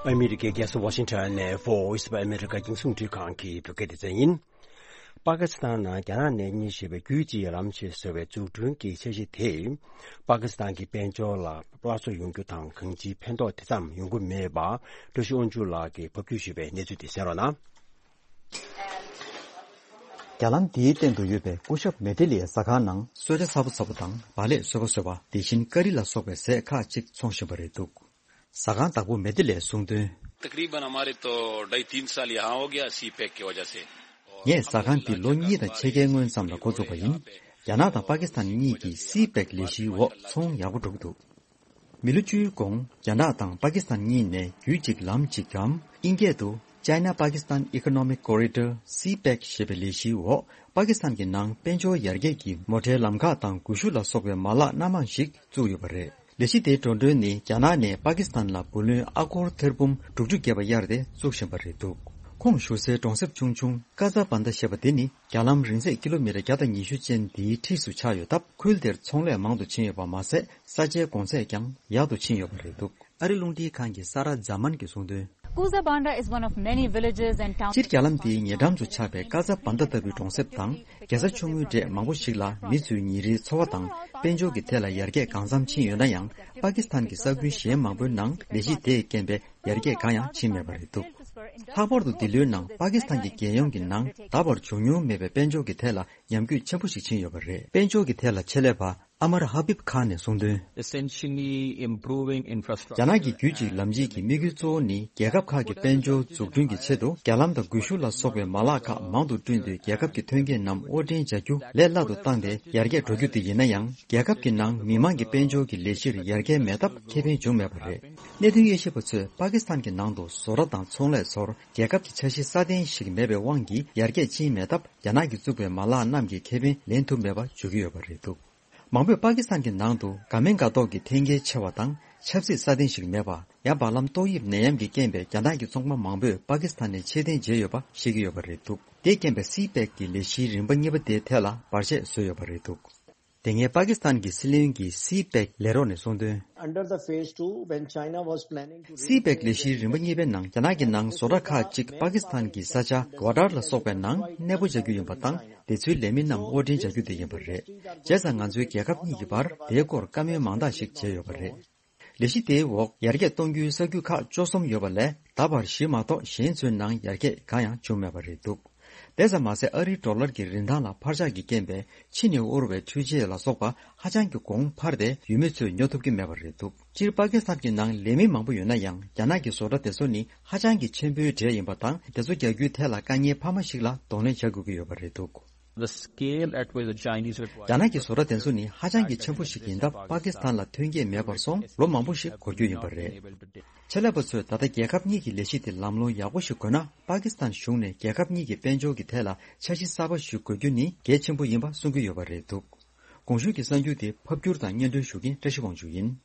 ཨ་མི་རི་ཀའི་རྒྱལ་ས་ཝ་ཤིང་ཊོན་ནས་Voice of America རྒྱང་སྲིང་རླུང་འཕྲིན་ཁང་གི་བོད་སྐད་སྡེ་ཚན་ཡིན། པ་ཀི་སི་ཐན་ནང་རྒྱ་ནག་ནས་གཉེར་བཞིན་པའི་རྒྱུད་གཅིག་ཡར་ལངས་ཆེད་བཟོས་པའི་འཛུགས་སྐྲུན་གྱི་འཆར་གཞི་དེས་པ་ཀི་སི་ཐན་གྱི་དཔལ་འབྱོར་ལ་སླར་གསོ་ཡོང་རྒྱུ་དང་གང་ཅིའི་ཕན་ཐོགས་དེ་ཙམ་ཡོང་གི་མེད་པ་བཀྲ་ཤིས་དབང་ཕྱུག་ལགས་ཀྱིས་ཕབ་སྒྱུར་ཞུས་པའི་གནས་ཚུལ་དེ་གསན་རོགས་གནང་། རྒྱ་ལམ་འདིའི་སྟེང་དུ་ཡོད་པའི་སྐུ་ཞབས་མེ་ཏི་ལེའི་ཟ་ཁང་ནང་གསོལ་ཇ་ཚ་པོ་ཚ་པོ་དང་བག་ལེབ་སོད་པོ་སོད་པ། དེ་བཞིན་ཀ་རི་ལ་སོགས་པའི་ཟས་ཁག་ཅིག་འཚོང་བཞིན་པ་རེད་འདུག་ཟ་ཁང་བདག་པོ་མེ་ཏི་ལེས་གསུངས་དོན། तकरीबन हमारे तो ढाई तीन साल यहाँ हो गया सी पैक की वजह से। ངས་ཟ་ཁང་འདི་ལོ་གཉིས་དང་ཕྱེད་ཀའི་སྔོན་ཙམ་ལ་འགོ་བཙུགས་པ་ཡིན། རྒྱ་ནག་དང་པ་ཀི་སི་ཐན་གཉིས་ཀྱི་སི་པེག་ལས་གཞིའི་འོག་ཚོང་ཡག་པོ་འགྲོ་གི་འདུག་མི་ལོ་བཅུའི་གོང་རྒྱ་ནག་དང་པ་ཀི་སི་ཐན་གཉིས་ནས་རྒྱུད་གཅིག་ལམ་གཅིག་གམ་ཨིན་སྐད་དུ་China Pakistan Economic Corridor སི་པེག་ཞེས་པའི་ལས་གཞིའི་འོག་པ་ཀི་སི་ཐན་གྱི་ནང་དཔལ་འབྱོར་ཡར་རྒྱས་ཀྱི་མོ་ཊའི་ལམ་ཁག་དང་སྒུལ་ཤུགས་ལ་སོགས་པའི་མ་ལག་སྣ་མང་ཞིག་བཙུགས་ཡོད་པ་རེད། ལས་གཞི་དེའི་འགྲོ་གྲོན་ནི་རྒྱ་ནག་ནས་པ་ཀི་སི་ཐན་ལ་བུ་ལོན་ཨ་སྒོར་ཐེར་འབུམ་དྲུག་ཅུ་བརྒྱབ་པ་གཡར་ཏེ་བཙུགས་བཞིན་པ་རེད་འདུག་ཁོངས་ཞུགས་སའི་གྲོང་གསེབ་ཆུང་ཆུང་ཀ་ཛ་བན་ད་ཞེས་པ་དེ་ནི་རྒྱ་ལམ་རིང་ཚད་ཀི་ལོ་མི་ཊར་བརྒྱ་དང་ཉི་ཤུ་ཅན་འདིའི་འཁྲིས་སུ་ཆགས་ཡོད་སྟབས། ཁུལ་དེར་ཚོང་ལས་མང་དུ་ཕྱིན་ཡོད་པ་མ་ཟད། ས་ཆའི་གོང་ཚད་ཀྱང་ཡག་ཏུ་ཕྱིན་ཡོད་པ་རེད་འདུག་ཨ་རི་རླུང་འཕྲིན་ཁང་གི་ས་ར་ཛ་མན་གྱིས་གསུངས་དོན། Kuzabanda is one of many villages and towns. སྤྱིར་རྒྱ་ལམ་དེའི་ཉེ་འགྲམ་དུ་ཆགས་པའི་ཀ་ཛ་བན་ད་ལྟ་བུའི་གྲོང་གསེབ་དང་རྒྱལ་ས་ཆུང་ངུའི་གྲས་མང་པོ་ཞིག་ལ་མི་ཚོའི་ཉིན་རེའི་འཚོ་བ་དང་དཔལ་འབྱོར་གྱི་ཐད་ལ་ཡར་རྒྱས་གང་འཚམ་ཕྱིན་ཡོད་ན་ཡང་། པ་ཀི་སི་ཐན་གྱི་ས་ཁུལ་གཞན་མང་པོའི་ནང་ལས་གཞི་དེས་རྐྱེན་པས་ཡར་རྒྱས་གང་ཡང་ཕྱིན་མེད་པ་རེད་འདུག་ལྷག་པར་དུ་འདི་ལོའི་ནང་པ་ཀི་སི་ཐན་གྱི་རྒྱལ་ཡོངས་ཀྱི་ནང་ད་བར་བྱུང་མྱོང་མེད་པའི་དཔལ་འབྱོར་གྱི་ཐད་ལ་ཉམས་རྒུད་ཆེན་པོ་ཞིག་ཕྱིན་ཡོད་པ་རེད། དཔལ་འབྱོར་གྱི་ཐད་ལ་ཆེད་ལས་པ་ཨ་མར་ཧ་བིབ་ཁཱན་ནས་གསུངས་དོན། Essentially improving infrastructure. རྒྱ་ནག་གི་རྒྱུད་གཅིག་ལམ་གཅིག་གི་དམིགས་ཡུལ་གཙོ་བོ་ནི་རྒྱལ་ཁབ་ཁག་གི་དཔལ་འབྱོར་འཛུགས་སྐྲུན་གྱི་ཆེད་དུ་རྒྱ་ལམ་དང་སྒུལ་ཤུགས་ལ་སོགས་པའི་མ་ལག་ཁག་མང་དུ་བསྐྲུན་ཏེ། རྒྱལ་ཁབ་ཀྱི་ཐོན་སྐྱེད་རྣམས་དབོར་འདྲེན་བྱ་རྒྱུ་ལས་སླ་དུ་བཏང་སྟེ་ཡར་རྒྱས་འགྲོ་རྒྱུ་དེ་ཡིན་ན་ཡང་། རྒྱལ་ཁབ་ཀྱི་ནང་མི་མང་གི་དཔལ་འབྱོར་གྱི་ལས་གཞིར་ཡར་རྒྱས་མེད་སྟབས་ཁེ་ཕན་བྱུང་མེད་པ་རེད། གནད་དོན་དབྱེ་ཞིབ་པ་ཚོས་པ་ཀི་སི་ཐན་གྱི་ནང་དུ་བཟོ་གྲྭ་དང་ཚོང་ལས་ཚོར་རྒྱལ་ཁབ་ཀྱི་འཆར་གཞི་སྲ་བརྟན་ཞིག་མེད་པའི་དབང་གིས་ཡར་རྒྱས་ཕྱིན་མེད་སྟབས། རྒྱ་ནག་གིས་བཙུགས་པའི་མ་ལག་རྣམས་ཀྱི་ཁེ་ཕན་ལེན་ཐུབ་མེད་པ་བརྗོད་ཀྱི་ཡོད་པ་རེད་འདུག་མང་པོས་པ་ཀི་སི་ཐན་གྱི་ནང་དུ་དགའ་མིན་དགའ་མདོག་གི་འཐེན་འཁྱེར་ཆེ་བ་དང་ཆབ་སྲིད་སྲ་བརྟན་ཞིག་མེད་པ། ཡང་། བར་ལམ་ཏོག་དབྱིབས་ནད་ཡམས་ཀྱི་རྐྱེན་པས་རྒྱ་ནག་གི་ཚོང་པ་མང་པོས་པ་ཀི་སི་ཐན་ནས་ཕྱིར་འཐེན་བྱས་ཡོད་པ་ཤེས་ཀྱི་ཡོད་པ་རེད་འདུག་དེས་རྐྱེན་པས་སི་པེག་གི་ལས་གཞིའི་རིམ་པ་གཉིས་པ་དེའི་ཐད་ལ་བར་ཆད་བཟོས་ཡོད་པ་རེད་འདུག་དེ་སྔའི་པ་ཀི་སི་ཐན་གྱི་སྲིད་བློན་གྱིས་སི་པེག་ལས་རོགས་ནས་གསུངས་དོན། Under the phase two, when China was planning to སི་པེག་ལས་གཞིའི་རིམ་པ་གཉིས་པའི་ནང་རྒྱ་ནག་གི་ནང་བཟོ་གྲྭ་ཁག་ཅིག་པ་ཀི་སི་ཐན་གྱི་ས་ཆ་གོ་ཌར་ལ་སོགས་པའི་ནང་གནས་སྤོ་བྱ་རྒྱུ་ཡིན་པ་དང་། དེ་ཚོའི་ལས་མི་རྣམས་དབོར་འདྲེན་བྱ་རྒྱུ་དེ་ཡིན་པ་རེད། བྱས་ཙང་ང་ཚོའི་རྒྱལ་ཁབ་གཉིས་ཀྱི་བར་དེའི་སྐོར་བཀའ་མོལ་མང་དག་ཞིག་བྱས་ཡོད་པ་རེད། ལས་གཞི་དེའི་འོག་ཡར་རྒྱས་གཏོང་རྒྱུའི་ས་ཁུལ་ཁག་བཅུ་གསུམ་ཡོད་པ་ལས། ད་བར་བཞི་མ་གཏོགས་གཞན་ཚོའི་ནང་ཡར་རྒྱས་གང་ཡང་བྱུང་མེད་པ་རེད་འདུག་དེ་ཙམ་མ་ཟད། ཨ་རིའི་ཌོ་ལར་གྱི་རིན་ཐང་ལ་འཕར་ཆག་གི་རྐྱེན་པས་ཕྱི་ནས་དབོར་བའི་འཕྲུལ་ཆས་ལ་སོགས་པ་ཧ་ཅང་གི་གོང་འཕར་ཏེ། ཡུལ་མི་ཚོས་ཉོ་ཐུབ་ཀྱི་མེད་པ་རེད་འདུག་སྤྱིར་པ་ཀི་སི་ཐན་གྱི་ནང་ལས་མི་མང་པོ་ཡོད་ན་ཡང་། རྒྱ་ནག་གི་བཟོ་གྲྭ་དེ་ཚོ་ནི་ཧ་ཅང་གི་ཆེན་པོའི་གྲས་ཡིན་པ་དང་། དེ་ཚོ་རྒྱག་རྒྱུའི་ཐད་ལ་དཀའ་ངལ་འཕར་མ་ཞིག་ལ་གདོང་ལེན་བྱ་དགོས་ཀྱི་ཡོད་པ་རེད་འདུག The scale at which the Chinese require རྒྱ་ནག་གི་བཟོ་གྲྭ་དེ་ཚོ་ནི་ཧ་ཅང་གི་ཆེན་པོ་ཞིག་ཡིན་སྟབས། པ་ཀི་སི་ཐན་ལ་ཐོན་སྐྱེད་མེད་པར་སོང་ལོ་མང་པོ་ཞིག་འགོར་རྒྱུ་ཡིན་པ་རེད། ཆེད་ལས་པ་ཚོས་ད་ལྟ་རྒྱལ་ཁབ་གཉིས་ཀྱི་ལས་གཞི་དེ་ལམ་ལྷོང་ཡག་པོ་ཞིག་དགོས་ན། པ་ཀི་སི་ཐན་གཞུང་ནས་རྒྱལ་ཁབ་གཉིས་ཀྱི་དཔལ་འབྱོར་གྱི་ཐད་ལ་འཆར་གཞི་གསར་པ་ཞིག་དགོས་རྒྱུ་ནི་གལ་ཆེན་པོ་ཡིན་པ་གསུང་གི་ཡོད་པ་རེད་འདུག་གོང་ཞུས་ཀྱི་གསར་འགྱུར་དེ་ཕབ་སྒྱུར་དང་སྙན་སྒྲོན་ཞུ་མཁན་བཀྲ་ཤིས་དབང་ཕྱུག་ཡིན།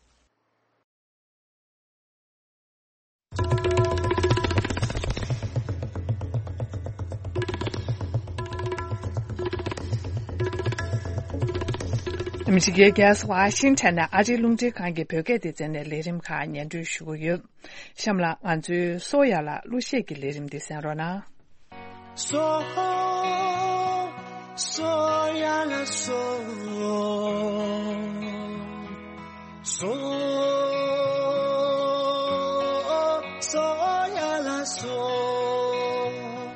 ཨ་མི་རི་ཀའི་རྒྱལ་ས་ཝ་ཤིང་ཊོན་ནས་ཨ་རིའི་རླུང་འཕྲིན་ཁང་གི་བོད་སྐད་སྡེ་ཚན་ནས་ལས་རིམ་ཁག་སྙན་སྒྲོན་ཞུ་གི་ཡོད། གཤམ་ལ་ང་ཚོའི་སོ་ཡ་ལ་གླུ་གཞས་ཀྱི་ལས་རིམ་འདི་གསན་རོགས་གནང་། སོ། སོ་ཡ་ལ་སོ། སོ། སོ་ཡ་ལ་སོ།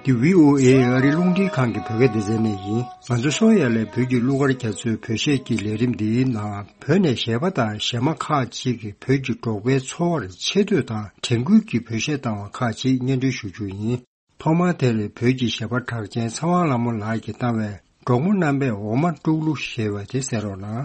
འདི་བྷི་ཨོ་ཨེ་ཨ་རིའི་རླུང་འཕྲིན་ཁང་གི་བོད་སྐད་སྡེ་ཚན་ནས་ཡིན། ང་ཚོ་སོ་ཡ་ལས་བོད་ཀྱི་གླུ་གར་རྒྱ་མཚོའི་བོད་གཞས་ཀྱི་ལས་རིམ་འདིའི་ནང་། བོད་ནས་གཞས་པ་དང་གཞས་མ་ཁག་ཅིག་གིས་བོད་ཀྱི་འབྲོག་པའི་འཚོ་བར་ཆེ་བསྟོད་དང་དྲན་སྐུལ་གྱི་བོད་གཞས་བཏང་བ་ཁག་ཅིག་སྙན་སྒྲོན་ཞུ་རྒྱུ་ཡིན། ཐོག་མར་དེར་བོད་ཀྱི་གཞས་པ་གྲགས་ཅན་ཚེ་དབང་ལྷ་མོ་ལགས་ཀྱིས་བཏང་བའི་འབྲོག་མོ་རྣམ་པས་འོ་མ་དཀྲུག་གླུ་ཞེས་པ་དེ་གསན་རོགས་གནང་།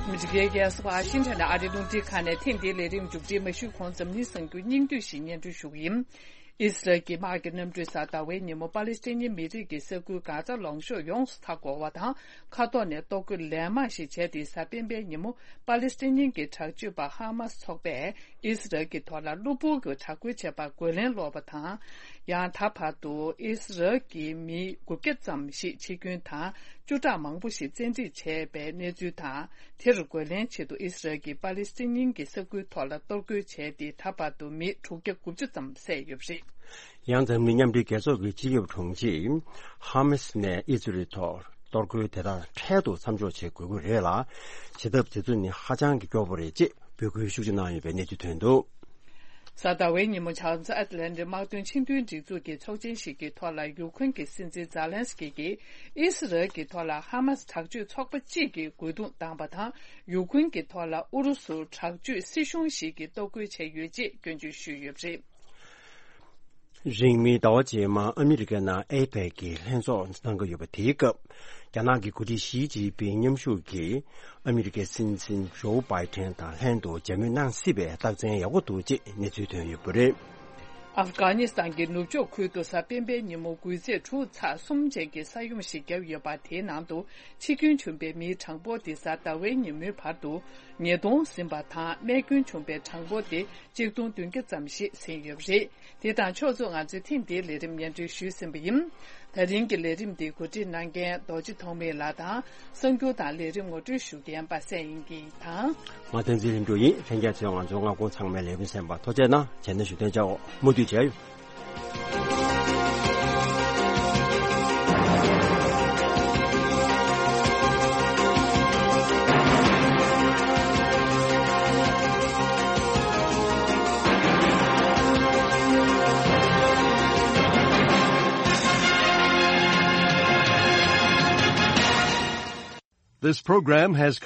ཨ་མི་རི་ཀའི་རྒྱལ་ས་ཝ་ཤིང་ཊོན་ནས་ཨ་རིའི་རླུང་འཕྲིན་ཁང་ནས་ཐེངས་འདིའི་ལས་རིམ་མཇུག་སྒྲིལ་མ་ཞུས་གོང་འཛམ་གླིང་གསར་འགྱུར་སྙིང་བསྡུས་ཤིག་སྙན་སྒྲོན་ཞུ་གི་ཡིན། ཨི་སི་རལ་གྱི་དམག་གི་གནམ་གྲུས་གཟའ་ཟླ་བའི་ཉིན་མོ་པ་ལི་སི་ཐན་མི་རིགས་ཀྱི་ས་ཁུལ་གྷ་ཛ་ལུང་གཤོང་ཡོངས་སུ་མཐའ་བསྐོར་བ་དང་། མཁའ་ཐོག་ནས་གཏོར་རྒོལ་ལན་མང་ཞིག་བྱས་ཏེ། གཟའ་སྤེན་པའི་ཉིན་མོ་པ་ལི་སི་ཐན་གྱི་དྲག་སྤྱོད་པ་ཧ་མ་སི་ཚོགས་པས་ཨི་སི་རལ་གྱི་ཐོག་ལ་གློ་བུར་གྱི་དྲག་རྒོལ་བྱས་པར་རྒོལ་ལན་སློག་པ་དང་། ཡང་ད་བར་དུ་ཨི་སི་རལ་གྱི་མི་དགུ་བརྒྱ་ཙམ་ཞིག་འཆི་སྐྱོན་དང་། བཅུ་ཕྲག་མང་པོ་ཞིག་བཙན་ཁྲིད་བྱས་པའི་གནས་ཚུལ་དང་། དེར་རྒོལ་ལན་ཆེད་དུ་ཨི་སི་རལ་གྱིས་པ་ལི་སི་ཐན་གྱི་ས་ཁུལ་ཐོག་ལ་གཏོར་རྒོལ་བྱས་ཏེ། ད་བར་དུ་མི་དྲུག་བརྒྱ་དགུ་བཅུ་ཙམ་བསད་ཡོད་པ་རེད། ཡང་འཛམ་གླིང་མཉམ་འབྲེལ་རྒྱལ་ཚོགས་ཀྱི་སྤྱི་ཁྱབ་དྲུང་ཆེས་ཧ་མ་སི་ནས་ཨི་ཛི་རལ་ཐོག་གཏོར་རྒོལ་དེ་དག་འཕྲལ་དུ་མཚམས་འཇོག་བྱེད་དགོས་ཀྱི་རེད་ལ། བྱེད་ཐབས་དེ་ཚོ་ནི་ཧ་ཅང་གི་སྐྱོ་པོ་རེད་ཅེས་འབོད་སྐུལ་ཤུགས་ཆེ་གནང་ཡོད་པའི་གནས་ཚུལ་ཐོན་འདུག། གཟའ་ཟླ་བའི་ཉིན་མོ་བྱང་མཚོ་ཨེཊ་ལན་ཊིག་དམག་དོན་ཆེས་མཐོའི་སྒྲིག་འཛུགས་ཀྱི་ཚོགས་ཆེན་ཞིག་གི་ཐོག་ལ། ཡུ་ཁུན་གྱི་སྲིད་འཛིན་ཛཱ་ལན་སི་ཀི་གིས་ཨི་སི་རལ་གྱི་ཐོག་ལ་ཧ་མ་སི་དྲག་སྤྱོད་ཚོགས་པ་གཅིག་གི་རྒོལ་རྡུང་བཏང་པ་དང་། ཡུ་ཁུན་གྱི་ཐོག་ལ་ཨུ་རུ་སུ་དྲག་སྤྱོད་སྲིད་གཞུང་ཞིག་གིས་གཏོར་རྒོལ་བྱས་ཡོད་ཅེས་སྐྱོན་བརྗོད་ཞུས་ཡོད་པ་རེད། རིང་མིན་ཟླ་བ་རྗེས་མར་ཨ་མི་རི་ཀའི་ནང་ཨེ་པེག་གི་ལྷན་ཚོགས་གནང་གི་ཡོད་པ། དེའི་སྐབས་རྒྱ་ནག་གི་འགོ་ཁྲིད་ཞི་ཅིན་ཕིང་མཉམ་ཞུགས་ཀྱིས་ཨ་མི་རི་ཀའི་སྲིད་འཛིན་ཇོ་བྷའི་ཏན་དང་ལྷན་དུ་མཇལ་མོལ་གནང་སྲིད་པའི་རྟགས་མཚན་ཡག་པོ་འདུག་ཅེས་གནས་ཚུལ་ཐོན་ཡོད་པ་རེད། ཨབ་གྷ་ནི་སི་ཐན་གྱི་ནུབ་ཕྱོགས་ཁུལ་དུ་གཟའ་སྤེན་པའི་ཉིན་མོ་འགུལ་ཚད་དྲུག་ཚེག་གསུམ་ཅན་གྱི་ས་ཡོམ་ཞིག་བརྒྱབ་ཡོད་པ། དེའི་ནང་དུ་འཆི་སྐྱོན་བྱུང་པའི་མིའི་གྲངས་འབོར་དེ་གཟའ་ཟླ་བའི་ཉིན་མོའི་བར་དུ་ཉིས་སྟོང་ཟིན་པ་དང་། རྨས་སྐྱོན་བྱུང་པའི་གྲངས་འབོར་དེ་གཅིག་སྟོང་བདུན་བརྒྱ་ཙམ་ཞིག་ཟིན་ཡོད་པ་རེད། དེ་དང་ཕྱོགས་མཚུངས་ང་ཚོས་ཐེངས་འདིའི་ལས་རིམ་སྙན་སྒྲོན་ཞུས་ཟིན་པ་ཡིན། ད་རིང་གི་ལས་རིམ་འདི་གོ་སྒྲིག་གནང་མཁན་རྡོ་རྗེ་ཐོགས་མེད་ལགས་དང་། གསར་འགྱུར་དང་ལས་རིམ་ངོ་སྤྲོད་ཞུ་མཁན་པ་སངས་དབྱངས་སྐྱིད་དང་། ང་བསྟན་འཛིན་ལྷུན་གྲུབ་ཡིན། ལྷན་རྒྱས་ཚོས་ང་ཚོའི་མངའ་ཁོངས་ཚང་མའི་ལས་འགུལ་གསན་པར་ཐུགས་རྗེ་གནང་། བྱས་ན་བཞུགས་གདན་འཇགས། མུ་མཐུད་མཇལ་ཡོང་། This program has